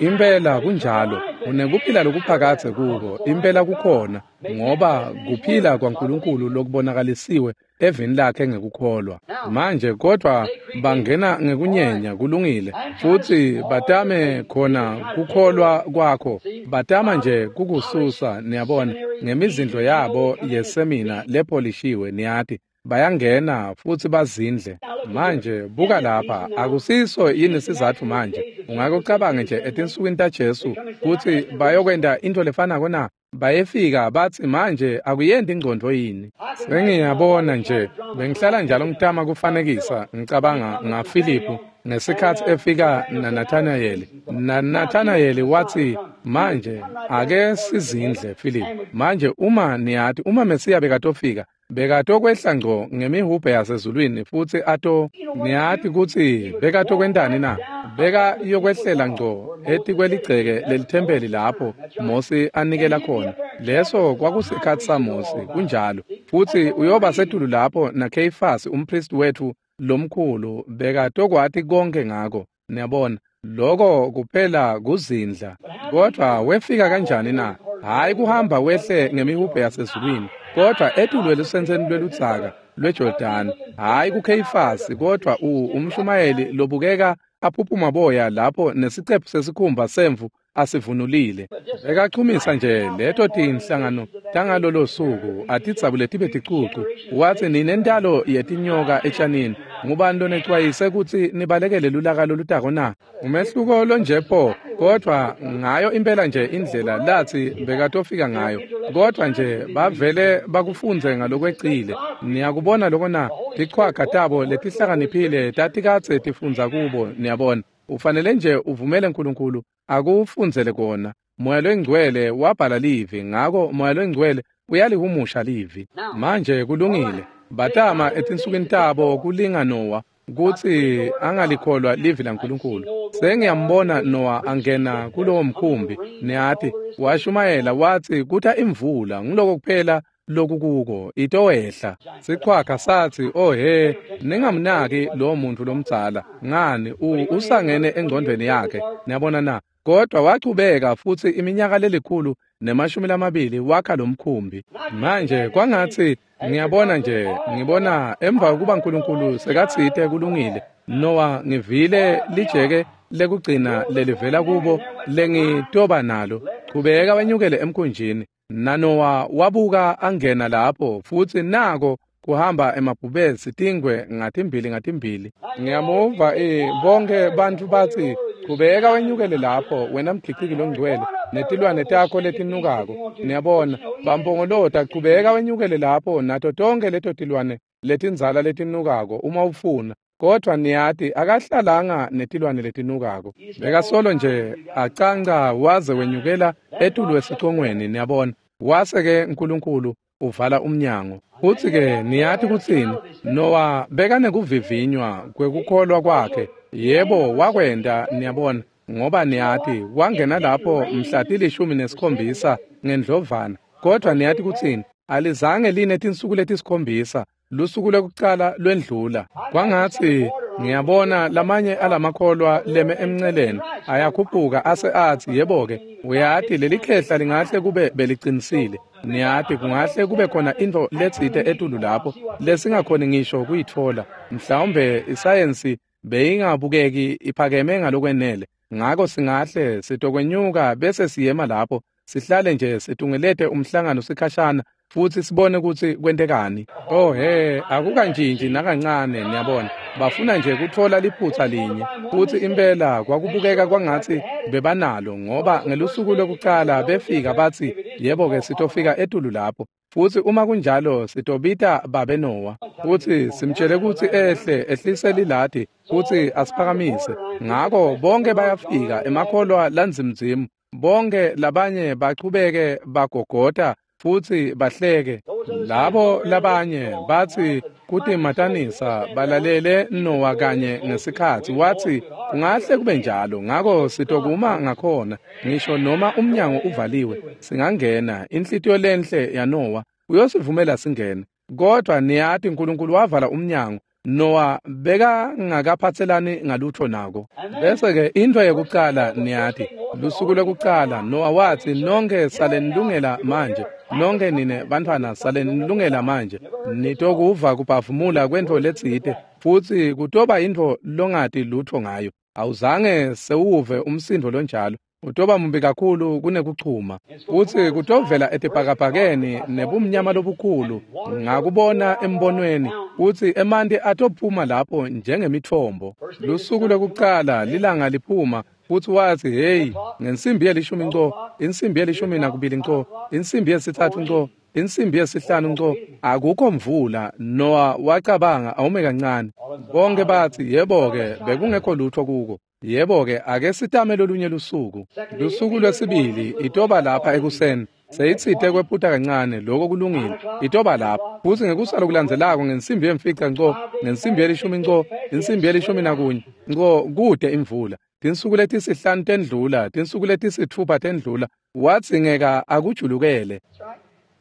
Impela kunjalo, unekuphila lokuphakadze kuko, impela kukhona, ngoba kuphila kwaNkulunkulu lokubonakalisiwe evini lakhe ngekukholwa. Manje kodwa bangena ngekunyenya, kulungile, futsi batame khona kukholwa kwakho, batama nje kukususa, niyabona, ngemizindlo yabo yesemina lepholishiwe, niyati. Bayangena futsi bazindle. Manje buka lapha, akusiso yini sizatfu manje? Ungakucabanga nje etinsukwini taJesu kutsi bayokwenta intfo lefanako na? Bayefika batsi manje akuyendi ingcondvo yini? Sengiyabona nje, bengihlala njalo ngitama kufanekisa, ngicabanga ngaFiliphu ngesikhatsi efika naNathanayeli. NaNathanayeli watsi, manje ake sizindle Filiphu. Manje uma niyati, uma Mesiya bekatofika, Bekatokwehla ngco ngemihubhe yasezulwini futsi ato niyati kutsi bekatokwentani na? Beka yokwehlela ngco etikweligceke lelithempeli lapho Mosi anikela khona. Leso kwakusikhatsi saMosi, kunjalo. Futsi uyoba setulu lapho naKheyifasi umpristi wetfu lomkhulu bekatokwati konke ngako. Niyabona, lokho kuphela kuzindla. Kodwa wefika kanjani na? Hhayi kuhamba wehle ngemihubhe yasezulwini, kodwa etulu elusentseni lweludzaka lweJordani. Hhayi kuKheyifasi, kodwa umshumayeli lobukeka aphuphuma boya lapho nesicephu sesikhumba semvu asivunulile. Bekachumisa nje leto tinhlangano tangalolo suku atidzabule tibe ticucu. Watsi, ninentalo yetinyoka etshanini, ngubani lonecwayise kutsi nibalekele lulaka lolutako na? Umehluko lonje pho, kodwa ngayo impela nje indlela lathi bekatofika ngayo, kodwa nje bavele bakufundze ngalokwecile. Niyakubona loko na? Tichwaga tabo letihlakaniphile tatikadze tifundza kubo. Niyabona, ufanele nje uvumele Nkulunkulu akufundzele kona. Moya loNgcwele wabhala livi, ngako Moya loNgcwele uyalihumusha livi. Manje kulungile. Batama etinsukwini tabo kulinga Nowa kutsi angalikholwa livi laNkulunkulu. Sengiyambona Nowa angena kulowo mkhumbi, niyati, washumayela watsi kuta imvula, nguloko kuphela lokukuko, itowehla. Sichwaga satsi, oh he, ningamnaki lowo muntu lomdzala, ngani usangene engcondvweni yakhe. Niyabona na? Kodwa wachubeka futsi iminyaka 120 wakha lomkhumbi. Manje kwangatsi ngiyabona nje, ngibona emva kuba Nkulunkulu sekatsite kulungile, Nowa ngivile lijeke lekugcina lelivela kubo lengitoba nalo. Chubeka wenyukele emkhunjini. NaNowa wabuka angena lapho futsi nako kuhamba emabhubesi tingwe ngatimbili ngatimbili. Ngiyamuva bonke bantfu batsi, chubeka wenyukele lapho wena mgiciki longcwele netilwane takho letinukako. Niyabona, bampongolota, chubeka wenyukele lapho nato tonke leto tilwane letindzala letinukako uma ufuna. Kodwa niyati akahlalanga netilwane letinukako. Bekasolo nje acanca waze wenyukela etulu esicongweni. Niyabona, wase-ke Nkulunkulu uvala umnyango. Futsi-ke niyati kutsini? Nowa bekanekuvivinywa kwekukholwa kwakhe. Yebo, wakwenta, niyabona, ngoba niyati wangena lapho mhla 17 ngendlovana. Kodwa niyati kutsini? Alizange line tinsuku letisikhombisa. Lusuku lwekucala lwendlula. Kwangatsi ngiyabona lamanye alamakholwa leme emnceleni ayakhuphuka ase atsi, yebo-ke, uyati leli khehla lingahle kube belicinisile. Niyati kungahle kube khona intfo letsite etulu lapho lesingakhoni ngisho kuyitfola. Mhlawumbe isayensi beyingabukeki iphakeme ngalokwenele, ngako singahle sitokwenyuka bese siyema lapho sihlale nje situngelete umhlangano sikhashana futsi sibone kutsi kwentekani. Oh he, akukantshintshi nakancane. Niyabona, bafuna nje kutfola liphutsa linye. Futsi impela kwakubukeka kwangatsi bebanalo, ngoba ngelusuku lwekucala befika batsi, yebo-ke, sitofika etulu lapho. Futsi uma kunjalo sitobita babe Nowa futsi simtshele kutsi ehle ehlise liladi futsi asiphakamise. Ngako bonke bayafika, emakholwa lanzimdzimu, bonke labanye bachubeke bagogota futsi bahleke. Labo labanye batsi kutimatanisa balalele Nowa kanye ngesikhatsi watsi kungahle kube njalo, ngako sitokuma ngakhona ngisho noma umnyango uvaliwe singangena. Inhlitiyo lenhle yaNowa uyosivumela singene. Kodwa niyati Nkulunkulu wavala umnyango. Nowa bekangakaphatselani ngalutho nako. Bese-ke intfo yekucala niyati, lusuku lwekucala Nowa watsi, nonke salenilungela manje, nonke nine bantfwana salenilungela manje, nitokuva kubhavumula kwentfo letsite, futsi kutoba intfo longati lutho ngayo. Awuzange sewuve umsindvo lonjalo. Utoba mumbi kakhulu kunekuchuma, futsi kutovela etibhakabhakeni nebumnyama lobukhulu. Ngakubona embonweni futsi emanti atophuma lapho njengemitfombo. Lusuku lwekucala lilanga liphuma, futsi watsi, hey, ngensimbi yelishumi nco, insimbi 12 nco, insimbi 3 nco, insimbi 5 nco, akukho mvula. Nowa wacabanga, awume kancane. Bonke batsi, yebo-ke, bekungekho lutho kuko. Yebo-ke, ake sitame lolunye lusuku. Lusuku lwesibili itoba lapha ekuseni. Seyitsite kwephuta kancane, lokho kulungile. Itoba lapho. Futsi ngekusala kulandzelako ngensimbi yemfica nco, ngensimbi yelishumi nco, insimbi yelishumi nakunye nco, kute imvula. Tinsuku letisihlanu tendlula, tinsuku letisitfupha tendlula, wadzingeka akujulukele.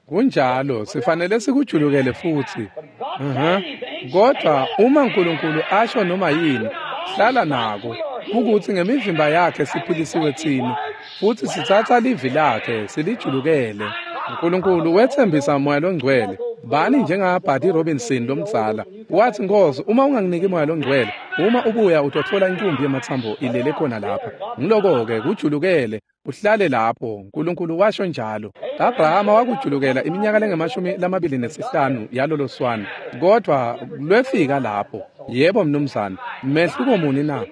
Kunjalo, sifanele sikujulukele futsi. Kodwa uma uNkulunkulu asho noma yini, hlala nako. Ukuthi ngemivimba yakhe siphilisiwe tsine, futsi sitsatsa livi lakhe silijulukele. uNkulunkulu wetsembisa Moya loNgcwele. Bani njengaBuddy Robinson lomdzala. Wathi, Nkosi, uma unganginiki Moya loNgcwele, uma ubuya utotfola inkumbi yematsambo ilele khona lapha. Ngiloko-ke kujulukele, uhlale lapho. uNkulunkulu washo njalo. Abrahama wakujulukela iminyaka lengemashumi lamabili nesihlanu yalolo swana, kodwa lwefika lapho. Yebo mnumzane, mehluko muni na?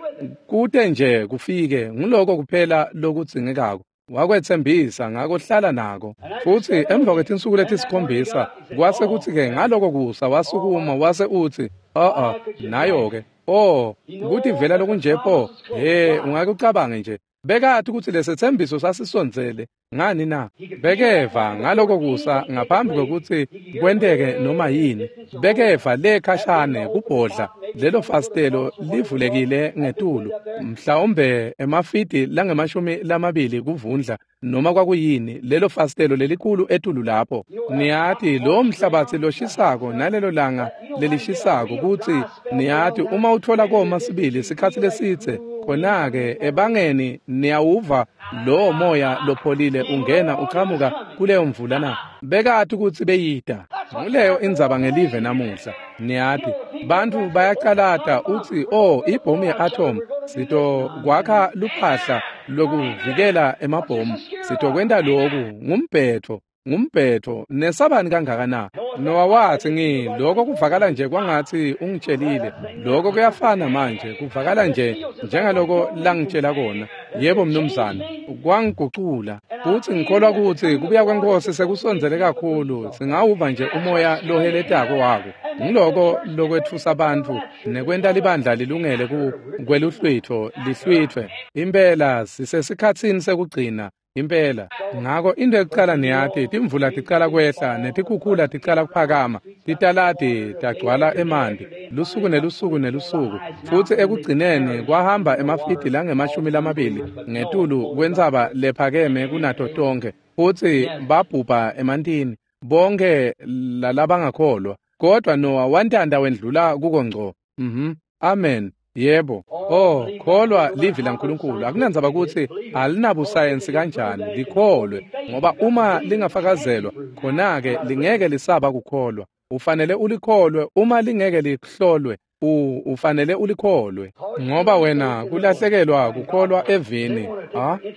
Kute nje kufike, ngiloko kuphela lokudzingekako. Wakwetsembisa, ngako hlala nako. Futsi emva kwetinsuku letisikhombisa, kwase kutsi-ke ngaloko kusa wasukuma wase utsi, nayo-ke. Oh, kutivela lokunje pho. He, ungake ucabange nje. Bekati kutsi lesetsembiso sasisondzele. Ngani na? Bekeva ngaloko kusa ngaphambi kwekutsi kwenteke noma yini. Bekeva le khashane kubhodla lelo fastelo livulekile ngetulu, mhlawumbe emafidi langemashumi lamabili kuvundla noma kwakuyini, lelo fastelo lelikhulu etulu lapho. Niyati lo mhlabatsi loshisako nalelo langa lelishisako, kutsi niyati uma uthola koma sibili sikhatsi lesidze, khona-ke ebangeni niyawuva lowo moya lopholile ungena uqhamuka kuleyo mvula na. Bekati kutsi beyida. Nguleyo indzaba ngelive namuhla. Niyati bantfu bayacalata utsi, oh, ibhomu ye-atom, sitokwakha luphahla lokuvikela emabhomu, sitokwenta loku. Ngumbhetho, ngumbhetho. Nesabani kangaka na? Nowa wathi, lokho kuvakala nje kwangathi ungitshelile. Lokho kuyafana manje, kuvakala nje njengaloko langitshela kona. Yebo mnumzane, kwangigucula. Futsi ngikholwa kutsi kubuya kweNkosi sekusondzele kakhulu, singawuva nje umoya loheletako wako. Ngiloko lokwetfusa bantfu nekwenta libandla lilungele kweluhlwitfo lihlwitfwe. Impela sisesikhatsini sekugcina. Impela. Ngako into ekucala niyati, timvula ticala kwehla netikhukhula ticala kuphakama, titaladi tagcwala emanti lusuku nelusuku nelusuku, futsi ekugcineni kwahamba emafidi langemashumi lamabili ngetulu kwentsaba lephakeme kunato tonkhe, futsi babhubha emantini bonke lalabangakholwa. Kodwa Nowa wantanta wendlula kuko ngco. Amen. Yebo. Oh, kholwa livi laNkulunkulu. Akunandzaba kutsi alinabusayensi kanjani, likholwe, ngoba uma lingafakazelwa, khona-ke lingeke lisaba kukholwa. Ufanele ulikholwe, uma lingeke lihlolwe, ufanele ulikholwe, ngoba wena kulahlekelwa kukholwa evini,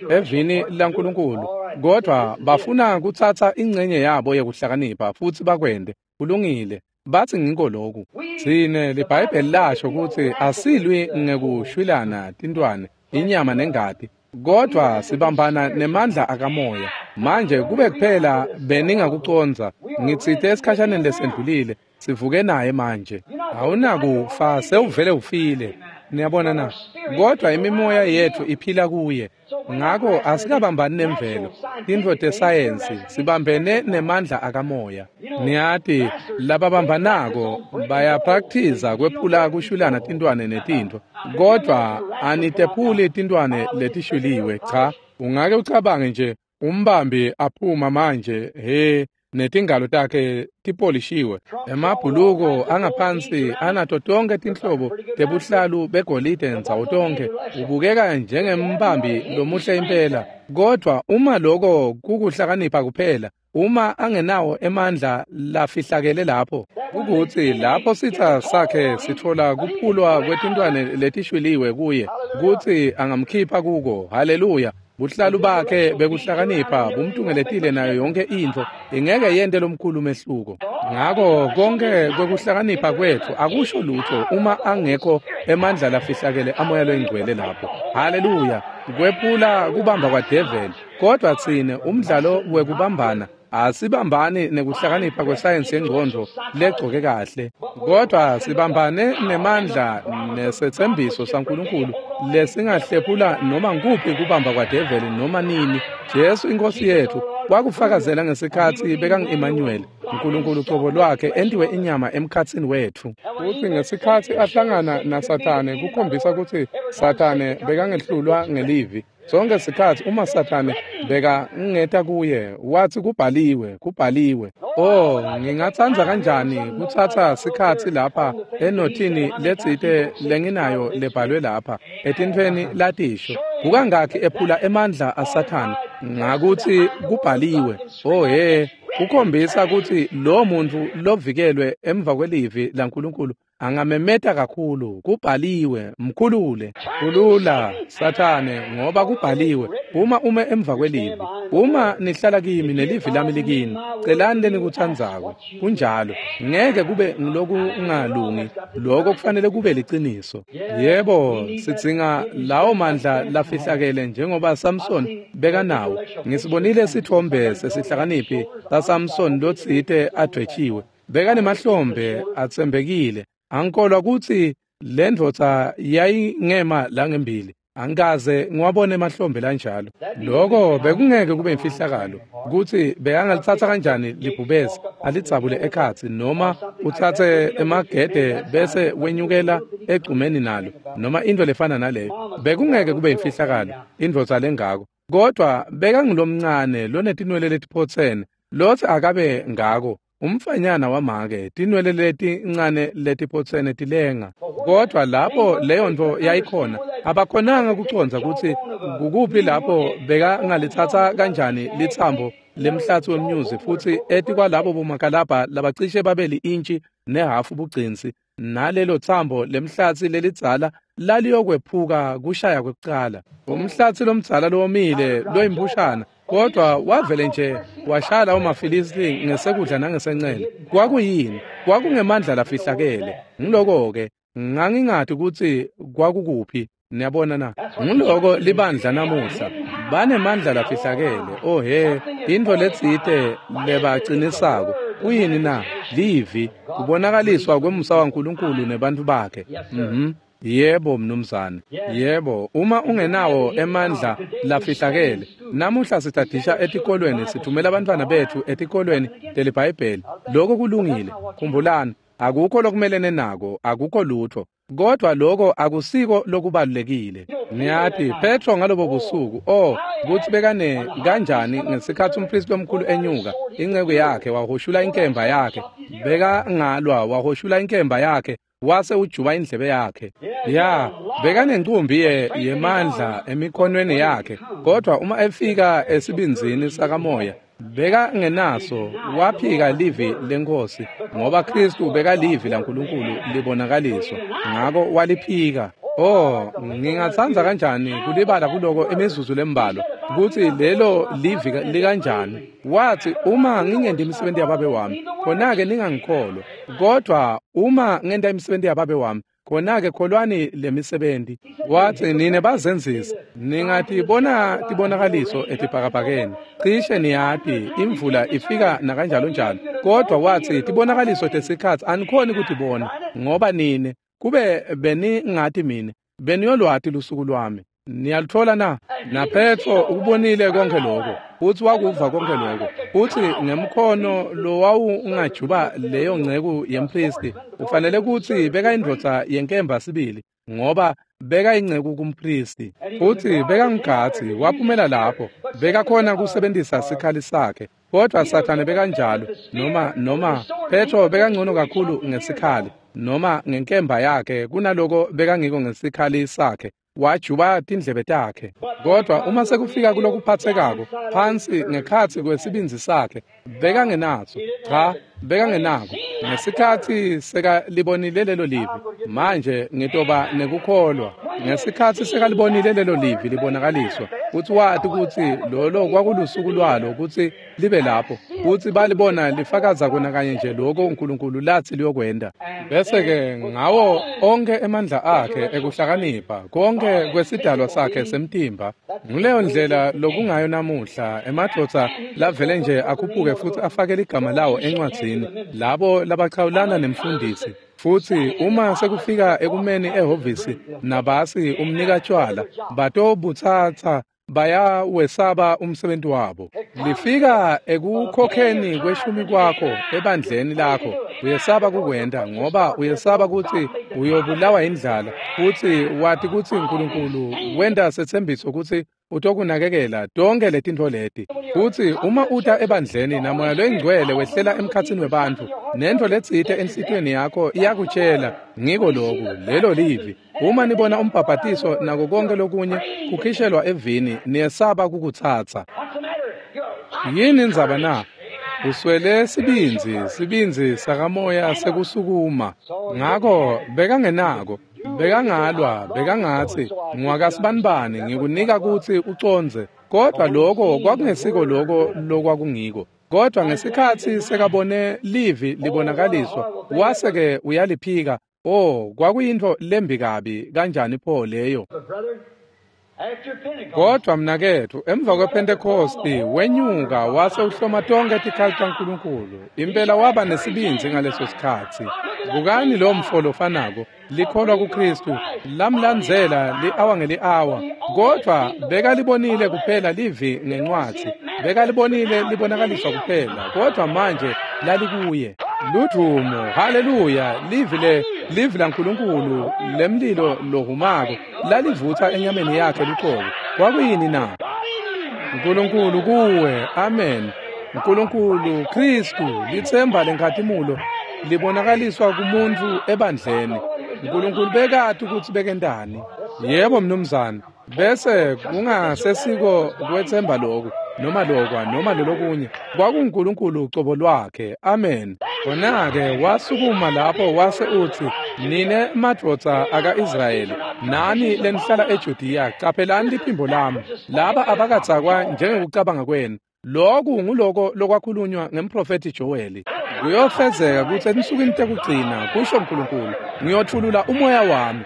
evini laNkulunkulu. Kodwa bafuna kutsatsa ingcenye yabo yekuhlakanipha futsi bakwente. Kulungile. Bathi ngiko lokhu. Tsine liBhayibheli lasho kutsi asilwi ngekushwilana tintwane, inyama nengati, kodwa sibambana nemandla akamoya. Manje kube kuphela beningakucondza, ngitsite esikhashaneni lesendlulile, sivuke naye manje. Awunakufa, sewuvele ufile. Niyabona na? Kodwa imimoya yethu iphila kuye. Ngako asikabambani nemvelo, tintfo tesayensi, sibambene nemandla akamoya. Niyati lababambanako bayaprakthiza kwephula kushwilana tintwane netintfo, kodwa anitephuli tintwane letishwiliwe. Cha, ungake ucabange nje umbambi aphuma manje, he, netingalo takhe tipolishiwe, emabhuluko angaphansi anato tonke tinhlobo tebuhlalu begolide ndzawo tonke, ubukeka njengembambi lomuhle impela. Kodwa uma loko kukuhlakanipha kuphela, uma angenawo emandla lafihlakele lapho, ukuthi lapho sitsa sakhe sitfola kuphulwa kwetintwane letishwiliwe kuye, kutsi angamkhipha kuko. Haleluya. Buhlalu bakhe bekuhlakanipha bumtungeletile nayo yonke intfo, ingeke yente lomkhulu mehluko. Ngako konke kwekuhlakanipha kwetfu akusho lutho uma angekho emandla lafihlakele amoya loyingcwele lapho. Haleluya. Kwephula kubamba kwadeveli. Kodwa tsine umdlalo wekubambana asibambani nekuhlakanipha kwesayensi yengcondvo legcoke kahle, kodwa sibambane nemandla nesetsembiso saNkulunkulu lesingahlephula noma nguphi kubamba kwadeveli noma nini. Jesu inkosi yethu Wakufakazela ngesikhatsi bekangu-Emmanuel, uNkulunkulu cobo lwakhe entiwe inyama emkhatsini wetfu. Futsi ngesikhatsi ahlangana naSathane kukhombisa kutsi Sathane bekangehlulwa ngelivi. Sonke sikhatsi uma Sathane bekangeta kuye, watsi kubhaliwe, kubhaliwe. Oh, ngingatsandza kanjani kutsatsa sikhatsi lapha enothini letsite lenginayo lebhalwe lapha, etintfweni latisho. Kukangakhi ephula emandla aSathane ngakutsi kubhaliwe. Oh he, kukhombisa kutsi lo muntfu lovikelwe emva kwelivi laNkulunkulu angamemeta kakhulu, kubhaliwe, mkhulule, khulula Sathane, ngoba kubhaliwe. Uma ume emva kwelivi, uma nihlala kimi nelivi lami likini, celani lenikutsandzako. Kunjalo, ngeke kube ngilokungalungi, lokho kufanele kube liciniso. Yebo, sidzinga lawo mandla lafihlakele njengoba Samson bekanawo. Ngisibonile sithombe sesihlakaniphi saSamson lotsite advwetshiwe. Bekanemahlombe atsembekile. Angikholwa kutsi le ndvodza yayingema langembili. Angikaze ngiwabone emahlombe lanjalo. Lokho bekungeke kube imfihlakalo kutsi bekangalitsatsa kanjani libhubesi alidzabule ekhatsi, noma utsatse emagede bese wenyukela egcumeni nalo, noma into lefana naleyo. Bekungeke kube imfihlakalo indvodza lengako. Kodwa bekangulomncane lonetinwele letiphotsene lotsi akabe ngako. Umfanyana wamake, tinwele letincane letiphotsene tilenga. Kodwa lapho leyo nto yayikhona, abakhonanga kucondza kutsi kukuphi lapho bekangalitsatsa kanjani litsambo lemhlatsi wemnyuzi, futsi etikwalabo bomakalabha labacishe babe li-intshi nehhafu bugcinsi, nalelo tsambo lemhlatsi lelidzala laliyokwephuka kushaya kwekucala. Umhlatsi lomdzala lowomile loyimpushana, kodwa wavele nje washaya lawo maFilisti ngesekudla nangesencele. Kwakuyini? Kwakungemandla lafihlakele. Ngiloko-ke ngangingati kutsi kwakukuphi. Niyabona na? Ngiloko libandla namuhla. Banemandla lafihlakele. Oh he, intfo letsite lebacinisako. Kuyini na? Livi, kubonakaliswa kwemusa waNkulunkulu nebantfu bakhe. Yebo mnumzane. Yebo, uma ungenawo emandla lafihlakele. Namuhla sitadisha etikolweni, sithumela abantwana bethu etikolweni teliBhayibheli. Lokho kulungile. Khumbulani, akukho lokumelene nako, akukho lutho. Kodwa lokho akusiko lokubalulekile. Niyati, Petro ngalobo busuku, oh, kutsi bekane kanjani ngesikhatsi umpristi lomkhulu enyuka, inceku yakhe wahoshula inkemba yakhe. Bekangalwa, wahoshula inkemba yakhe, wase ujuba indlebe yakhe. Ya, bekanencumbi yemandla emikhonweni yakhe, kodwa uma efika esibindzini sakamoya, bekangenaso, waphika livi leNkhosi, ngoba Kristu bekalivi laNkulunkulu libonakaliswa. Ngako waliphika. Oh, ngingatsandza kanjani kulibala kuloko imizuzu lembalwa, kutsi lelo livi likanjani. Wathi, uma ngingenti imisebenti yababe wami, khona-ke ningangikholwa. Kodwa uma ngenta imisebenti yababe wami, khona-ke kholwani lemisebenti. Wathi, nine bazenzisi, ningatibona tibonakaliso etibhakabhakeni. Cishe niyati imvula ifika nakanjalo njalo. Kodwa wathi, tibonakaliso tesikhatsi anikhoni kutibona, ngoba nine kube beningati mine, beniyolwati lusuku lwami. Niyaluthola na? NaPetro ukubonile konke lokho, futhi wakuva konke lokho. Futhi ngemkhono lowawungajuba leyo nceku yempristi, ufanele kutsi bekayindvodza yenkemba sibili, ngoba bekayinceku kumpristi. Futhi bekangugatsi, waphumela lapho, bekakhona kusebentisa sikhali sakhe. Kodwa Sathane bekanjalo, noma Petro bekangcono kakhulu ngesikhali, noma ngenkemba yakhe kunaloko bekangiko ngesikhali sakhe. Wajuba tindlebe takhe. Kodwa uma sekufika kulokuphathekako phansi ngekhatsi kwesibindzi sakhe, bekangenaso. Cha, bekangenako. Ngesikhatsi sekalibonile lelo livi, manje ngitoba nekukholwa. Ngesikhatsi sekalibonile lelo livi libonakaliswa, kutsi wati kutsi lolo kwakulusuku lwalo kutsi libe lapho, kutsi balibona lifakaza kona kanye nje lokho uNkulunkulu latsi liyokwenta. Bese-ke ngawo onke emandla akhe ekuhlakanipha, konke kwesidalwa sakhe semtimba. Nguleyo ndlela lokungayo namuhla, emadvodza lavele nje akhuphuke futhi afake ligama lawo encwadzini, labo labachawulana nemfundisi. Futhi uma sekufika ekumeni ehhovisi nabasi umnika tshwala, batobutsatsa Bayawesaba umsebenzi wabo. Lifika ekukhokheni kweshumi kwakho ebandleni lakho, uyesaba kukwenta ngoba uyesaba kutsi uyobulawa indlala, futsi wati kutsi uNkulunkulu wenta setsembiso kutsi utokunakekela tonke letintfo leti. Futsi uma uta ebandleni naMoya loyiNgcwele wehlela emkhatsini webantfu, nentfo letsite enhlitiyweni yakho iyakutjela ngiko loku, lelo livi. Uma nibona umbhabhatiso nako konke lokunye kukhishelwa evini, niyesaba kukutsatsa. Yini indzaba na? Uswele sibindzi, sibindzi sakamoya sekusukuma. Ngako bekangenako, bekangalwa, bekangatsi ngwakasibanibani ngikunika kutsi ucondze, kodwa lokho kwakungesiko lokho lokwakungiko. Kodwa ngesikhatsi sekabone livi libonakaliswa, wase-ke uyaliphika. Oh, kwakuyintfo lembi kabi kanjani pho leyo. Kodwa mnaketfu, emva kwePhentekhosti wenyuka wase uhloma tonke tikhali taNkulunkulu. Impela waba nesibindzi ngaleso sikhatsi. Bukani lo mfo lofanako, likholwa kuKristu, lamlandzela li-awa ngeli-awa, kodvwa bekalibonile kuphela livi ngencwadzi, bekalibonile libonakaliswa kuphela, kodvwa manje lalikuye. Ludvumo, haleluya, livi livi laNkulunkulu lemlilo lohumako lalivutsa enyameni yakhe luqobo. Kwakuyini na? Nkulunkulu kuwe, amen. Nkulunkulu Kristu, litsemba lenkhatimulo libonakaliswa kumuntu ebandleni. Nkulunkulu bekati kutsi bekentani. Yebo mnumzane, bese kungasesiko kwetsemba loku noma lokwa noma lolokunye, kwakunguNkulunkulu ucobo lwakhe. Amen. Khona-ke wasukuma lapho wase utsi, nine madvodza aka-Israyeli, nani lenihlala eJudiya, caphelani liphimbo lami. Laba abakadzakwa njengekucabanga kwenu. Loku nguloko lokwakhulunywa ngemprofethi Joeli. Kuyofezeka kutsi etinsukwini tekugcina, kusho uNkulunkulu, ngiyotfulula umoya wami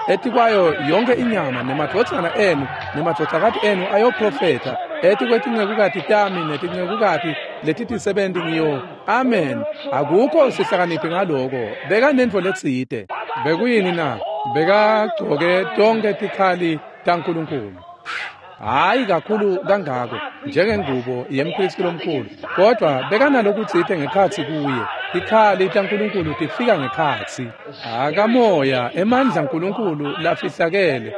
etikwayo yonke inyama, nemadvodzana enu nemadvodzakati enu ayoprofetha, etikwetincekukati tami netincekukati letitisebenti ngiyo. Amen. Akukho sihlakaniphi ngaloko. Bekanentfo letsite. Bekuyini na? Bekagcoke tonke tikhali taNkulunkulu. Hayi kakhulu kangako njengengubo yempristi lomkhulu, kodwa bekanalokutsite ngekhatsi kuye. Tikhali taNkulunkulu tifika ngekhatsi. Akamoya, emandla aNkulunkulu lafihlakele,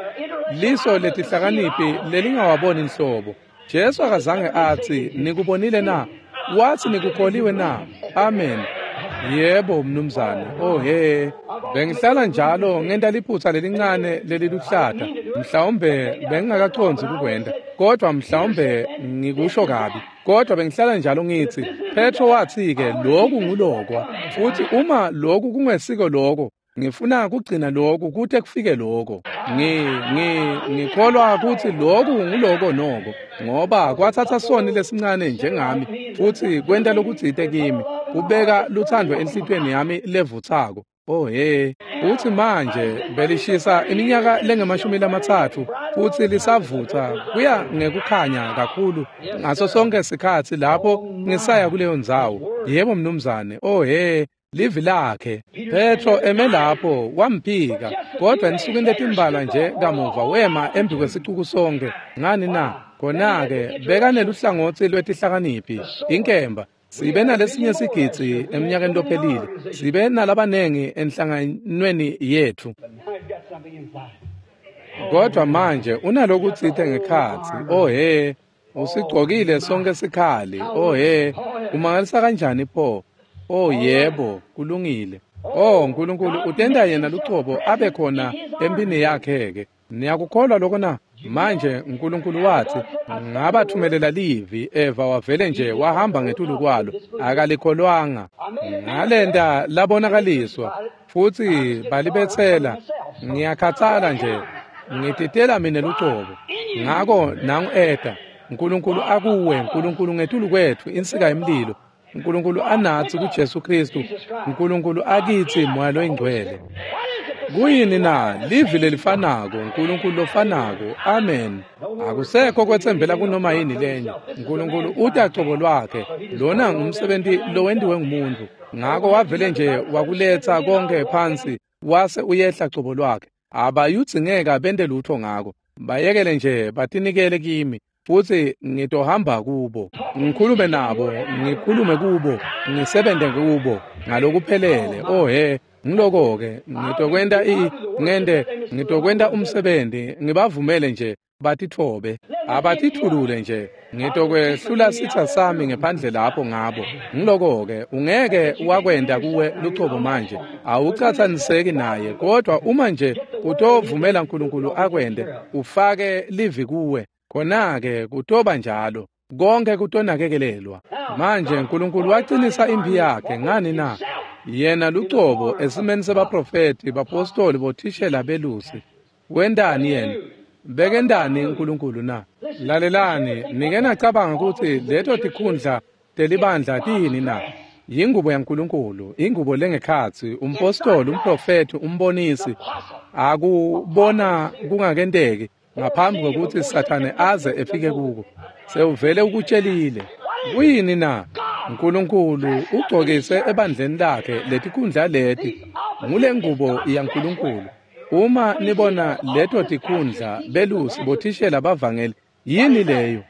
liso letihlakaniphi lelingawaboni inhlobo. Jesu akazange atsi nikubonile na? Watsi nikukholiwe na? Amen. Yebo mnumzane. Oh he, bengihlala njalo ngenta liphutsa lelincane leliluhlata. Mhlawumbe bengingakacondzi kukwenta, kodwa mhlawumbe ngikusho kabi. Kodwa bengihlala njalo ngithi, Petro watsi-ke loku ngulokwa, futhi uma loku kungesiko loko, ngifuna kugcina loku kute kufike loko. Ngikholwa kutsi loku nguloko noko, ngoba kwatsatsa soni lesincane njengami futhi kwenta lokutsite kimi, kubeka luthando enhlitiyweni yami levutsako. Oh he, uthi manje belishisa iminyaka lengamashumi 30 futhi lisavutsa kuya ngekukhanya kakhulu ngaso sonke sikhatsi lapho ngisaya kuleyo ndzawo. Yebo mnumzane. Oh he, livi lakhe. Petro eme lapho wamphika, kodwa ensukwini letimbalwa nje kamuva wema embi kwesicuku sonke. Ngani na? Khona-ke bekaneluhlangotsi lwetihlakaniphi, inkemba. Sibe nalesinye sigidzi eminyakeni lophelile, sibe nalabanengi enhlanganweni yethu. Kodwa manje unalokutsite ngekhatsi. Oh he, usigcokile sonke sikhali. Oh he, umangalisa kanjani pho? Oh yebo, kulungile. Oh uNkulunkulu utenda yena lucobo abe khona empini yakhe-ke. Niyakukholwa lokho na? Manje uNkulunkulu wathi, ngabathumelela livi, Eva wavele nje wahamba ngetulu kwalo, akalikholwanga. Ngalenta labonakaliswa, futhi balibetsela. Ngiyakhathala nje, ngititela mina lucobo. Ngako nangu eta, uNkulunkulu akuwe, uNkulunkulu ngetulu kwethu, insika yemlilo. uNkulunkulu anatsi kuJesu Kristu, uNkulunkulu akithi Moya loyiNgcwele. Kuyini na? Livi lelifanako, uNkulunkulu lofanako. Amen. Akusekho kwetsembela kunoma yini lenye. uNkulunkulu uta cobo lwakhe. Lona ngumsebenzi lowentiwe ngumuntu. Ngako wavele nje wakuletsa konke phansi wase uyehla cobo lwakhe. Abayudzingeka bente lutho ngako. Bayekele nje batinikele kimi, futsi ngitohamba kubo, ngikhulume nabo, ngikhulume kubo, ngisebente kubo ngalokuphelele. Oh he, ngiloko-ke ngitokwenta ngitokwenta umsebenzi, ngibavumele nje batitfobe, abatithulule nje. Ngitokwehlula sitsa sami ngephandle lapho ngabo. Ngiloko-ke ungeke wakwenta kuwe lucobo manje, awucatsaniseki naye, kodwa uma nje utovumela uNkulunkulu akwente, ufake livi kuwe, khona-ke kutoba njalo, konke kutonakekelelwa. Manje uNkulunkulu wacinisa imphi yakhe ngani na? Yena lucobo esimeni sebaprofethi, bapostoli, bothishela, belusi. Wentani yena? Bekentani uNkulunkulu na? Lalelani, nike nacabanga kutsi leto tikhundla telibandla tiyini na? Yingubo yaNkulunkulu, ingubo lengekhatsi, umpostoli, umprofethi, umbonisi. Akubona kungakenteki ngaphambi kwekutsi Sathane aze efike kuko. Sewuvele ukutshelile. Kuyini na? uNkulunkulu ugcokise ebandleni lakhe letikhundla leti. Ngule ngubo yaNkulunkulu. Uma nibona leto tikhundla, belusi, bothishela, bavangeli, yini leyo?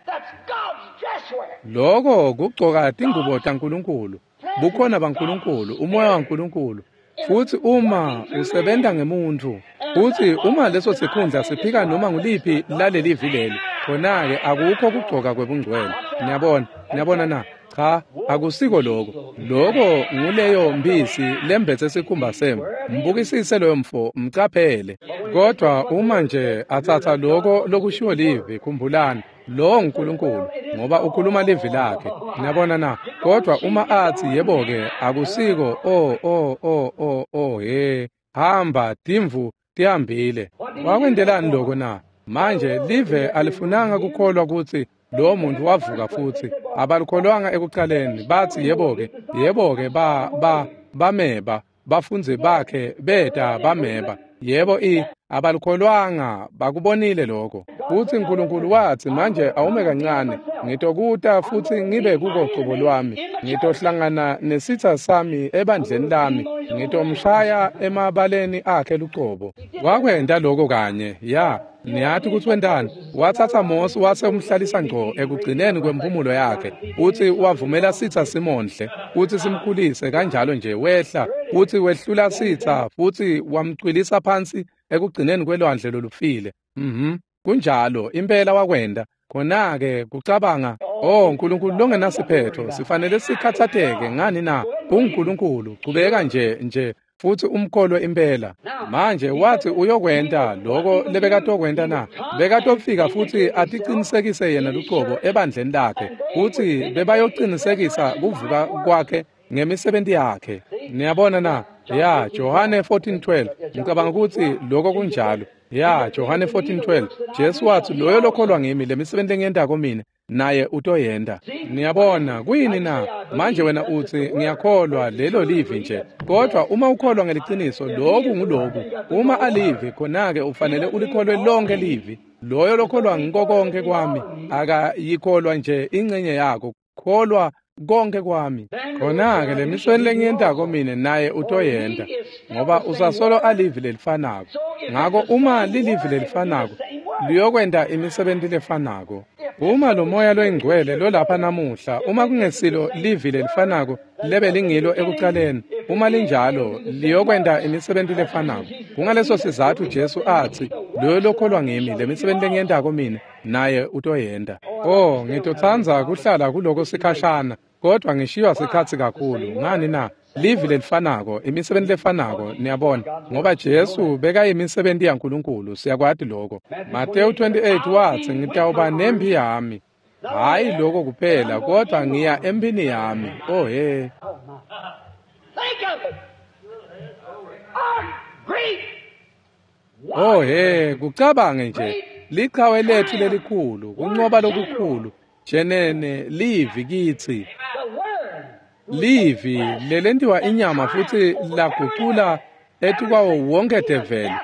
Loko kugcoka tingubo taNkulunkulu, bukhona baNkulunkulu, umoya waNkulunkulu. Futsi uma usebenta ngemuntfu, futsi uma leso sikhundla siphika noma nguliphi lalelivi leli, khona-ke akukho kugcoka kwebungcwele. Niyabona? Niyabona na? Cha, akusiko lokho. Lokho nguleyo mbisi lembetse sikhumba semvu. Mbukisise loyo mfo, mcaphele. Kodwa uma nje atsatsa lokho lokushiwo livi, khumbulani, lowo nguNkulunkulu, ngoba ukhuluma livi lakhe. Niyabona na? Kodwa uma athi yebo-ke, akusiko, oh oh oh oh oh he, hamba timvu tihambile. Wakwentelani lokho na? Manje live alifunanga kukholwa kutsi lo muntu wavuka futsi. Abalikholwanga ekucaleni, bathi yebo-ke, yebo-ke, bameba, bafundzi bakhe beta bameba. Yebo, abalikholwanga, bakubonile lokho. Futsi uNkulunkulu wathi, manje awume kancane, ngitokuta futsi ngibe kuko cobo lwami, ngitohlangana nesitsa sami ebandleni lami, ngitomshaya emabaleni akhe lucobo. Wakwenta lokho kanye, ya. Niyati kutsi wentani? Watsatsa Mose wase umhlalisa ngco ekugcineni kwemphumulo yakhe, utsi wavumela sitsa simondle, utsi simkhulise kanjalo nje wehla, utsi wehlula sitsa futsi wamcwilisa phansi ekugcineni kwelwandle lolufile. Kunjalo, impela wakwenta. Khona-ke kucabanga, oh Nkulunkulu longenasiphetho, sifanele sikhatsateke ngani na? UNkulunkulu, chubeka nje futsi umkholwe impela. Manje wathi uyokwenta lokho lebekatokwenta na? Bekatofika futsi aticinisekise yena lucobo ebandleni lakhe, futsi bebayocinisekisa kuvuka kwakhe ngemisebenti yakhe. Niyabona na? Ya, Johane 14:12. Ngicabanga kutsi lokho kunjalo. Ya, Johane 14:12. Jesu wathi loyo lokholwa ngimi, lemisebenti engiyentako mina naye utoyenta. Niyabona kuyini na? Manje wena utsi ngiyakholwa lelo livi nje, kodwa uma ukholwa ngeliciniso lokhu nguloku. Uma alivi, khona-ke ufanele ulikholwe lonke livi. Loyo lokholwa ngiko konke kwami akayikholwa nje ingcenye yako, kholwa konke kwami. Khona-ke lemisweni lengiyentako mina naye utoyenta, ngoba usasolo alivi lelifanako. Ngako uma lilivi lelifanako, liyokwenta imisebenti lefanako. Uma lo moya loyingcwele lolapha namuhla, uma kungesilo livi lelifanako lebe lingilo ekucaleni, uma linjalo liyokwenta imisebenti lefanako. Kungaleso sizatfu Jesu athi, loyo lokholwa ngimi, lemisebenti lengiyentako mina naye utoyenta. Oh, ngitotsandza kuhlala kuloko sikhashana, kodwa ngishiywa sikhatsi kakhulu. Ngani na? Livi lelifanako, imisebenti lefanako, niyabona, ngoba Jesu bekayimisebenti yaNkulunkulu, siyakwati lokho. Mateyu 28 wathi, ngitawuba nempi yami. Hhayi lokho kuphela, kodwa ngiya empini yami. Oh he. Oh he, kucabange nje. Liqhawe lethu lelikhulu, kunqoba lokukhulu, jenene livi kitsi. Livi lelentiwa inyama futsi lagucula etukwawo wonke develi,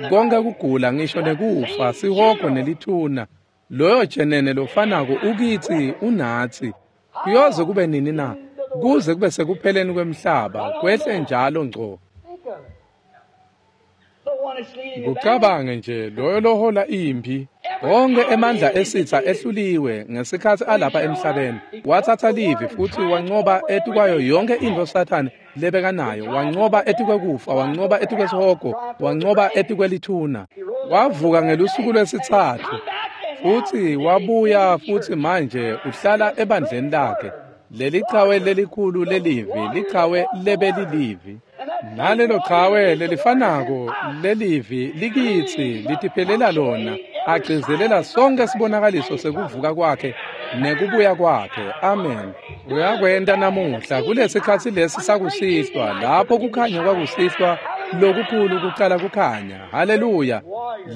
konke kugula ngisho nekufa, sihogo nelithuna. Loyo jenene lofanako ukitsi unatsi. Kuyoze kube nini na? Kuze kube sekupheleni kwemhlaba, kwehle njalo ngco. Kucabange nje loyo lohola imphi. Onke emandla esitha ehluliwe ngesikhathi alapha emhlabeni. Wathatha livi futhi wanqoba etikwayo yonke intfo Sathane lebekanayo. Wanqoba etikwekufa, wanqoba etikwesihogo, wanqoba etikwelithuna. Wavuka ngelusuku lwesitsatfu futhi wabuya futhi manje uhlala ebandleni lakhe. Leli chawe lelikhulu lelivi, lichawe lebelilivi. Nalelo chawe lelifanako lelivi likitsi litiphelela lona, agcizelela sonke sibonakaliso sekuvuka kwakhe nekubuya kwakhe. Amen. Uyakwenta namuhla kulesikhatsi lesi sakusihlwa, lapho kukhanya kwakusihlwa lokukhulu kucala kukhanya. Haleluya.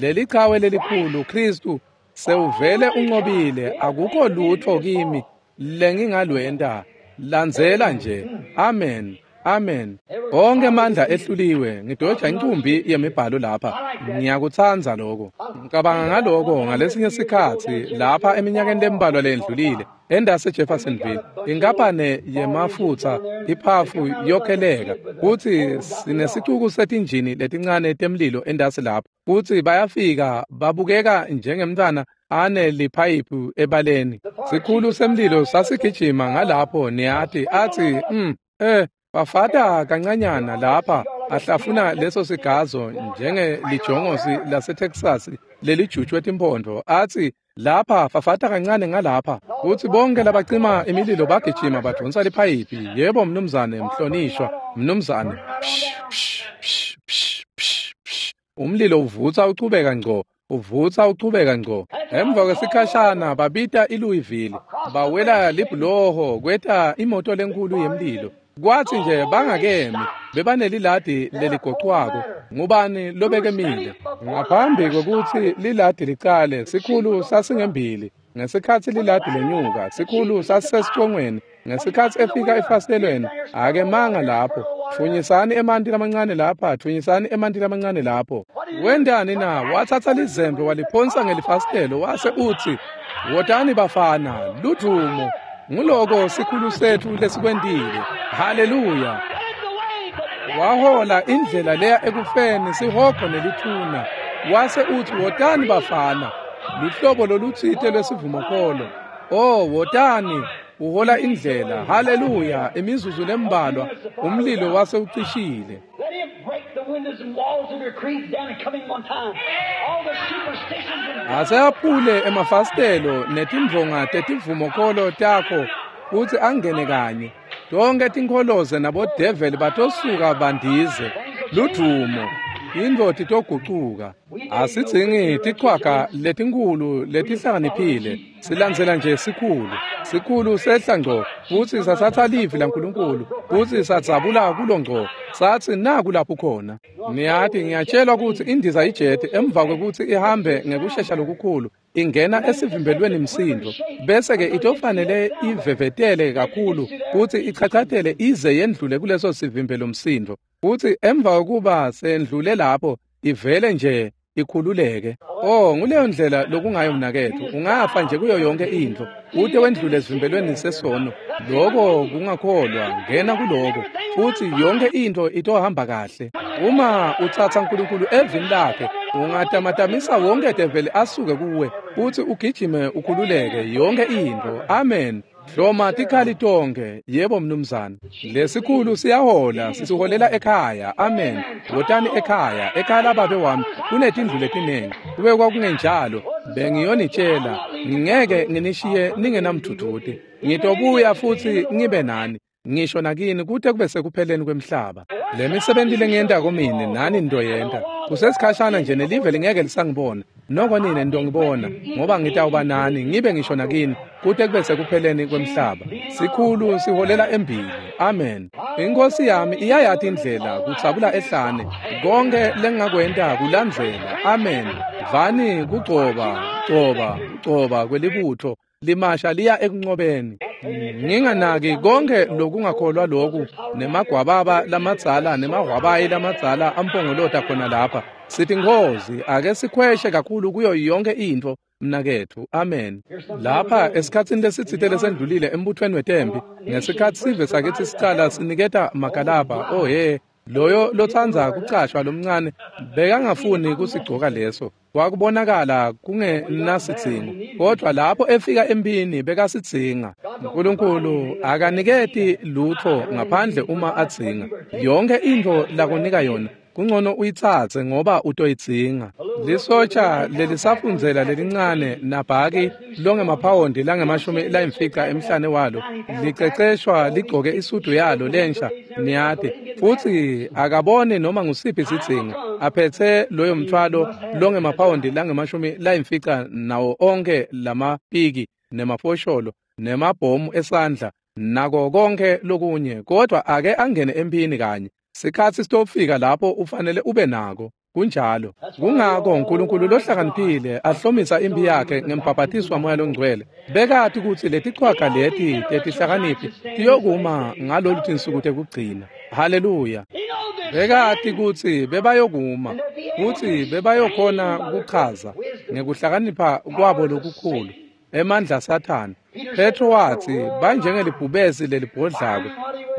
Leli chawe lelikhulu Kristu sewuvele unqobile, akukho lutho kimi lengingalwenta. Landzela nje. Amen. Amen. Onke amandla ehluliwe. Ngidoja incumbi yemibhalo lapha. Ngiyakutsandza lokho. Ngicabanga ngaloko ngalesinye sikhatsi lapha eminyakeni lembalwa lendlulile endase Jeffersonville, inkampane yemafutsa iphafu yokheleka kutsi sinesicuku setinjini letincane temlilo endasi lapho, kutsi bayafika babukeka njengemntfwana ane liphayiphu ebaleni. Sikhulu semlilo sasigijima ngalapho, niyati, athi bafata kancanyana lapha ahlafuna leso sigazo njengelijongosi laseTexas lelijutshwe timpondo, athi lapha fafata kancane ngalapha, kutsi bonke labacima imililo bagijima badonsa liphayiphi. Yebo mnumzane, mhlonishwa mnumzane. Psh, psh, psh, psh, psh, psh. Umlilo uvutsa uchubeka ngco, uvutsa uchubeka ngco. Emva kwesikhashana babita iLouisville, bawela libhuloho kweta imoto lenkulu yemlilo. Kwathi nje bangakemi, bebaneliladi leligocwako. Ngubani lobekemile? Ngaphambi kwekutsi liladi licale, sikhulu sasingembili. Ngesikhatsi liladi lenyuka, sikhulu sasisesicongweni. Ngesikhatsi efika efasitelweni, akemanga lapho. Tfunyisani emanti lamancane lapha, tfunyisani emanti lamancane lapho. Wentani na? Watsatsa lizembe waliphonsa ngelifasitelo wase utsi, "Wotani bafana, ludvumo." Nguloko sikhulu setfu lesikwentile. Haleluya. Wahola indlela leya ekufeni, sihogo nelithuna. Wase utsi, "Wotani bafana." Luhlobo lolutsite lwesivumokholo. Oh, wotani, uhola indlela. Haleluya. Imizuzu lembalwa umlilo wase ucishile. Let him break the windows and walls of your creeds down and come in one time. All the superstitions and Aseyaphule emafasitelo netindvonga tetivumokholo takho kutsi angene kanye. Tonke tinkholoze nabodeveli batosuka bandize. Ludvumo. Intfo titogucuka. Asidzingi tichwaga letinkhulu letihlakaniphile. Silandzela nje sikhulu. Sikhulu sehla ngco futsi sasatha livi laNkulunkulu futsi sadzabula kulo ngco. Satsi naku lapho khona. Niyati, ngiyatshelwa kutsi indiza ijeti emva kwekutsi ihambe ngekushesha lokukhulu ingena esivimbelweni msindo, bese-ke itofanele ivevetele kakhulu kutsi ichachatele ize yendlule kuleso sivimbelo msindo, futsi emva kwekuba sendlule lapho ivele nje ikhululeke. Oh, nguleyo ndlela lokungayo mnaketfu. Ungafa nje kuyo yonke intfo ute wendlule esivimbelweni sesono. Loko kungakholwa, ngena kuloko futsi yonke intfo itohamba kahle. Uma utsatsa uNkulunkulu evini lakhe, ungatamatamisa wonke develi asuke kuwe futsi ugijime ukhululeke yonke intfo. Amen. Hloma tikhali tonke. Yebo mnumzane. Lesikhulu siyahola, sisiholela ekhaya. Amen. Wotani ekhaya, ekhaya lababe wami kunetindlu letinengi. Kube kwakungenjalo, bengiyonitshela, ngingeke nginishiye ningenamdvudvuti. Ngitobuya futsi ngibe nani, ngisho nakini kute kube sekupheleni kwemhlaba. Le misebenti lengiyentako mine nani nitoyenta. Kusesikhashana nje nelive lingeke lisangibona, noko nine nitongibona, ngoba ngitawuba nani ngibe ngisho nakini kute kube sekupheleni kwemhlaba. Sikhulu siholela embili. Amen. Inkosi yami iyayati indlela kudzabula ehlane. Konke lengingakwenta kulandzela. Amen. Vani kugcoba, gcoba, gcoba kwelibutfo limasha liya ekunqobeni. Nginganaki konke lokungakholwa loku nemagwababa lamadzala nemahwabayi lamadzala ampongolota khona lapha. Sithi Nkhosi, ake sikhweshe kakhulu kuyo yonke intfo mnaketfu. Amen. Lapha esikhatsini lesitsite lesendlulile embuthweni wetempi, ngesikhatsi sive sakitsi sicala siniketa makalabha, oh he, Loyo lotsandza kucashwa lomncane bekangafuni kusigcoka leso. Kwakubonakala kungenasidzingo, kodwa lapho efika empini bekasidzinga. Nkulunkulu akaniketi lutho ngaphandle uma adzinga. Yonke intfo lakunika yona kungcono uyitsatse ngoba utoyidzinga. Lisotsha lelisafundzela lelincane nabhaki longemaphawondi langemashumi layimfica emhlane walo liceceshwa ligcoke isudu yalo lensha, niyati, futsi akaboni noma ngusiphi sidzingo, aphethe loyo mthwalo longemaphawondi langemashumi layimfica nawo onke lamapiki nemafosholo nemabhomu esandla nako konke lokunye, kodwa ake angene empini kanye. Sikhatsi sitofika lapho ufanele ube nako. Kunjalo. Kungako uNkulunkulu lohlakaniphile ahlomisa impi yakhe ngembhabhatiso waMoya loNgcwele. Bekati kutsi letichwaga leti tetihlakaniphi tiyokuma ngalolu tinsuku tekugcina. Haleluya. Bekati kutsi bebayokuma futsi bebayokhona kuchaza ngekuhlakanipha kwabo lokukhulu emandla Sathane. Petro watsi banjengelibhubesi lelibhodlako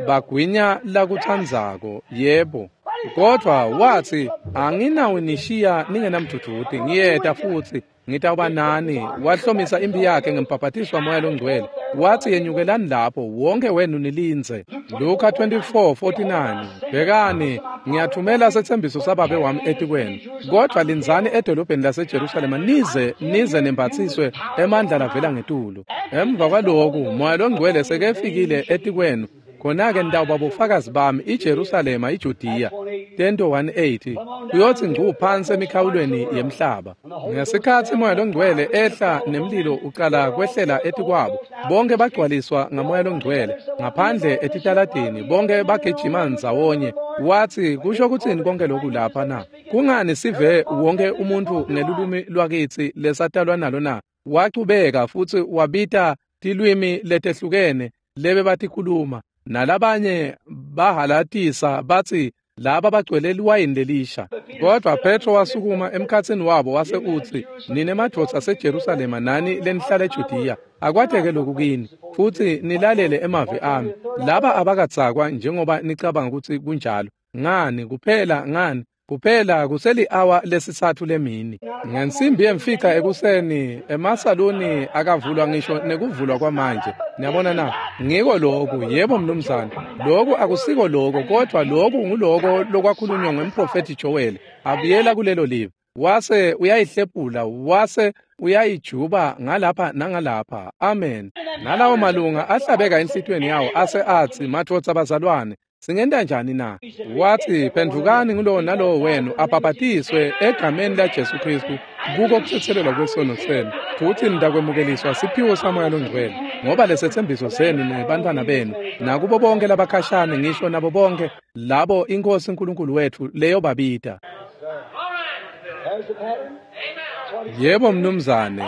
bagwinya lakutsandzako, yebo. Kodwa watsi anginawunishiya ningenamdvudvuti, ngiyeta futsi ngitawuba nani. Wahlomisa impi yakhe ngembhabhatiso waMoya loNgcwele. Watsi yenyukelani lapho wonke wenu nilindze. Luka 24:49. Bhekani, ngiyathumela setsembiso sababe wami etikwenu, kodwa lindzani edolobheni laseJerusalema nize nembatsiswe emandla lavela ngetulu. Emva kwaloku Moya loNgcwele sekefikile etikwenu, khona-ke nitawuba bofakazi bami iJerusalema, iJudiya. Tento 1:8 kuyotsi ngcu phansi emikhawulweni yemhlaba. Ngesikhatsi Moya loNgcwele ehla nemlilo ucala kwehlela etikwabo, bonke bagcwaliswa ngaMoya loNgcwele ngaphandle etitaladini, bonke bagijima ndzawonye. Watsi kusho kutsini konke lokhu lapha na? Kungani sive wonke umuntu ngelulwimi lwakitsi lesatalwa nalo na? Wachubeka futsi wabita tilwimi letehlukene lebebatikhuluma, nalabanye bahalatisa batsi laba bagcwele liwayini lelisha. Kodwa Petro wasukuma emkhatsini wabo wase utsi, nine madvodza aseJerusalema nani lenihlala eJudiya, akwateke lokhu kini futsi nilalele emavi ami. Laba abakadzakwa njengoba nicabanga kutsi kunjalo. Ngani kuphela ngani kuphela kuseli-awa lesitsatfu lemini. Ngensimbi yemfica ekuseni emasaluni akavulwa ngisho nekuvulwa kwamanje. Niyabona na? Ngiko lokhu, yebo mnumzane. Lokhu akusiko lokho, kodwa lokhu nguloko lokwakhulunywa ngumprofethi Joel. Abuyela kulelo live. Wase uyayihlephula, wase uyayijuba ngalapha nangalapha. Amen. Nalawo malunga ahlabeka enhlitiyweni yawo ase atsi, madvodza bazalwane, singenta njani na? Watsi phendvukani ngulowo nalowo wenu abhabhatiswe egameni laJesu Kristu kuko kuthethelelwa kwesono senu, futsi nitakwemukeliswa siphiwo saMoya loNgcwele, ngoba lesetsembiso senu nebantfwana benu nakubo bonke labakhashane, ngisho nabo bonke labo iNkosi uNkulunkulu wethu leyobabita. Yebo mnumzane,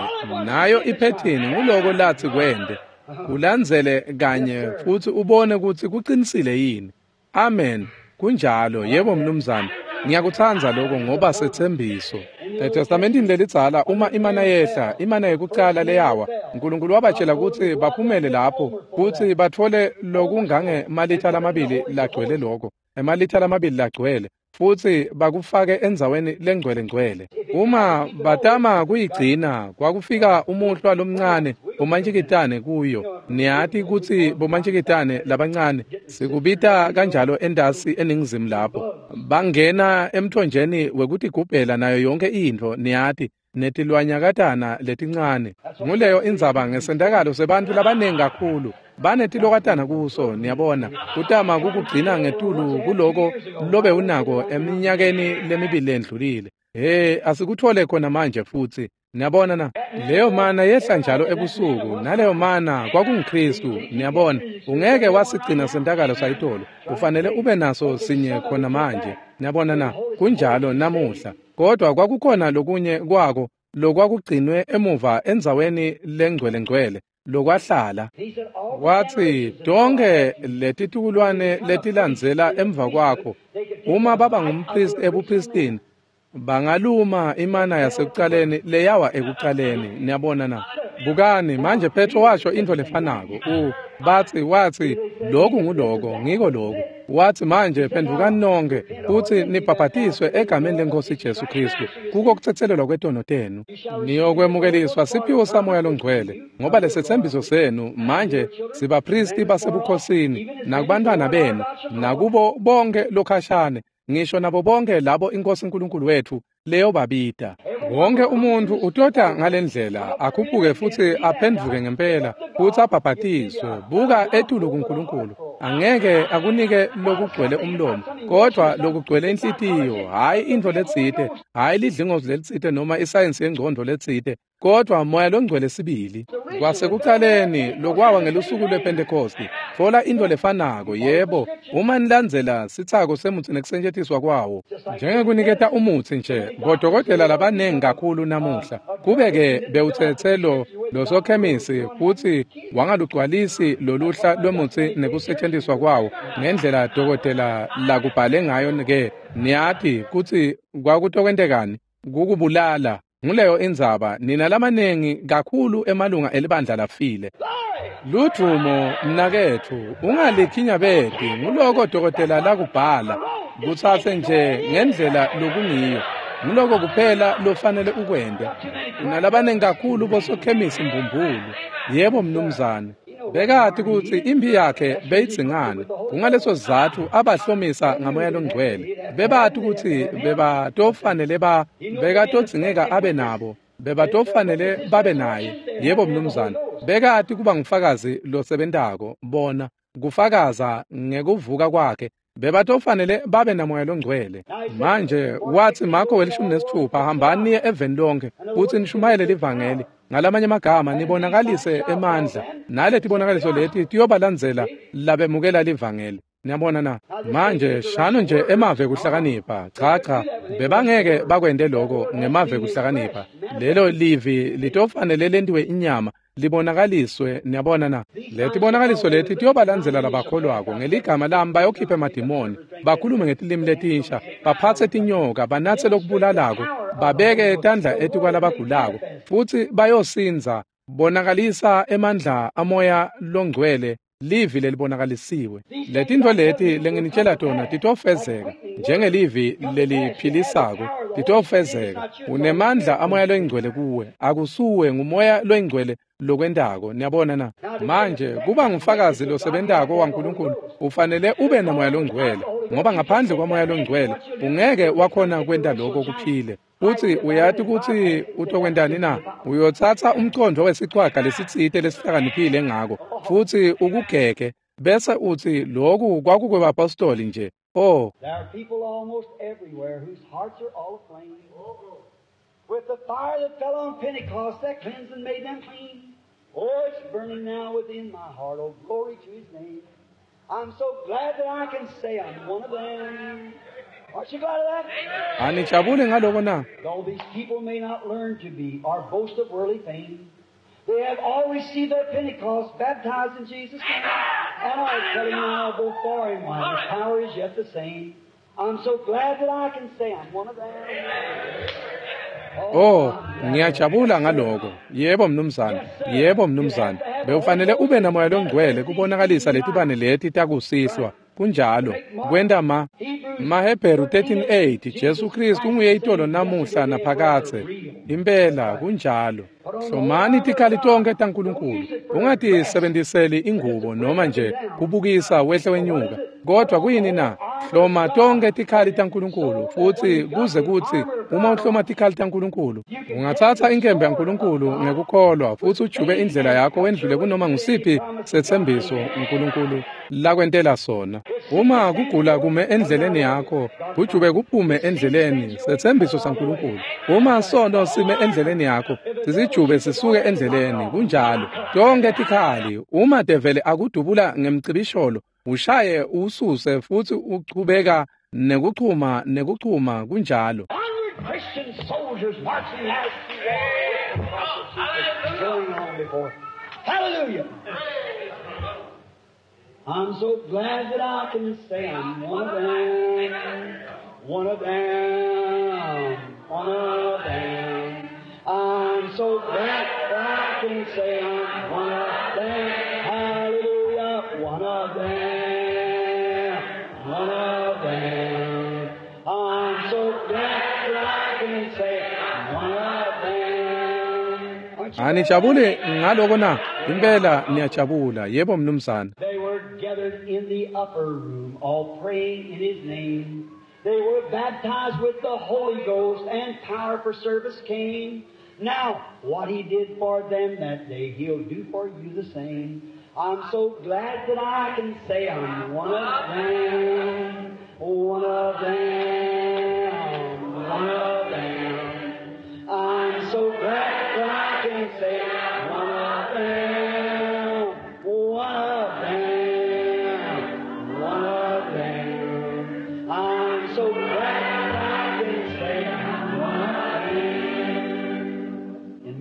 nayo iphethini nguloko latsi kwente. Kulandzele kanye futsi ubone kutsi kuqinisile yini. Amen. Kunjalo, yebo mnumzane. Ngiyakutsandza lokho ngoba setsembiso. ETestamentini lelidzala uma imana yehla, imana yekucala leyawa, uNkulunkulu wabatshela kutsi baphumele lapho kutsi batfole lokungange malitha lamabili lagcwele lokho, emalitha lamabili lagcwele, futsi bakufake endzaweni lengcwele ngcwele. Uma batama kuyigcina, kwakufika umuhlwa lomncane bomantjikitane kuyo. Niyati kutsi bomantjikitane labancane sikubita kanjalo entasi eningizimu lapho. Bangena emthonjeni wekutigubhela nayo yonke intfo, niyati, netilwanyakatana letincane. Nguleyo indzaba ngesentakalo sebantfu labanengi kakhulu. Banetilokatana kuso, niyabona, kutama kukugcina ngetulu kuloko lobe unako eminyakeni lemibili lendlulile. Hey, asikuthole khona manje futsi. Niyabona na? Leyo mana yehla njalo ebusuku, naleyo mana kwakunguKristu, niyabona. Ungeke wasigcina sentakalo sayitolo. Ufanele ube naso sinye khona manje. Niyabona na? Kunjalo namuhla. Kodwa kwakukhona lokunye kwako lokwakugcinwe emuva endzaweni lengcwele ngcwele lokwahlala. Watsi tonke letitukulwane letilandzela emva kwakho, uma baba ngumpristi ebupristini, bangaluma imana yasekucaleni leyawa ekucaleni. Niyabona na? Bukani manje, Petro washo intfo lefanako. Bathi wathi lokhu nguloko ngiko lokhu. Wathi manje phendukani nonke futhi nibhabhatiswe egameni lenkosi Jesu Kristu kuko kuthethelelwa kwetono tenu, niyokwemukeliswa siphiwo samoya longcwele, ngoba lesethembiso senu manje sibapristi basebukhosini nakubantwana benu nakubo bonke lokhashane, ngisho nabo bonke labo inkosi uNkulunkulu wethu leyobabita. Wonke umuntu utota ngalendlela akhuphuke futhi aphenduke ngempela futhi abhabhatiswe. Buka etulu kuNkulunkulu, angeke akunike lokugcwele umlomo, kodwa lokugcwele inhlitiyo, hayi into letsite, hayi lidlingozi lelitsite noma isayensi yengcondo letsite, kodwa moya longcwele sibili. Kwasekuqaleni lokwawa ngelusuku lwePentekosti, thola into lefanako. Yebo, uma nilandzela sitsako semutsi nekusetjentiswa kwawo njengekuniketa umutsi nje bodokotela labanengi kakhulu namuhla, kube-ke bewutsetse losokhemisi futhi wangalugcwalisi loluhla lwemutsi nekusetjentiswa kwawo ngendlela dokotela lakubhale ngayo, ke niyati kutsi kwakutokwentekani? Kukubulala. Nguleyo indzaba nina lamanengi kakhulu emalunga elibandla lafile. Ludvumo mnaketfu, ungalikhinyabeti nguloko dokotela lakubhala, kutsatse nje ngendlela lokungiyo. Nguloko kuphela lofanele ukwente. Unalabanengi kakhulu bosokhemisi mbumbulu. Yebo mnumzane. Bekati kutsi imphi yakhe beyidzingane. Kungaleso sizatfu abahlomisa ngamoya longcwele. Bebati kutsi bebatofanele bekatodzingeka abe nabo. Bebatofanele babe naye. Yebo mnumzane. Bekati kuba ngufakazi losebentako, bona kufakaza ngekuvuka kwakhe. Bebatofanele babe namoya longcwele. Manje wathi Marko 16, hambani niye eveni lonke futhi nishumayele livangeli. Ngalamanye amagama nibonakalise emandla, naletibonakaliso leti tiyobalandzela labemukela livangeli. Niyabona na? Manje shano nje emave kuhlakanipha. Cha cha, bebangeke bakwente lokho ngemave kuhlakanipha. Lelo livi litofanele lentiwe inyama, libonakaliswe. Niyabona na? Letibonakaliso leti tiyobalandzela labakholwako, ngeligama lami bayokhipha emadimoni, bakhulume ngetilimi letinsha, baphatse tinyoka, banatse lokubulalako, babeke tandla etikwalabagulako, futhi bayosindza. Bonakalisa emandla amoya longcwele, livi lelibonakalisiwe. Letintfo leti lenginitshela tona titofezeka njengelivi leliphilisako, titofezeka. Unemandla amoya longcwele kuwe, akusuwe, ngumoya longcwele lokwentako. Niyabona na? Manje kuba ngufakazi losebentako waNkulunkulu ufanele ube namoya longcwele, ngoba ngaphandle kwamoya longcwele ungeke wakhona kwenta lokho kuphile. Futhi uyati kutsi utokwentani na? Uyotsatsa umcondvo wesichwaga lesitsite lesihlakaniphile ngako futhi ukugege, bese uthi lokhu kwakukwebapostoli nje. Oh, There are people almost everywhere whose hearts are all aflame with the fire that fell on Pentecost that cleansed and made them clean. Oh, it's burning now within my heart. Oh, glory to His name. I'm so glad that I can say I'm one of them. Aren't you glad of that? Anijabuli ngaloko na? Though these people may not learn to be or boast of worldly fame, they have all received their Pentecost, baptized in Jesus' name, and are telling now both far and wide, His power is yet the same. I'm so glad that I can say I'm one of them. Oh, ngiyajabula ngaloko. Yebo mnumzane. Yebo mnumzane. Bewufanele ube namoya longcwele kubonakalisa letibane leti takusihlwa. Kunjalo. Kwenta ma Mahebheru 13:8, Jesu Kristu unguye itolo namuhla naphakadze. Impela kunjalo. Hlomani tikhali tonke taNkulunkulu. Ungatisebenziseli ingubo noma nje kubukisa wehle wenyuka. Kodwa kuyini na? Hloma tonke tikhali taNkulunkulu, futhi kuze kuthi uma uhloma tikhali taNkulunkulu, ungatsatsa inkemba yaNkulunkulu ngekukholwa futhi ujube indlela yakho wendlule kunoma ngusiphi setsembiso uNkulunkulu lakwentela sona. Uma kugula kume endleleni yakho, kujube kuphume endleleni setsembiso saNkulunkulu. Uma sono sime endleleni yakho, sisijube sisuke endleleni. Kunjalo. Tonke tikhali, uma devele akudubula ngemcibisholo, ushaye ususe futhi uchubeka nekuchuma nekuchuma. Kunjalo. 100 Christian soldiers marching as to war going on before. Hallelujah! I'm so glad that I can say I'm one of them, one of them, one of them. I'm so glad that I can say I'm one of them. Hallelujah. of them, one of them. I'm so glad that I can say I'm one of them. Aren't you glad? Anijabule ngaloko na? Impela niyajabula. Yebo mnumzane. They were gathered in the upper room, all praying in His name. They were baptized with the Holy Ghost, and power for service came. Now, what He did for them that day, He'll do for you the same. I'm so glad that I can say I'm one of them, one of them, one of them. I'm so glad that I can say I'm one of them, one of them, one of them. I'm so glad that I can say I'm one of them.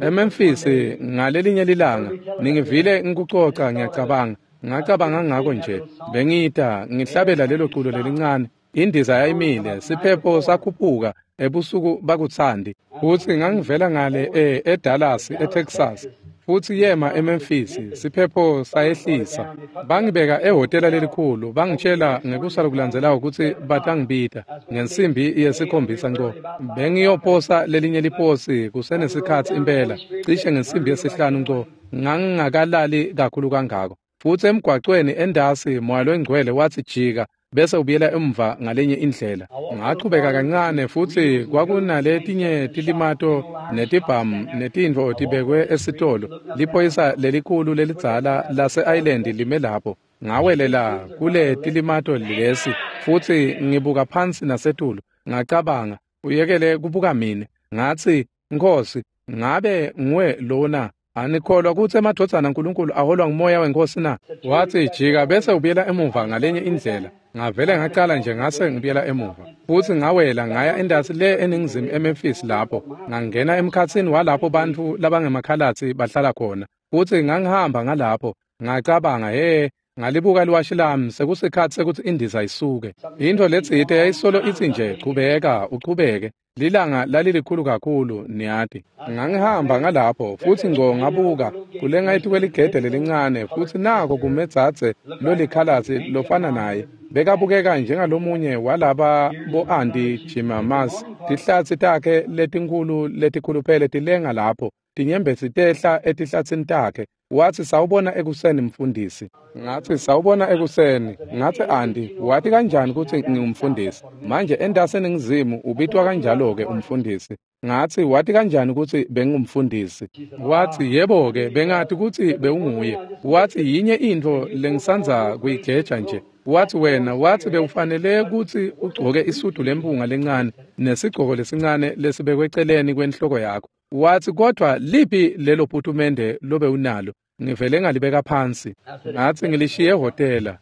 eMemphis ngalelinye lilanga ningivile ngikucoca ngiyacabanga ngacabanga ngako nje bengita ngihlabela lelo culo lelincane indiza yayimile siphepho sakhuphuka ebusuku bakuthandi futhi ngangivela ngale eDallas eTexas futhi yema eMemphis siphepho sayehlisa bangibeka ehhotela lelikhulu bangitshela ngekusa lokulandzelako ukuthi batangibita ngensimbi yesikhombisa nco bengiyoposa lelinye liposi kusenesikhatsi impela cishe ngensimbi yesihlanu nco ngangingakalali kakhulu kangako futhi emgwacweni endasi moya longcwele wathi jika bese ubuyela emva ngalenye indlela ngachubeka kancane futhi kwakunaletinye tilimato netibhamu netintfo tibekwe esitolo liphoyisa lelikhulu lelidzala lase-island lime lapho ngawelela kule tilimato lesi futhi ngibuka phansi nasetulu ngacabanga uyekele kubuka mina ngathi Nkosi ngabe nguwe lona anikholwa ukuthi emadvodzana aNkulunkulu aholwa ngumoya wenkosi na wathi jika bese ubuyela emuva ngalenye indlela ngavele ngacala nje ngase ngibuyela emuva futhi ngawela ngaya endasi le eningizimu eMemphis lapho ngangena emkhatsini walapho bantfu labangemakhalatsi bahlala khona futhi ngangihamba ngalapho ngacabanga he ngalibuka liwashi lami sekusikhatsi sekuthi indiza isuke into letsite yayisolo itsi nje chubeka uchubeke lilanga lalilikhulu kakhulu niyati ngangihamba ngalapho futhi ngco ngabuka kulenga etikweligede lelincane futhi nako kumedzadze lolikhalatsi lofana naye bekabukeka njengalomunye walaba bo-anti Jimamas tihlatsi takhe letinkhulu letikhuluphele tilenga lapho tinyembezi tehla etihlatsini takhe wathi sawubona ekuseni mfundisi ngathi sawubona ekuseni ngathi anti wathi kanjani ukuthi ngingumfundisi manje endasi eningizimu ubitwa kanjalo-ke umfundisi ngathi wathi kanjani ukuthi bengingumfundisi wathi yebo-ke bengathi ukuthi bewunguye wathi yinye intfo lengisandza kuyigeja nje wathi wena wathi bewufanele ukuthi ugcoke isudu lempunga lencane nesigcoko lesincane lesibekwe eceleni kwenhloko yakho wathi kodwa liphi lelo putumende lobe unalo ngivele ngalibeka phansi ngathi ngilishiye ehhotela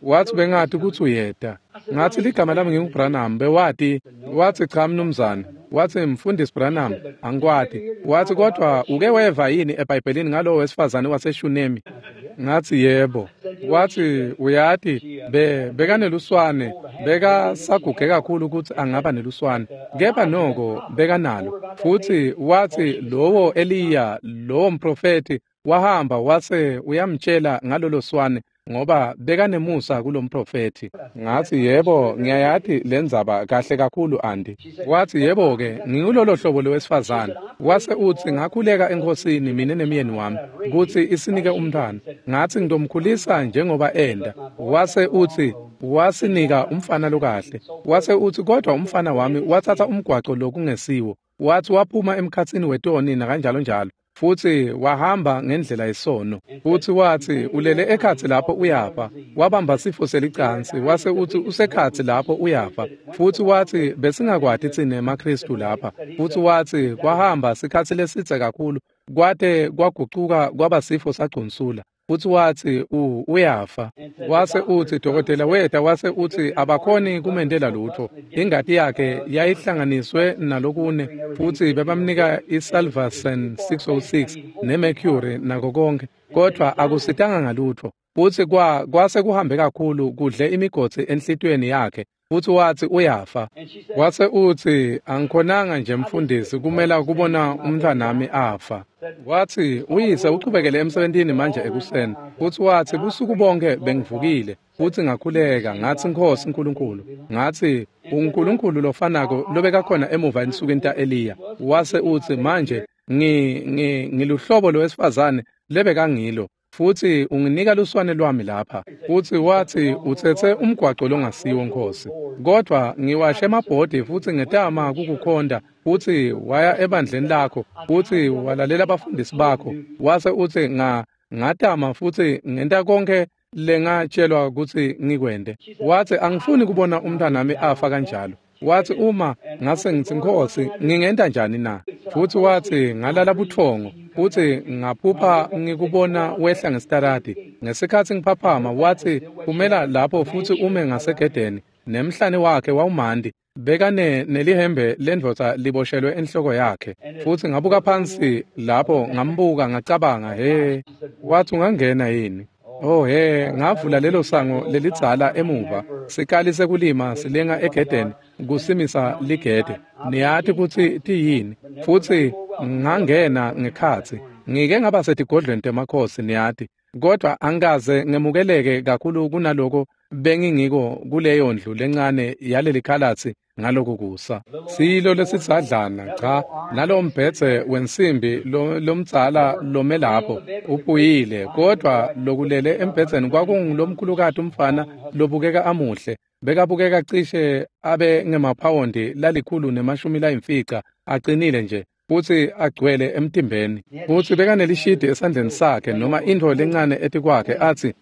wathi bengathi ukuthi uyeda ngathi ligama lami nginguBranham bewati wathi cha mnumzane wathi mfundisi Branham angikwati wathi kodwa uke weva yini eBhayibhelini ngalowo wesifazane waseShunemi ngathi yebo wathi uyati bekaneluswane bekasaguge kakhulu ukuthi angaba neluswane kepha noko bekanalo futhi wathi lowo Eliya lowo mprofeti wahamba wase uyamtshela ngalolo swane ngoba bekanemusa kulomprofethi ngathi yebo ngiyayati lendzaba kahle kakhulu anti wathi yebo-ke ngingulolo hlobo lowesifazane wase uthi ngakhuleka enkosini mina nemyeni wami kutsi isinike umntwana ngathi ngitomkhulisa njengoba enda wase uthi wasinika umfana lokahle wase uthi kodwa umfana wami wathatha umgwaco lokungesiwo wathi waphuma emkhatsini wetoni nakanjalo njalo futhi wahamba ngendlela yesono futhi wathi ulele ekhatsi lapho uyafa wabamba sifo selicansi wase uthi usekhatsi lapho uyafa futhi wathi besingakwati tsine emaKristu lapha futhi wathi kwahamba sikhatsi lesidze kakhulu kwate kwagucuka kwaba sifo sagcunsula futhi wathi uyafa wase uthi dokotela weta wase uthi abakhoni kumendela lutho ingati yakhe yayihlanganiswe nalokune futhi bebamnika isalvarsan 606 nemercury nako konke kodwa akusitanga ngalutho futhi kwase kuhambe kakhulu kudle imigodzi enhlitiyweni yakhe futhi wathi uyafa wase uthi angikhonanga nje mfundisi kumela kubona umntwanami afa Watsi uyise uchubekele emsebentini manje ekuseni. Futsi watsi busuku bonke bengivukile futsi ngakhuleka ngatsi Nkhosi Nkulunkulu. Ngatsi uNkulunkulu lofanako lobekakhona emuva ensukwini ta-Eliya. Wase utsi manje ngiluhlobo lowesifazane lebekangilo. Futsi unginika luswane lwami lapha. Futsi watsi utsetse umgwaco longasiwo Nkhosi. Kodvwa ngiwashe emabhodi futsi ngetama kukukhonta. Futsi waya ebandleni lakho futsi walalela abafundisi bakho. Wase utsi ngatama futsi ngenta konke lengatshelwa kutsi ngikwente. Watsi angifuni kubona umntwanami afa kanjalo. Watsi uma ngase ngitsi Nkhosi ngingenta njani na? Futsi watsi ngalala buthongo futsi ngaphupha ngikubona wehla ngesitaradi. Ngesikhatsi ngiphaphama watsi kumela lapho futsi ume ngasegedeni nemhlane wakhe wawumanti bekane nelihembe lendvodza liboshelwe enhloko yakhe. Futsi ngabuka phansi lapho ngambuka ngacabanga he. Watsi ungangena yini? Oh he, ngavula lelo sango lelidzala emuva. Sikali sekulima silenga egedeni kusimisa ligede. Niyati kutsi tiyini. Futsi ngangena ngekhatsi. Ngike ngaba setigodlweni temakhosi niyati. Kodwa angikaze ngemukeleke kakhulu kunaloko bengingiko kuleyo ndlu lencane yaleli khalatsi ngaloko kusa. Silo lesidzadlana cha nalo mbhedze wensimbi lomdzala lome lapho upuyile, kodwa lokulele embhedzeni kwakungulomkhulukati umfana lobukeka amuhle. Bekabukeka cishe abe ngemaphawondi 150 acinile nje futsi agcwele emtimbeni. Futsi bekanelishidi esandleni sakhe noma intfo lencane etikwakhe atsi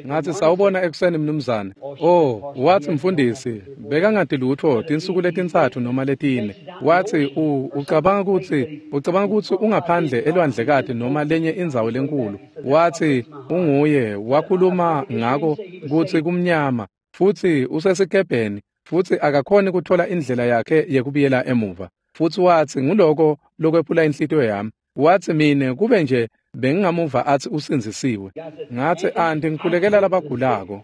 Ngathi sawubona ekuseni mnumzane. Oh, wathi mfundisi bekangati lutfo tinsuku letintsatfu noma letine. Wathi ucabanga kutsi ungaphandle elwandlekati noma lenye indzawo lenkulu. Wathi unguye wakhuluma ngako kutsi kumnyama futsi usesikebheni futsi akakhoni kuthola indlela yakhe yekubuyela emuva. Futsi wathi nguloko lokwephula inhlitiyo yami. Wathi mine kube nje bengingamuva athi usindzisiwe. Ngathi anti ngikhulekela labagulako.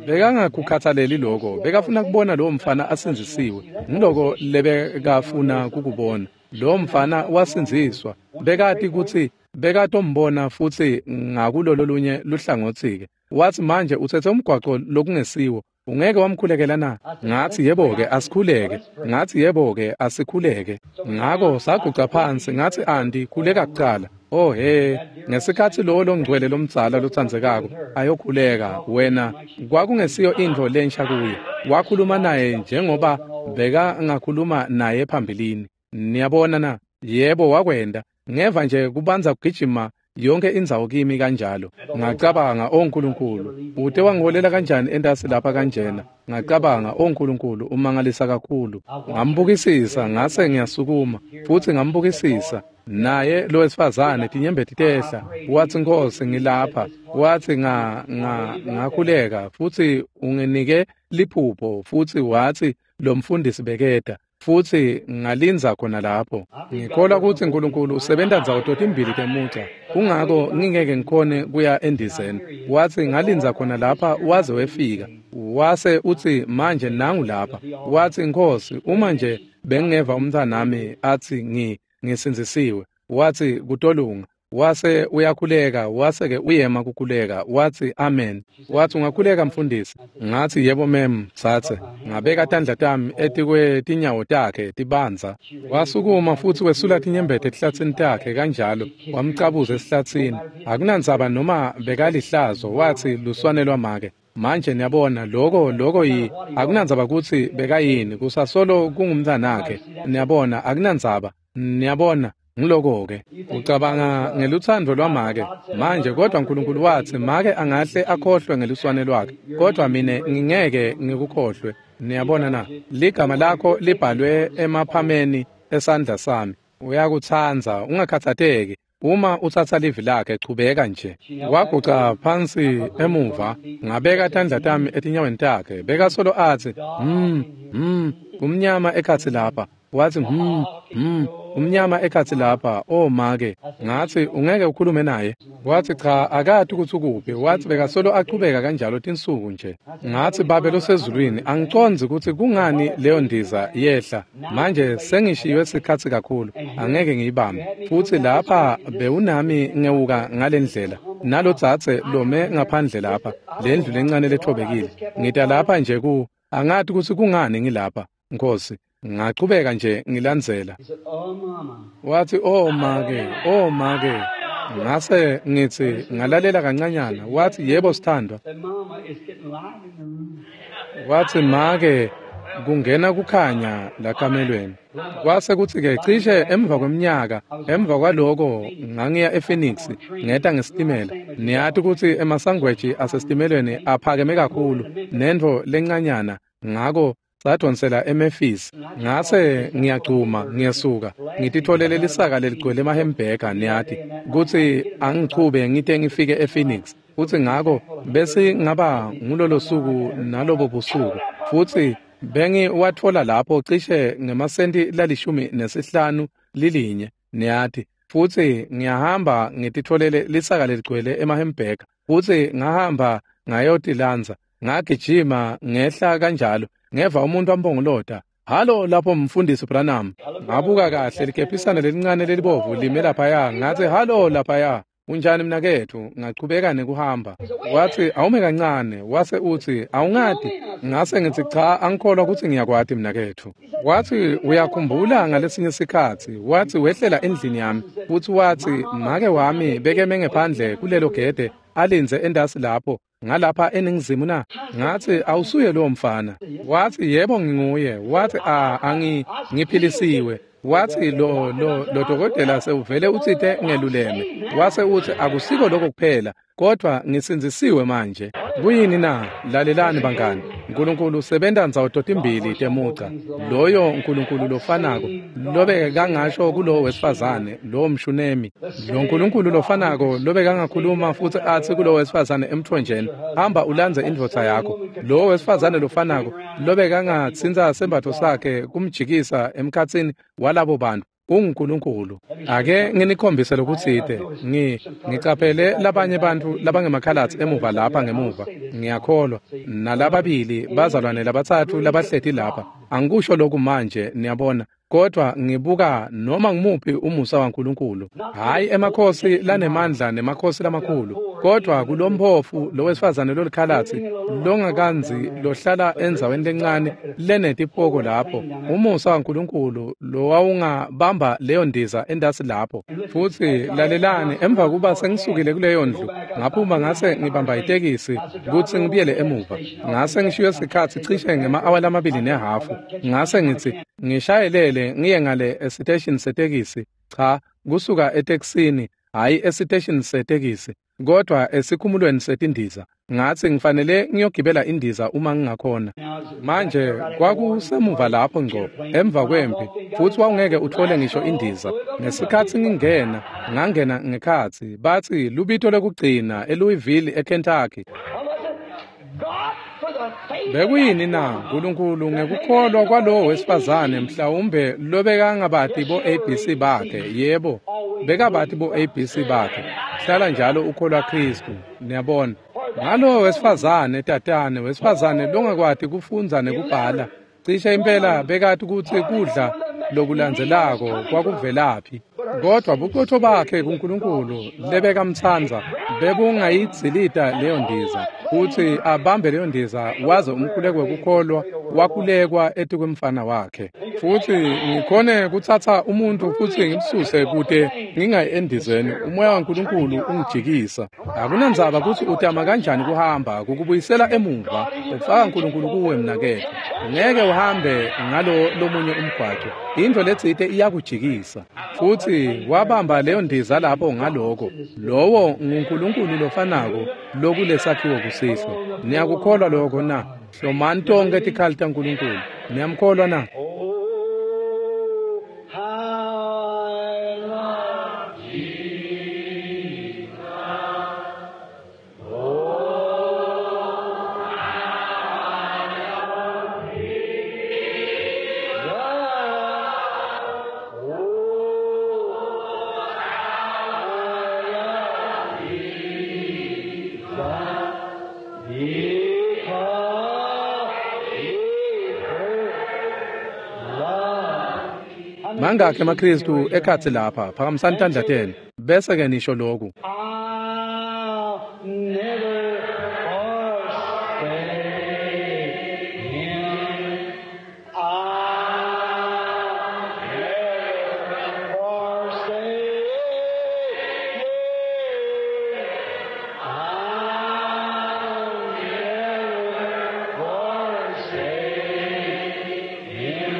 Bekangakukhathaleli lokho, bekafuna kubona lowo mfana asindzisiwe. Ngiloko lebekafuna kukubona. Lowo mfana wasindziswa. Bekati kutsi bekatombona futsi ngakulolo lunye luhlangotsi-ke. Wathi manje utsetse umgwaco lokungesiwo. Ungeke wamkhulekela na? Ngathi yebo-ke asikhuleke. Ngathi yebo-ke asikhuleke. Ngako saguca phansi ngathi anti khuleka kucala. Oh he, ngesikhatsi lowo longcwele lomdzala lotsandzekako ayokhuleka wena kwakungesiyo intfo lensha kuye. Wakhuluma naye njengoba bekangakhuluma naye phambilini. Niyabona na? Yebo wakwenda. Ngeva nje kubanza kugijima yonke indzawo kimi kanjalo. Ngacabanga o Nkulunkulu, ute wangiholela kanjani entasi lapha kanjena? Ngacabanga o Nkulunkulu umangalisa kakhulu. Ngambukisisa ngase ngiyasukuma futsi ngambukisisa. Naye lo wesifazane tinyembeti tehla. Wathi Nkhosi ngilapha. Wathi ngakhuleka futsi unginike liphupho futsi wathi lo mfundisi beketa. Futsi ngalinza khona lapho. Ngikholwa kutsi Nkulunkulu usebenta ndzawo totimbili temuca. Kungako ngingeke ngikhone kuya endizeni. Wathi ngalinza khona lapha waze wefika. Wase utsi manje nangu lapha. Wathi Nkhosi uma nje bengingeva umntwanami athi ngisindzisiwe. Wathi kutolunga. Wase uyakhuleka, wase ke uyema kukhuleka. Wathi amen. Wathi ungakhuleka mfundisi? Ngathi yebo mem, tsatse. Ngabeka tandla tami etikwe tinyawo takhe tibanza. Wasukuma futsi wesula tinyembeti etihlatsini takhe kanjalo, wamcabuza esihlatsini. Akunandzaba noma bekalihlazo, wathi luswane lwamake. Manje niyabona lokho yi akunandzaba kutsi bekayini, kusasolo kungumntwanakhe. Niyabona akunandzaba. Niyabona ngiloko-ke ucabanga ngelutsandvo lwamake manje, kodwa Nkulunkulu watsi make angahle akhohlwe ngeluswane lwakhe, kodwa mine ngingeke ngikukhohlwe. Niyabona na? Ligama lakho libhalwe emaphameni esandla sami. Uyakutsandza, ungakhathateki. Uma utsatsa livi lakhe chubeka nje. Waguca phansi emuva, ngabeka tandla tami etinyaweni takhe. Bekasolo atsi. Kumnyama ekhatsi lapha. Wathi, umnyama ekhatsi lapha, oh make. Ngathi, ungeke ukhulume naye? Wathi, cha, akati kutsi ukuphi. Wathi bekasolo achubeka kanjalo tinsuku nje. Ngathi, Babe losezulwini, angicondzi kutsi kungani leyo ndiza yehla. Manje sengishiywe sikhatsi kakhulu, angeke ngiyibambe. Futsi lapha bewunami ngewuka ngalendlela. Nalotsatse lome ngaphandle lapha, lendlu lencane lethobekile. Ngita lapha nje ku, angati kutsi kungani ngilapha, Nkosi. Ngachubeka nje ngilandzela. Wathi, oh make, oh make. Ngase ngithi ngalalela kancanyana. Wathi, yebo sithandwa. Wathi, make, kungena kukhanya lakamelweni. Kwase kuthi-ke cishe emva kweminyaka, emva kwaloko ngangiya ePhoenix, ngeta ngesitimela. Niyati kutsi emasangweji asesitimelweni aphakeme kakhulu, nentfo lencanyana, ngako sadonsela eMemphis. Ngase ngiyagcuma ngiyesuka, ngititholele lisaka leligcwele emahembhega, niyati kutsi angichube ngite ngifike ePhoenix. Futsi ngako bese ngaba ngulolo suku nalobo busuku, futsi bengiwatfola lapho cishe ngemasenti la15 lilinye, niyati. Futsi ngiyahamba ngititholele lisaka leligcwele emahembhega, futsi ngahamba ngayotilandza, ngagijima ngehla kanjalo. Ngeva umuntu ambongolota, halo lapho mfundisi Branham. Ngabuka kahle likephisana lelincane lelibovu lime laphaya. Ngathi, halo laphaya, unjani mnaketfu? Ngachubeka nekuhamba. Wathi, awume kancane. Wase uthi, awungati? Ngase ngithi, cha, angikholwa kutsi ngiyakwati mnaketfu. Wathi, uyakhumbula ngalesinye sikhatsi? Wathi, wehlela endlini yami, futsi wathi, make wami bekeme ngephandle kulelo gede alindze endasi lapho ngalapha eningizimu na? Ngathi, awusuye lowo mfana. Wathi, yebo nginguye. Wathi, ngiphilisiwe. Wathi, lo dokotela sewuvele utsite ngeluleme. Wase uthi, akusiko lokho kuphela, kodwa ngisindzisiwe manje. Kuyini na? Lalelani bangani. Nkulunkulu usebenta ndzawo totimbili temuca. Loyo Nkulunkulu lofanako lobekangasho kulowo wesifazane, lowo mshunemi. Lo Nkulunkulu lofanako lobekangakhuluma futsi atsi kulowo wesifazane emthonjeni, hamba ulandze indvodza yakho. Lowo wesifazane lofanako lobekangatsintsa sembatfo sakhe kumjikisa emkhatsini walabo bantu, unguNkulunkulu. Ake nginikhombise lokutsite. Ngicaphele labanye bantfu labangemakhalatsi emuva lapha ngemuva, ngiyakholwa, nalababili bazalwane labatsatfu labahleti lapha. Angikusho lokhu manje, niyabona, kodwa ngibuka noma ngumuphi umusa waNkulunkulu. Hhayi emakhosi lanemandla nemakhosi lamakhulu, kodwa kulomphofu lowesifazane lolikhalatsi longakandzi lohlala endzaweni lencane lenetipoko lapho, umusa waNkulunkulu lowawungabamba leyo ndiza endasi lapho. Futsi lalelani, emva kuba sengisukile kuleyo ndlu, ngaphuma ngase ngibamba itekisi kutsi ngibuyele emuva. Ngase ngishiye sikhatsi cishe ngema-awa 2.5. Ngase ngitsi ngishayelele ngiye ngale esiteshini setekisi. Cha, kusuka etekisini, hhayi esiteshini setekisi, kodwa esikhumulweni setindiza. Ngathi ngifanele ngiyogibela indiza uma ngingakhona. Manje kwakusemuva lapho ngco emva kwempi, futhi wawungeke uthole ngisho indiza. Ngesikhatsi ngingena, ngangena ngekhatsi, bathi lubito lokugcina eLouisville eKentucky. Bekuyini na? Nkulunkulu ngekukholwa kwalowo wesifazane, mhlawumbe lobekangabati bo-ABC bakhe. Yebo, bekabati bo-ABC bakhe. Hlala njalo ukholwa Khristu, niyabona. Ngalowo wesifazane, tatane, wesifazane longakwati kufundza nekubhala, cishe impela bekati kutsi kudla lokulandzelako kwakuvelaphi. Kodwa buqotho bakhe kuNkulunkulu lebekamtsandza bebungayidzilita leyo ndiza, kutsi abambe leyo ndiza waze umkhuleko wekukholwa wakhulekwa etikwemfana wakhe. Futsi ngikhone kutsatsa umuntu futsi ngimsuse kute ngingayi endizeni, umoya waNkulunkulu ungijikisa. Akunandzaba kutsi utama kanjani kuhamba, kukubuyisela emuva, ufaka uNkulunkulu kuwe mnaketfu. Ungeke uhambe ngalo lomunye umgwaco, intfo letsite iyakujikisa. Futsi wabamba leyo ndiza lapho ngaloko. Lowo nguNkulunkulu lofanako lokulesakhiwo kusihlwa. Niyakukholwa lokho na? Hlomani tonkhe tikhali taNkulunkulu. Niyamkholwa na? Mangakhi emaKhristu ekhatsi lapha, phakamisani tandla tenu, bese-ke nisho lokhu. I'll never forsake him. I'll never forsake him. I'll never forsake him.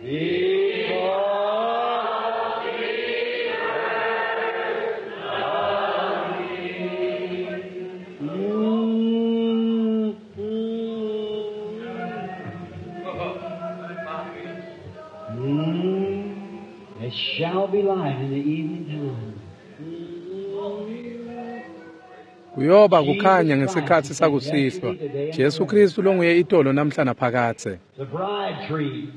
Because It shall be light in the evening time. Kuyoba kukhanya ngesikhatsi sakusihlwa. Jesu Kristu longuye itolo namhla naphakadze. The bride tree.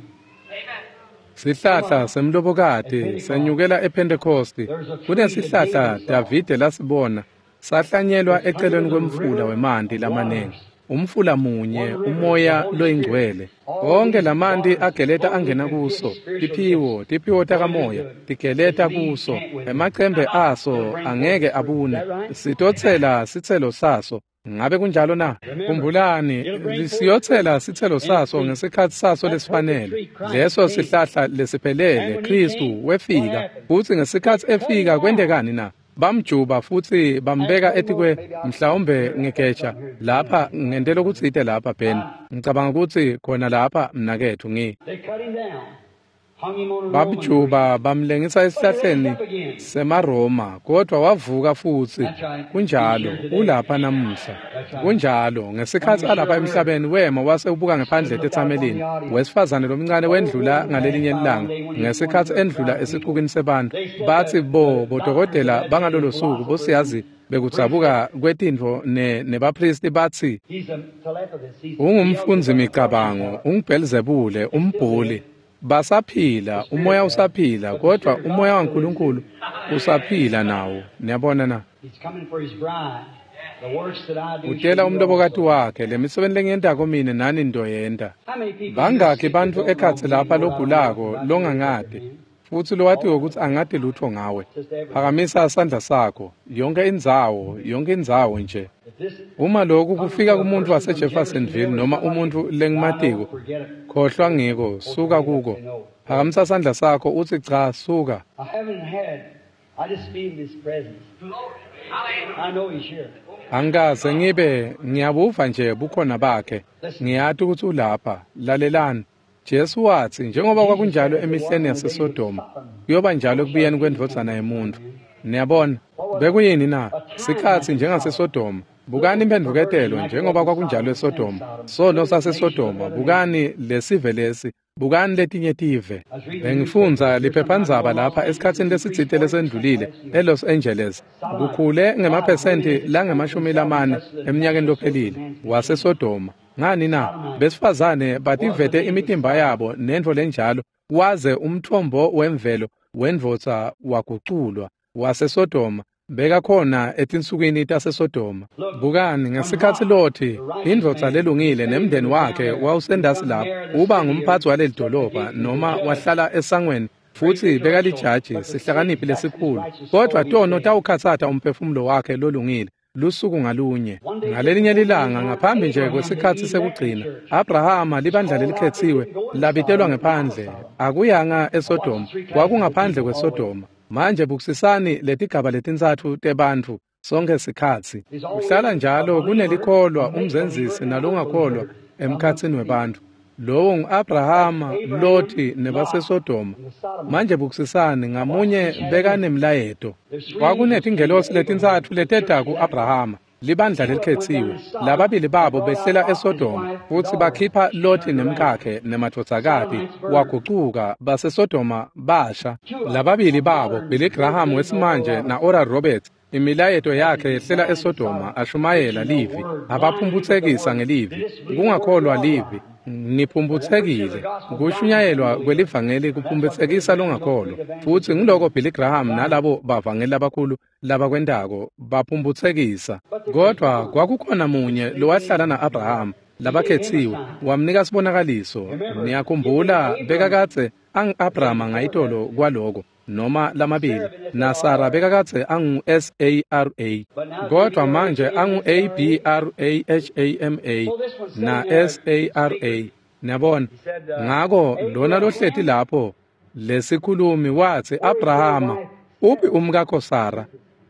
Sihlahla semlobokati senyukela ePhentekosti. Kunesihlahla Davide lasibona sahlanyelwa eceleni kwemfula wemanti lamaningi. Umfula munye, umoya loyingcwele. Onke lamanti ageleta angena kuso. Tiphiwo takamoya tigeleta kuso. Emacembe aso angeke abune. Sitotsela sitselo saso. Ngabe kunjalo na? Khumbulani, siyotsela sitselo saso ngesikhatsi saso lesifanele. Leso sihlahla lesiphelele, Kristu wefika. Futsi ngesikhatsi efika kwentekani na? Bamjuba futsi bambeka etikwe mhlawumbe ngegeja lapha ngentela ukutsite lapha Ben. Ngicabanga ukuthi khona lapha mnakethu ngi. They cut him down, hung him on a Roman tree. Bamjuba bamlengisa esihlahleni semaRoma, kodwa wavuka futsi. Kunjalo, ulapha namuhla. Kunjalo, ngesikhatsi alapha emhlabeni wema wase ubuka ngephandle etetsamelini. Wesifazane lomncane wendlula ngalelinye ilanga, ngesikhatsi endlula esixukwini sebantu. Batsi bodokotela bangalolo suku bosiyazi bekudzabuka kwetintfo nebaphristi batsi He's a telepathist. He's ungumfundzi micabango, unguBhelzebule, umbhuli. Basaphila, umoya usaphila, kodwa umoya waNkulunkulu usaphila nawo. Niyabona na? He's coming for his bride. The works that I do. Utela shall you umlobokati also. wakhe, lemisebenti lengiyentako mine nani ntoyenta. How many people Bangakhi here bantfu sick that ekhatsi don't know lapha me, know logulako about you, longangati futsi lowatiwe kutsi angati lutho ngawe. Phakamisa sandla sakho, yonke indzawo nje. If this Uma lokhu kufika kumuntu waseJeffersonville noma umuntu lengimatiko, forget it. khohlwa ngiko, suka kuko. Phakamisa sandla sakho utsi cha, suka. I haven't had. I just feel his presence. I know he's here. Angikaze ngibe ngiyabuva nje bukhona bakhe. Ngiyati ukuthi ulapha. Lalelani. Jesu watsi njengoba kwakunjalo emihleni yaseSodoma, kuyoba njalo ekubuyeni kwendvodzana yemuntfu. Niyabona, bekuyini na? Sikhatsi njengaseSodoma. Bukani imphendvuketelo njengoba kwakunjalo eSodoma. Sono saseSodoma, bukani lesive lesi, bukani letinye tive. Bengifundza liphephandzaba lapha esikhatsini lesitsite lesendlulile eLos Angeles. Kukhule ngemaphesenti lange-40 eminyakeni lophelile waseSodoma. Ngani na? Besifazane bativete imitimba yabo nentfo lenjalo, waze umthombo wemvelo wendvodza waguculwa waseSodoma. Bekakhona etinsukwini taseSodoma. Bukani ngesikhatsi Loti, indvodza lelungile nemndeni wakhe wawusendasi lapho, uba ngumphatsi waleli dolobha noma wahlala esangweni futsi bekalijaji, sihlakaniphi lesikhulu. Kodwa tono tawukhatsata umphefumulo wakhe lolungile lusuku ngalunye. Ngalelinye lilanga ngaphambi nje kwesikhatsi sekugcina, Abrahama libandla lelikhetsiwe labitelwa ngephandle. Akuyanga eSodoma, kwakungaphandle kweSodoma. Manje bukisisani letigaba letintsatfu tebantfu sonke sikhatsi. Kuhlala njalo kunelikholwa, umzenzisi nalongakholwa emkhatsini webantfu. Lowo ngu-Abrahama, Loti nebaseSodoma. Manje bukisisani ngamunye bekanemlayeto. Kwakunetingelosi letintsatfu leteta ku-Abrahama, libandla lelikhetsiwe. Lababili babo behlela eSodoma futsi bakhipha Loti nemkakhe nemadvodzakati, wagucuka baseSodoma basha. Lababili babo, Billy Graham wesimanje na-Oral Roberts, imilayeto yakhe yehlela eSodoma ashumayela livi, abaphumphutsekisa ngelivi, kungakholwa livi. Niphumphutsekile. Kushunyayelwa kwelivangeli kuphumphutsekisa longakholwa. Futsi ngiloko Billy Graham nalabo bavangeli labakhulu labakwentako, baphumphutsekisa. Kodwa kwakukhona munye lowahlala na-Abrahama, labakhetsiwe, wamnika sibonakaliso. Niyakhumbula bekakadze angu-Abrahama ngayitolo kwaloko noma lamabili, naSara bekakadze angu-S-A-R-A, kodvwa manje angu-A-B-R-A-H-A-M-A na S-A-R-A. Niyabona? Ngako lona lohleti lapho lesikhulumi watsi, Abrahama, uphi umkakho Sara?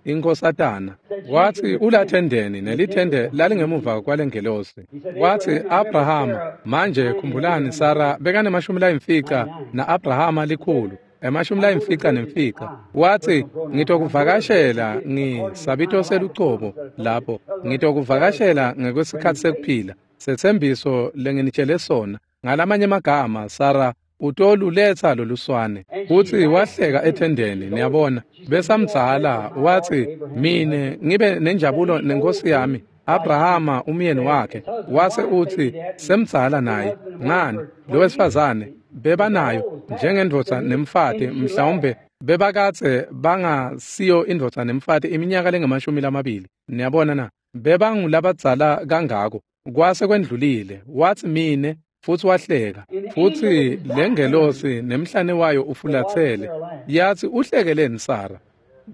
Inkosatana. Watsi ulathendeni, nelithende lalingemuva kwalengelosi. Watsi Abrahama, manje khumbulani Sara bekane-50 na-Abrahama 100, 95. Watsi ngitokuvakashela ngisabito selucobo lapho, ngitokuvakashela ngekwesikhatsi sekuphila, setsembiso lenginitshele sona. Ngalamanye amagama, Sara utoluletsa loluswane. Futsi wahleka ethendeni, niyabona, besamdzala. Watsi mine ngibe nenjabulo nenkosi yami Abrahama umyeni wakhe. Wase utsi semdzala naye. Ngani, lo wesifazane bebanayo njengendvodza nemfati, mhlawumbe bebakadze bangasiyo indvodza nemfati iminyaka lengama-20. Niyabona na? Bebangulabadzala kangako. Kwase kwendlulile. Watsi mine, futsi wahleka. Futsi lengelosi nemhlane wayo ufulatsele yatsi, uhlekeleni Sara?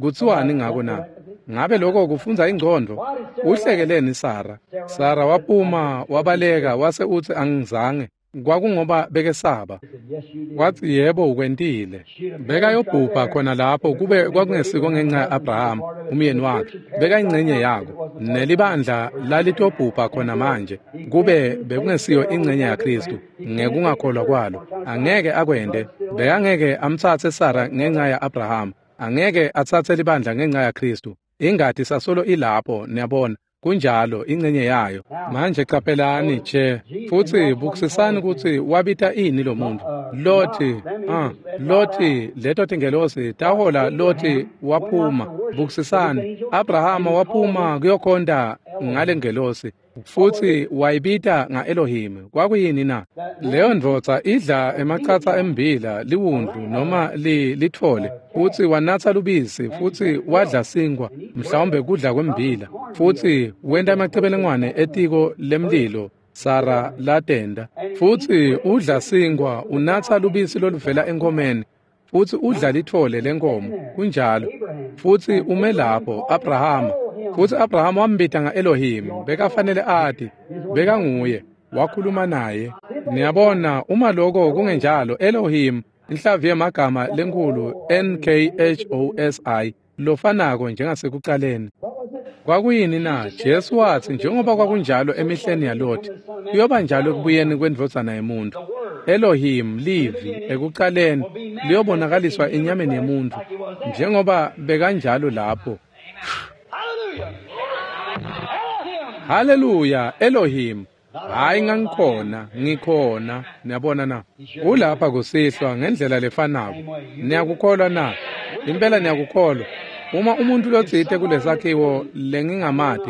Kutsiwani ngako na? Ngabe lokho kufundza ingcondvo? Uhlekeleni Sara? Sara waphuma wabaleka, wase utsi angizange. Kwakungoba bekesaba. Watsi yebo ukwentile. Bekayobhubha khona lapho kube kwakungesiko ngenxa ya-Abrahama umyeni wakhe. Bekayingcenye yako. Nelibandla lalitobhubha khona manje kube bekungesiyo ingcenye yaKristu ngekungakholwa kwalo. Angeke akwente. Bekangeke amtsatse Sara ngenxa ya-Abrahama. Angeke atsatse libandla ngenxa yaKristu. Ingati sasolo ilapho, niyabona. Kunjalo, ingcenye yayo. Manje caphelani nje futsi bukisisani kutsi wabita ini lo muntu. Loti, Loti, leto tingelosi tahola Loti waphuma. Bukisisani, Abrahama waphuma kuyokhonta ngalengelosi futsi wayibita nga-Elohim. Kwakuyini na? Leyo ndvodza idla emacatsa embila, liwundlu noma litfole, futsi wanatsa lubisi, futsi wadla sinkwa, mhlawumbe kudla kwembila, futsi wenta emacebelengwane etiko lemlilo Sara latenda. Futsi udla sinkwa, unatsa lubisi loluvela enkomeni, futsi udla litfole lenkomo. Kunjalo. Futsi ume lapho Abrahama. Futsi Abrahama wambita nga-Elohim. Bekafanele ati, bekanguye, wakhuluma naye. Niyabona, uma lokho kungenjalo, Elohim, inhlavu yemagama lenkhulu N-K-H-O-S-I, lofanako njengasekucaleni. Kwakuyini na? Jesu watsi njengoba kwakunjalo emihleni yaLoti, kuyoba njalo ekubuyeni kwendvodzana yemuntu. Elohim, livi, ekucaleni, liyobonakaliswa enyameni yemuntu, njengoba bekanjalo lapho. Haleluya, Elohim. Hayi ngangikhona, ngikhona. Niyabona na? Ulapha kusihlwa ngendlela lefanako. Niyakukholwa na? Impela niyakukholwa. Uma umuntu lotsite kulesakhiwo lengingamati,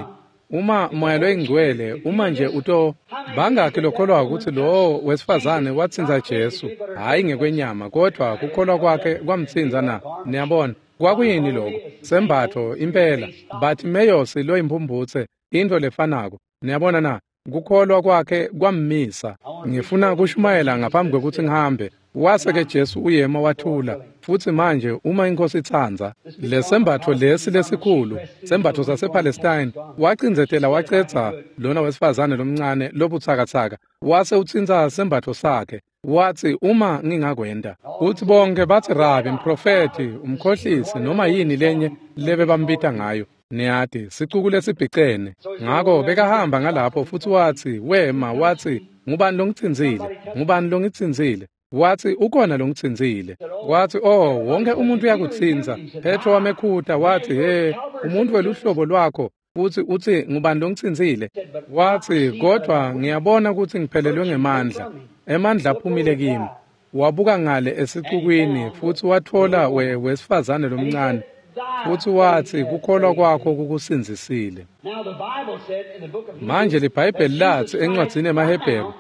uma Moya loyiNgcwele, uma nje uto bangakhi lokholwa ukuthi lowo wesifazane watsintsa Jesu, hhayi ngekwenyama, kodvwa kukholwa kwakhe kwamtsintsa na? Niyabona, kwakuyini lokho? Sembatfo impela. Bartimeyosi loyimphumputse, intfo lefanako. Niyabona na? Kukholwa kwakhe kwammisa. Ngifuna kushumayela ngaphambi kwekutsi ngihambe. Wase-ke Jesu uyema wathula. Futsi manje uma iNkosi itsandza, lesembatfo lesi lesikhulu, sembatfo sasePalestine, wacindzetela wacedza lona wesifazane lomncane lobutsakatsaka, wase utsintsa sembatfo sakhe. Watsi uma ngingakwenta. Futsi bonke batsi rabi, mprofethi, umkhohlisi, noma yini lenye lebebambita ngayo. Niyati, sicuku lesibhicene. Ngako bekahamba ngalapho futsi watsi, wema, watsi, ngubani longitsintsile? Ngubani longitsintsile? Watsi ukhona longitsintsile. Watsi, oh, wonke umuntu uyakutsintsa. Petro wamekhuta watsi, he, umuntu weluhlobo lwakho, futsi utsi ngubani longitsintsile? Watsi, kodvwa ngiyabona kutsi ngiphelelwe ngemandla. Emandla aphumile kimi. Wabuka ngale esicukwini futsi watfola wesifazane lomncane. Futsi watsi kukholwa kwakho kukusindzisile. Manje liBhayibheli latsi encwadzini yemaHebheru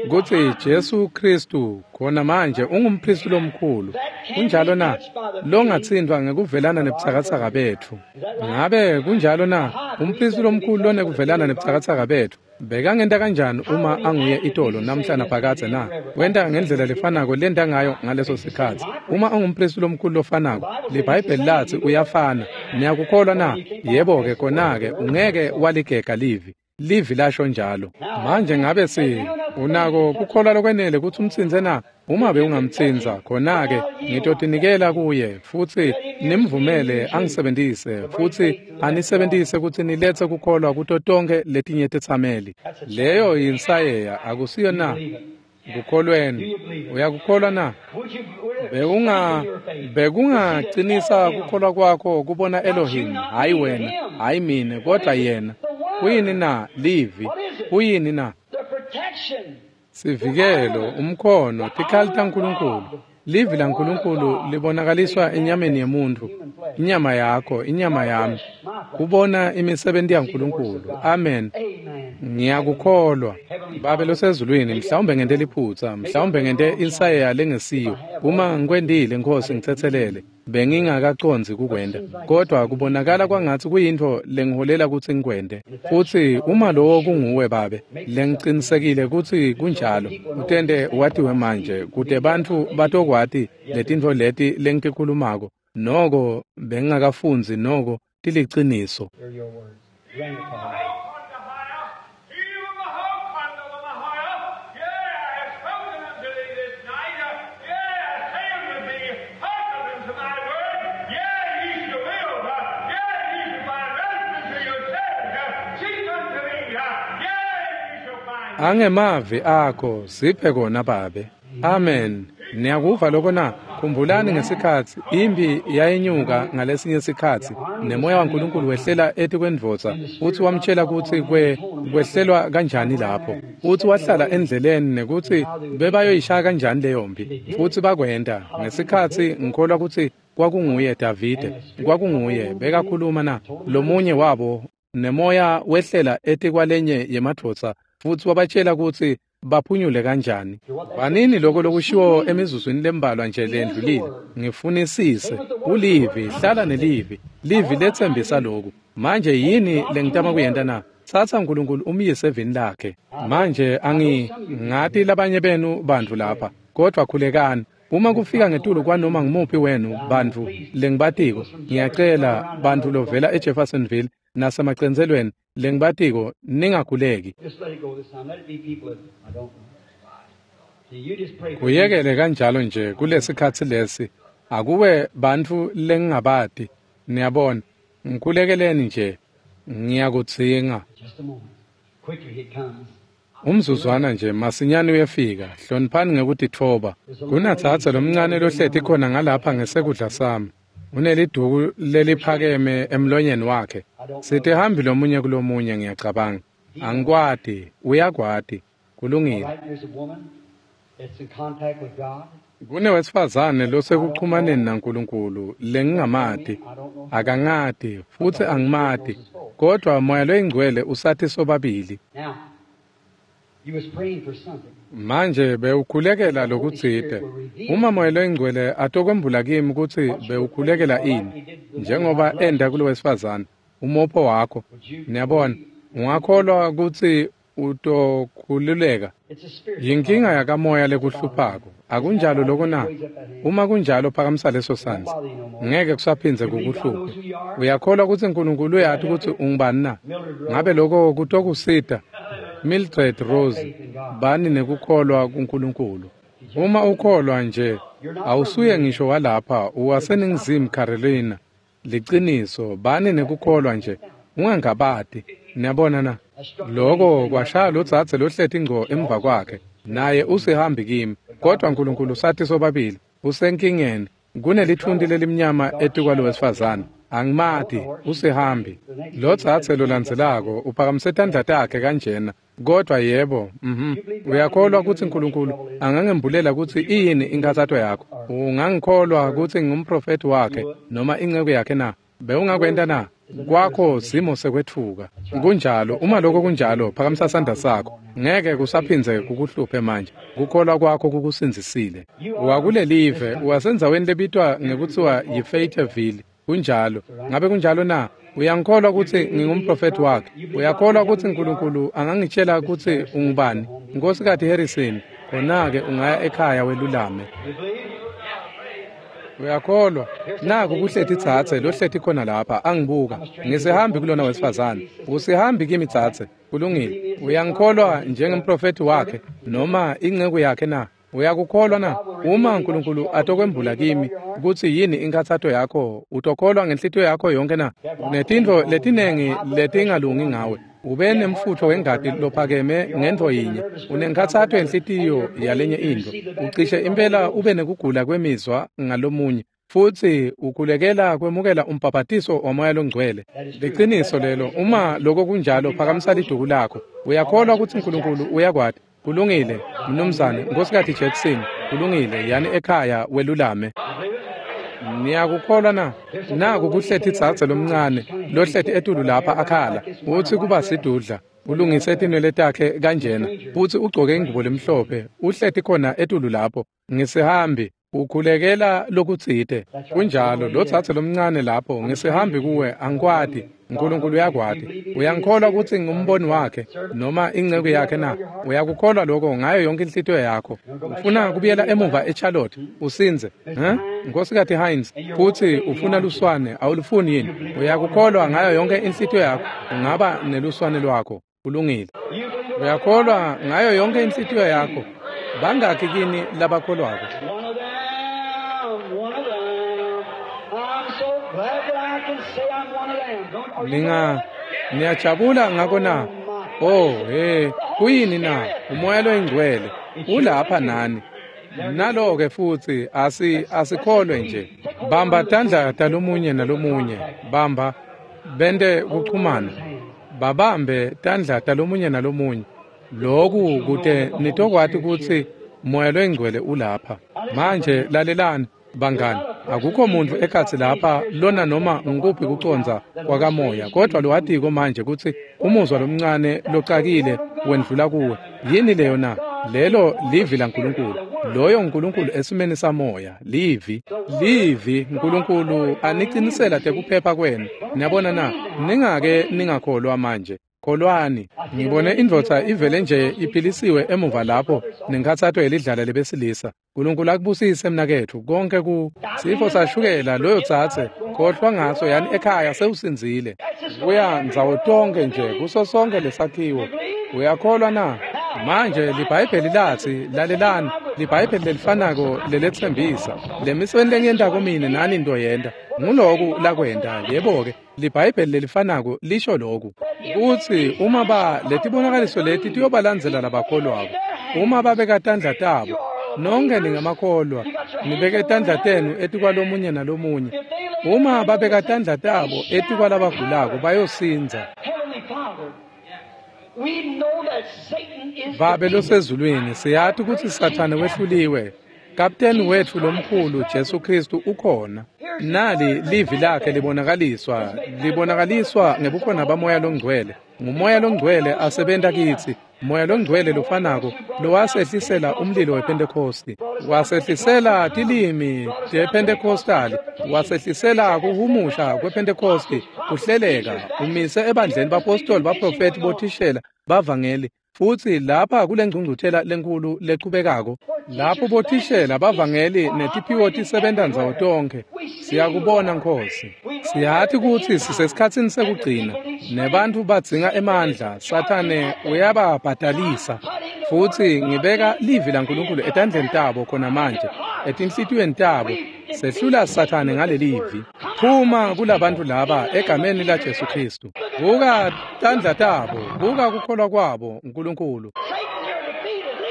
Kutsi Jesu Khristu khona manje ungumphristi lomkhulu. Kunjalo na? Longatsintfwa ngekuvelana nebutsakatsaka betfu. Ngabe kunjalo na? Umphristi lomkhulu lonekuvelana nebutsakatsaka betfu. Bekangenta kanjani uma anguye itolo namhla naphakadze na? Wenta ngendlela lefanako lenta ngayo ngaleso sikhatsi. Uma ungumphristi lomkhulu lofanako, liBhayibheli latsi uyafana. Niyakukholwa na? Yebo-ke kona-ke ungeke waligega livi. Livi lasho njalo. Manje ngabe unako kukholwa lokwenele kutsi umtsintse na? Uma bewungamtsintsa, khona-ke ngitotinikela kuye futsi nimvumele angisebentise futsi anisebentise kutsi niletse kukholwa kuto tonkhe letinye tetsameli. Leyo yinsayeya, akusiyo na? Kukholweni. Uyakukholwa na? Bekungacinisa kukholwa kwakho kubona Elohim, hayi wena, hayi mine, kodwa yena. Kuyini na? Livi. Kuyini na? Sivikelo, umkhono, tikhali taNkulunkulu. Livi laNkulunkulu libonakaliswa enyameni yemuntfu, inyama yakho, inyama yami. Kubona imisebenti yaNkulunkulu. Amen. Ngiyakukholwa. Babe losezulwini, mhlawumbe ngente liphutsa, mhlawumbe ngente insayeya lengesiyo. Uma ngikwentile, Nkosi, ngitsetselele. Bengingakacondzi kukwenta, kodwa kubonakala kwangatsi kuyintfo lengiholela kutsi ngikwente. Futsi uma lowo kunguwe Babe, lengicinisekile kutsi kunjalo, utente watiwe manje kute bantfu batokwati letintfo leti lengitikhulumako. Noko bengingakafundzi noko tiliciniso. Angemavi akho siphe kona Babe. Amen. Niyakuva lokho na? Khumbulani ngesikhatsi impi yayinyuka ngalesinye sikhatsi nemoya waNkulunkulu wehlela etikwendvodza futsi wamtshela kutsi kwehlelwa kanjani lapho, futsi wahlala endleleni nekutsi bebayoyishaya kanjani leyo mpi, futsi bakwenta. Ngesikhatsi ngikholwa kutsi kwakunguye Davide, kwakunguye bekakhuluma na lomunye wabo, nemoya wehlela etikwalenye yemadvodza futsi wabatshela kutsi baphunyule kanjani. Vanini lokho lokushiwo emizuzwini lembalwa nje lendlulile. Ngifunisise ulivi, hlala nelivi. Livi letsembisa lokhu. Manje yini lengitama kuyenta na? Tsatsa uNkulunkulu umyise evini lakhe. Manje angingati labanye benu bantfu lapha, kodvwa khulekani. Uma kufika ngetulu kwanoma ngumuphi wenu bantfu lengibatiko, ngiyacela bantfu lovela eJeffersonville nasemacentselweni lengibatiko ningakhuleki. Kuyekele kanjalo nje kulesikhatsi lesi. Akuwe bantfu lengingabati, niyabona. Ngikhulekeleni nje, ngiyakudzinga. Umzuzwana nje masinyane uyefika. Hloniphani ngekutitfoba. Kunatsatsa lomncane lohleti khona ngalapha ngesekudla sami. Uneliduku leliphakeme emlonyeni wakhe. Sitihambi lomunye kulomunye ngiyacabanga. Angikwati, uyakwati. Kulungile. Kunewesifazane losekuchumaneni naNkulunkulu lengingamati, akangati futsi angimati, kodvwa Moya loyiNgcwele usathi sobabili. Manje bewukhulekela lokutsite. Uma Moya loyiNgcwele atokwembula kimi kutsi bewukhulekela ini, njengoba enda kulowesifazane, umopho wakho, niyabona, ungakholwa kutsi utokhululeka. Yinkinga yakamoya lekuhluphako. Akunjalo lokho na? Uma kunjalo phakamisa leso sandla. Ngeke kusaphindze kukuhluphe. Uyakholwa kutsi uNkulunkulu uyati kutsi ungubani na? Ngabe lokho kutokusita? Mildred Rose, bani nekukholwa kuNkulunkulu. Uma ukholwa nje, awusuye ngisho walapha, uwaseNingizimu Carolina. Liciniso, bani nekukholwa nje, ungangabati. Niyabona na? Lokho kwashaya lodzadze lohleti ngco emva kwakhe. Naye usihambi kimi, kodwa uNkulunkulu sathi sobabili. Usenkingeni, kunelithunti lelimnyama etikwalo wesifazane. Angimati, usihambi. Lodzadze lolandzelako uphakamise tandla takhe kanjena. Kodwa yebo, Uyakholwa kutsi uNkulunkulu angangembulela kutsi iyini inkhatsato yakho? Ungangikholwa kutsi ngingumprofethi wakhe noma inceku yakhe na? Bewungakwenta na? Kwakho simo sekwetfuka. Kunjalo, uma lokho kunjalo, phakamisa sandla sakho. Ngeke kusaphindze kukuhluphe manje. Kukholwa kwakho kukusindzisile. Wakulelive, wasendzaweni lebitwa ngekuthiwa yiFayetteville. Kunjalo. Ngabe kunjalo na? Uyangikholwa kutsi ngingumprofeti wakhe? Uyakholwa kutsi Nkulunkulu angangitshela kutsi ungubani? Nkosikazi Harrison, khona-ke ungaya ekhaya welulame. Uyakholwa? Naku kuhleti dzadze lohleti khona lapha angibuka. Ngisihambi kulona wesifazane. Usihambi kimi dzadze. Kulungile. Uyangikholwa njengemprofeti wakhe noma inceku yakhe na? Uyakukholwa na? Uma Nkulunkulu atokwembula kimi kutsi yini inkhatsato yakho, utokholwa ngenhlitiyo yakho yonke na? Unetintfo letinengi letingalungi ngawe. Ube nemfutfo wengati lophakeme ngentfo yinye. Unenkhatsato yenhlitiyo yalenye intfo. Ucishe impela ube nekugula kwemizwa ngalomunye. Futsi ukhulekela kwemukela umbhabhatiso waMoya Longcwele. Liciniso lelo. Uma lokho kunjalo, phakamisa liduku lakho. Uyakholwa kutsi Nkulunkulu uyakwati? Kulungile, mnumzane, Nkosikazi Jackson. Kulungile, yani ekhaya welulame. Niyakukholwa na? Naku kuhleti dzadze lomncane lohleti etulu lapha akhala. Utsi kuba sidudla. Ulungise tinwele takhe kanjena. Futsi ugcoke ingubo lemhlophe. Uhleti khona etulu lapho. Ngisihambi. Ukhulekela lokutsite. Kunjalo, lo dzadze lomncane lapho, ngisihambi kuwe, angikwati. Nkulunkulu uyakwati. Uyangikholwa kutsi ngumboni wakhe noma inceku yakhe na? Uyakukholwa lokho ngayo yonke inhlitiyo yakho? Ufuna kubuyela emuva eCharlotte usindze, Nkosikazi Hines, futsi ufuna luswane, awulufuni yini? Uyakukholwa ngayo yonke inhlitiyo yakho? Ungaba neluswane lwakho. Kulungile. Uyakholwa ngayo yonke inhlitiyo yakho? Bangaki kini labakholwako? Niyajabula ngako na? Oh, hey, kuyini na? Umoya loyingcwele ulapha nani. Nalo-ke futsi asikholwe nje. Bamba tandla talomunye nalomunye. Bamba bente kuchumana. Babambe tandla talomunye nalomunye. Loku kute nitokwati kutsi Moya loyingcwele ulapha. Manje lalelani bangani, akukho muntu ekhatsi lapha lona noma ngukuphi kucondza kwakamoya, kodwa lowatiko manje kutsi umuzwa lomncane locakile wendlula kuwe. Yini leyo na? Lelo livi laNkulunkulu. Loyo Nkulunkulu esimeni samoya, livi. Livi Nkulunkulu anicinisela tekuphepha kwenu. Niyabona na? Ningake ningakholwa manje. Kholwani. Ngibone indvodza ivele nje iphilisiwe emuva lapho nenkhatsato yelidlala lebesilisa. Nkulunkulu akubusise mnaketfu konke ku sifo sashukela loyo dzadze khohlwa ngaso yani ekhaya sewusindzile. Kuya ndzawo tonke nje kuso sonke lesakhiwo. Uyakholwa na? Manje liBhayibheli latsi, lalelani, liBhayibheli lelifanako leletsembisa lemisebenti lengiyentako mine nani ntoyenta. Nguloku lakwenta, yebo-ke. LiBhayibheli lelifanako lisho loku kutsi uma letibonakaliso leti tiyobalandzela labakholwako. Uma babeka tandla tabo, nonke ningamakholwa, nibeke tandla tenu etikwalomunye nalomunye. Uma babeka tandla tabo etikwalabagulako bayosindza. Babe losezulwini, siyati kutsi Sathane wehluliwe. Kapteni wetfu lomkhulu Jesu Kristu ukhona. Nali livi lakhe libonakaliswa, libonakaliswa ngebukhona baMoya loNgcwele. Ngumoya loNgcwele asebenta kitsi. Moya loNgcwele lofanako lowasehlisela umlilo wePhentekhosti, wasehlisela tilimi tePhentekhostali, wasehlisela kuhumusha kwePhentekhosti, kuhleleka, umise ebandleni bapostoli, baprofethi, bothishela, bavangeli. Futsi lapha kulengcungcuthela lenkulu lechubekako, lapho bothishela bavangeli netiphiwo tisebenta ndzawo tonkhe. Siyakubona Nkhosi. Siyati kutsi sisesikhatsini sekugcina, nebantfu badzinga emandla. Sathane uyababhadalisa. Futsi ngibeka livi laNkulunkulu etandleni tabo khona manje, etinhlitiyweni tabo. Sehlula Sathane ngalelivi. Phuma kulabantfu laba egameni laJesu Kristu. Buka tandla tabo, buka kukholwa kwabo, Nkulunkulu.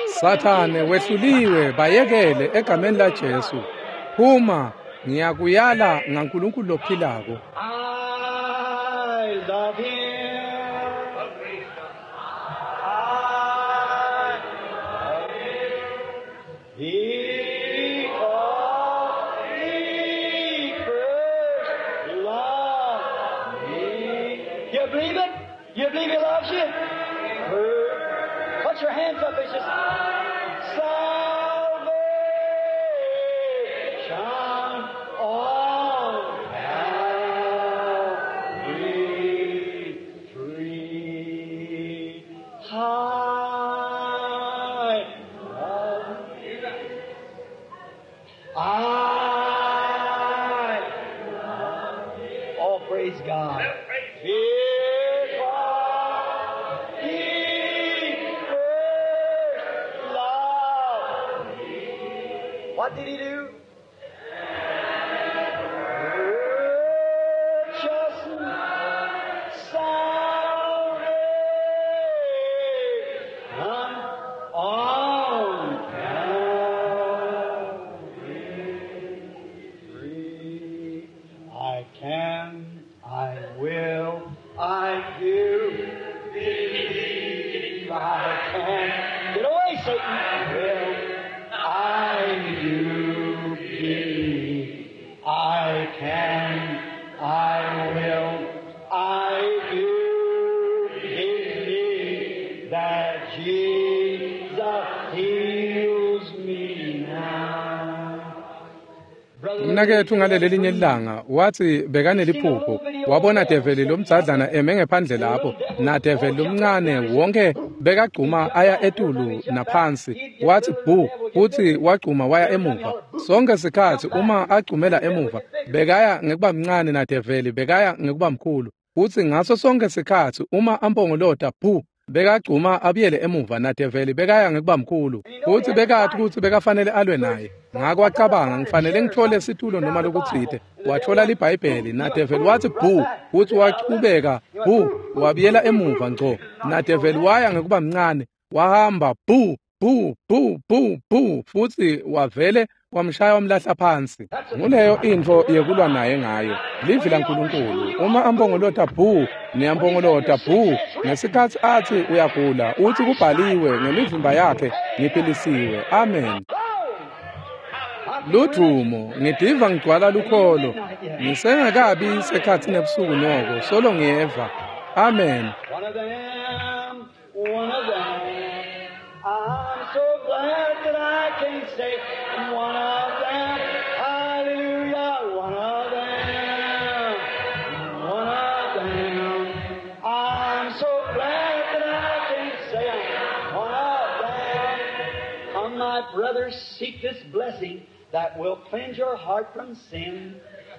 Sathane wehluliwe, bayekele egameni laJesu. Phuma, ngiyakuyala ngaNkulunkulu lophilako. I love him. I love him. Because he first loved me. believe it? You believe He loves you? Put your hands up. It's just salvation on Calvary tree. High. I. Oh, praise God. Because He first loved me. What did He do? Purchase salvation on Calvary tree. I can, I will, I do believe I can. Get away, Satan. Will, I do believe I can, I will, I do believe that Jesus heals me now. Brother, Mnaketfu ngaleli lilanga wathi bekaneliphupho wabona develi lomdzadlana eme ngephandle lapho na develi lomncane wonke bekagcuma aya etulu naphansi wathi bhu futhi wagcuma waya emuva sonke sikhathi uma agcumela emuva bekaya ngekuba mncane na develi bekaya ngekuba mkhulu futhi ngaso sonke sikhathi uma ampongolota bhu bekagcuma abuyele emuva na develi bekaya ngekuba mkhulu futhi bekathi ukuthi bekafanele alwe naye ngako wacabanga ngifanele ngithole situlo noma lokutsite wathola libhayibheli na develi wathi bhu futhi wachubeka bhu wabuyela emuva ngco na develi waya ngekuba mncane wahamba bhu bhu bhu bhu bhu futhi wavele wamshaya wamlahla phansi. Nguleyo intfo yekulwa naye ngayo livi laNkulunkulu. Uma ampongolota bhu niyampongolota bhu ngesikhathi athi uyagula uthi kubhaliwe ngemivimba yakhe ngiphilisiwe. Amen. Ludvumo ngidiva ngigcwala lukholo ngisengakabi sekhathi nebusuku noko solo ngiyeva. Amen. One of them, one of them. I'm so glad that I can say one of them. Hallelujah, one of them, one of them. I'm so glad that I can say I'm one of them. Come, my brothers, seek this blessing that will cleanse your heart from sin,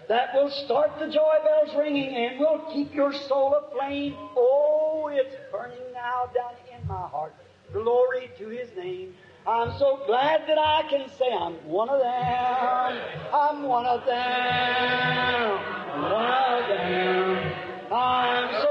that will start the joy bells ringing and will keep your soul aflame. Oh, it's burning now down in my heart. Glory to His name. I'm so glad that I can say I'm one of them. I'm one of them. One of them. I'm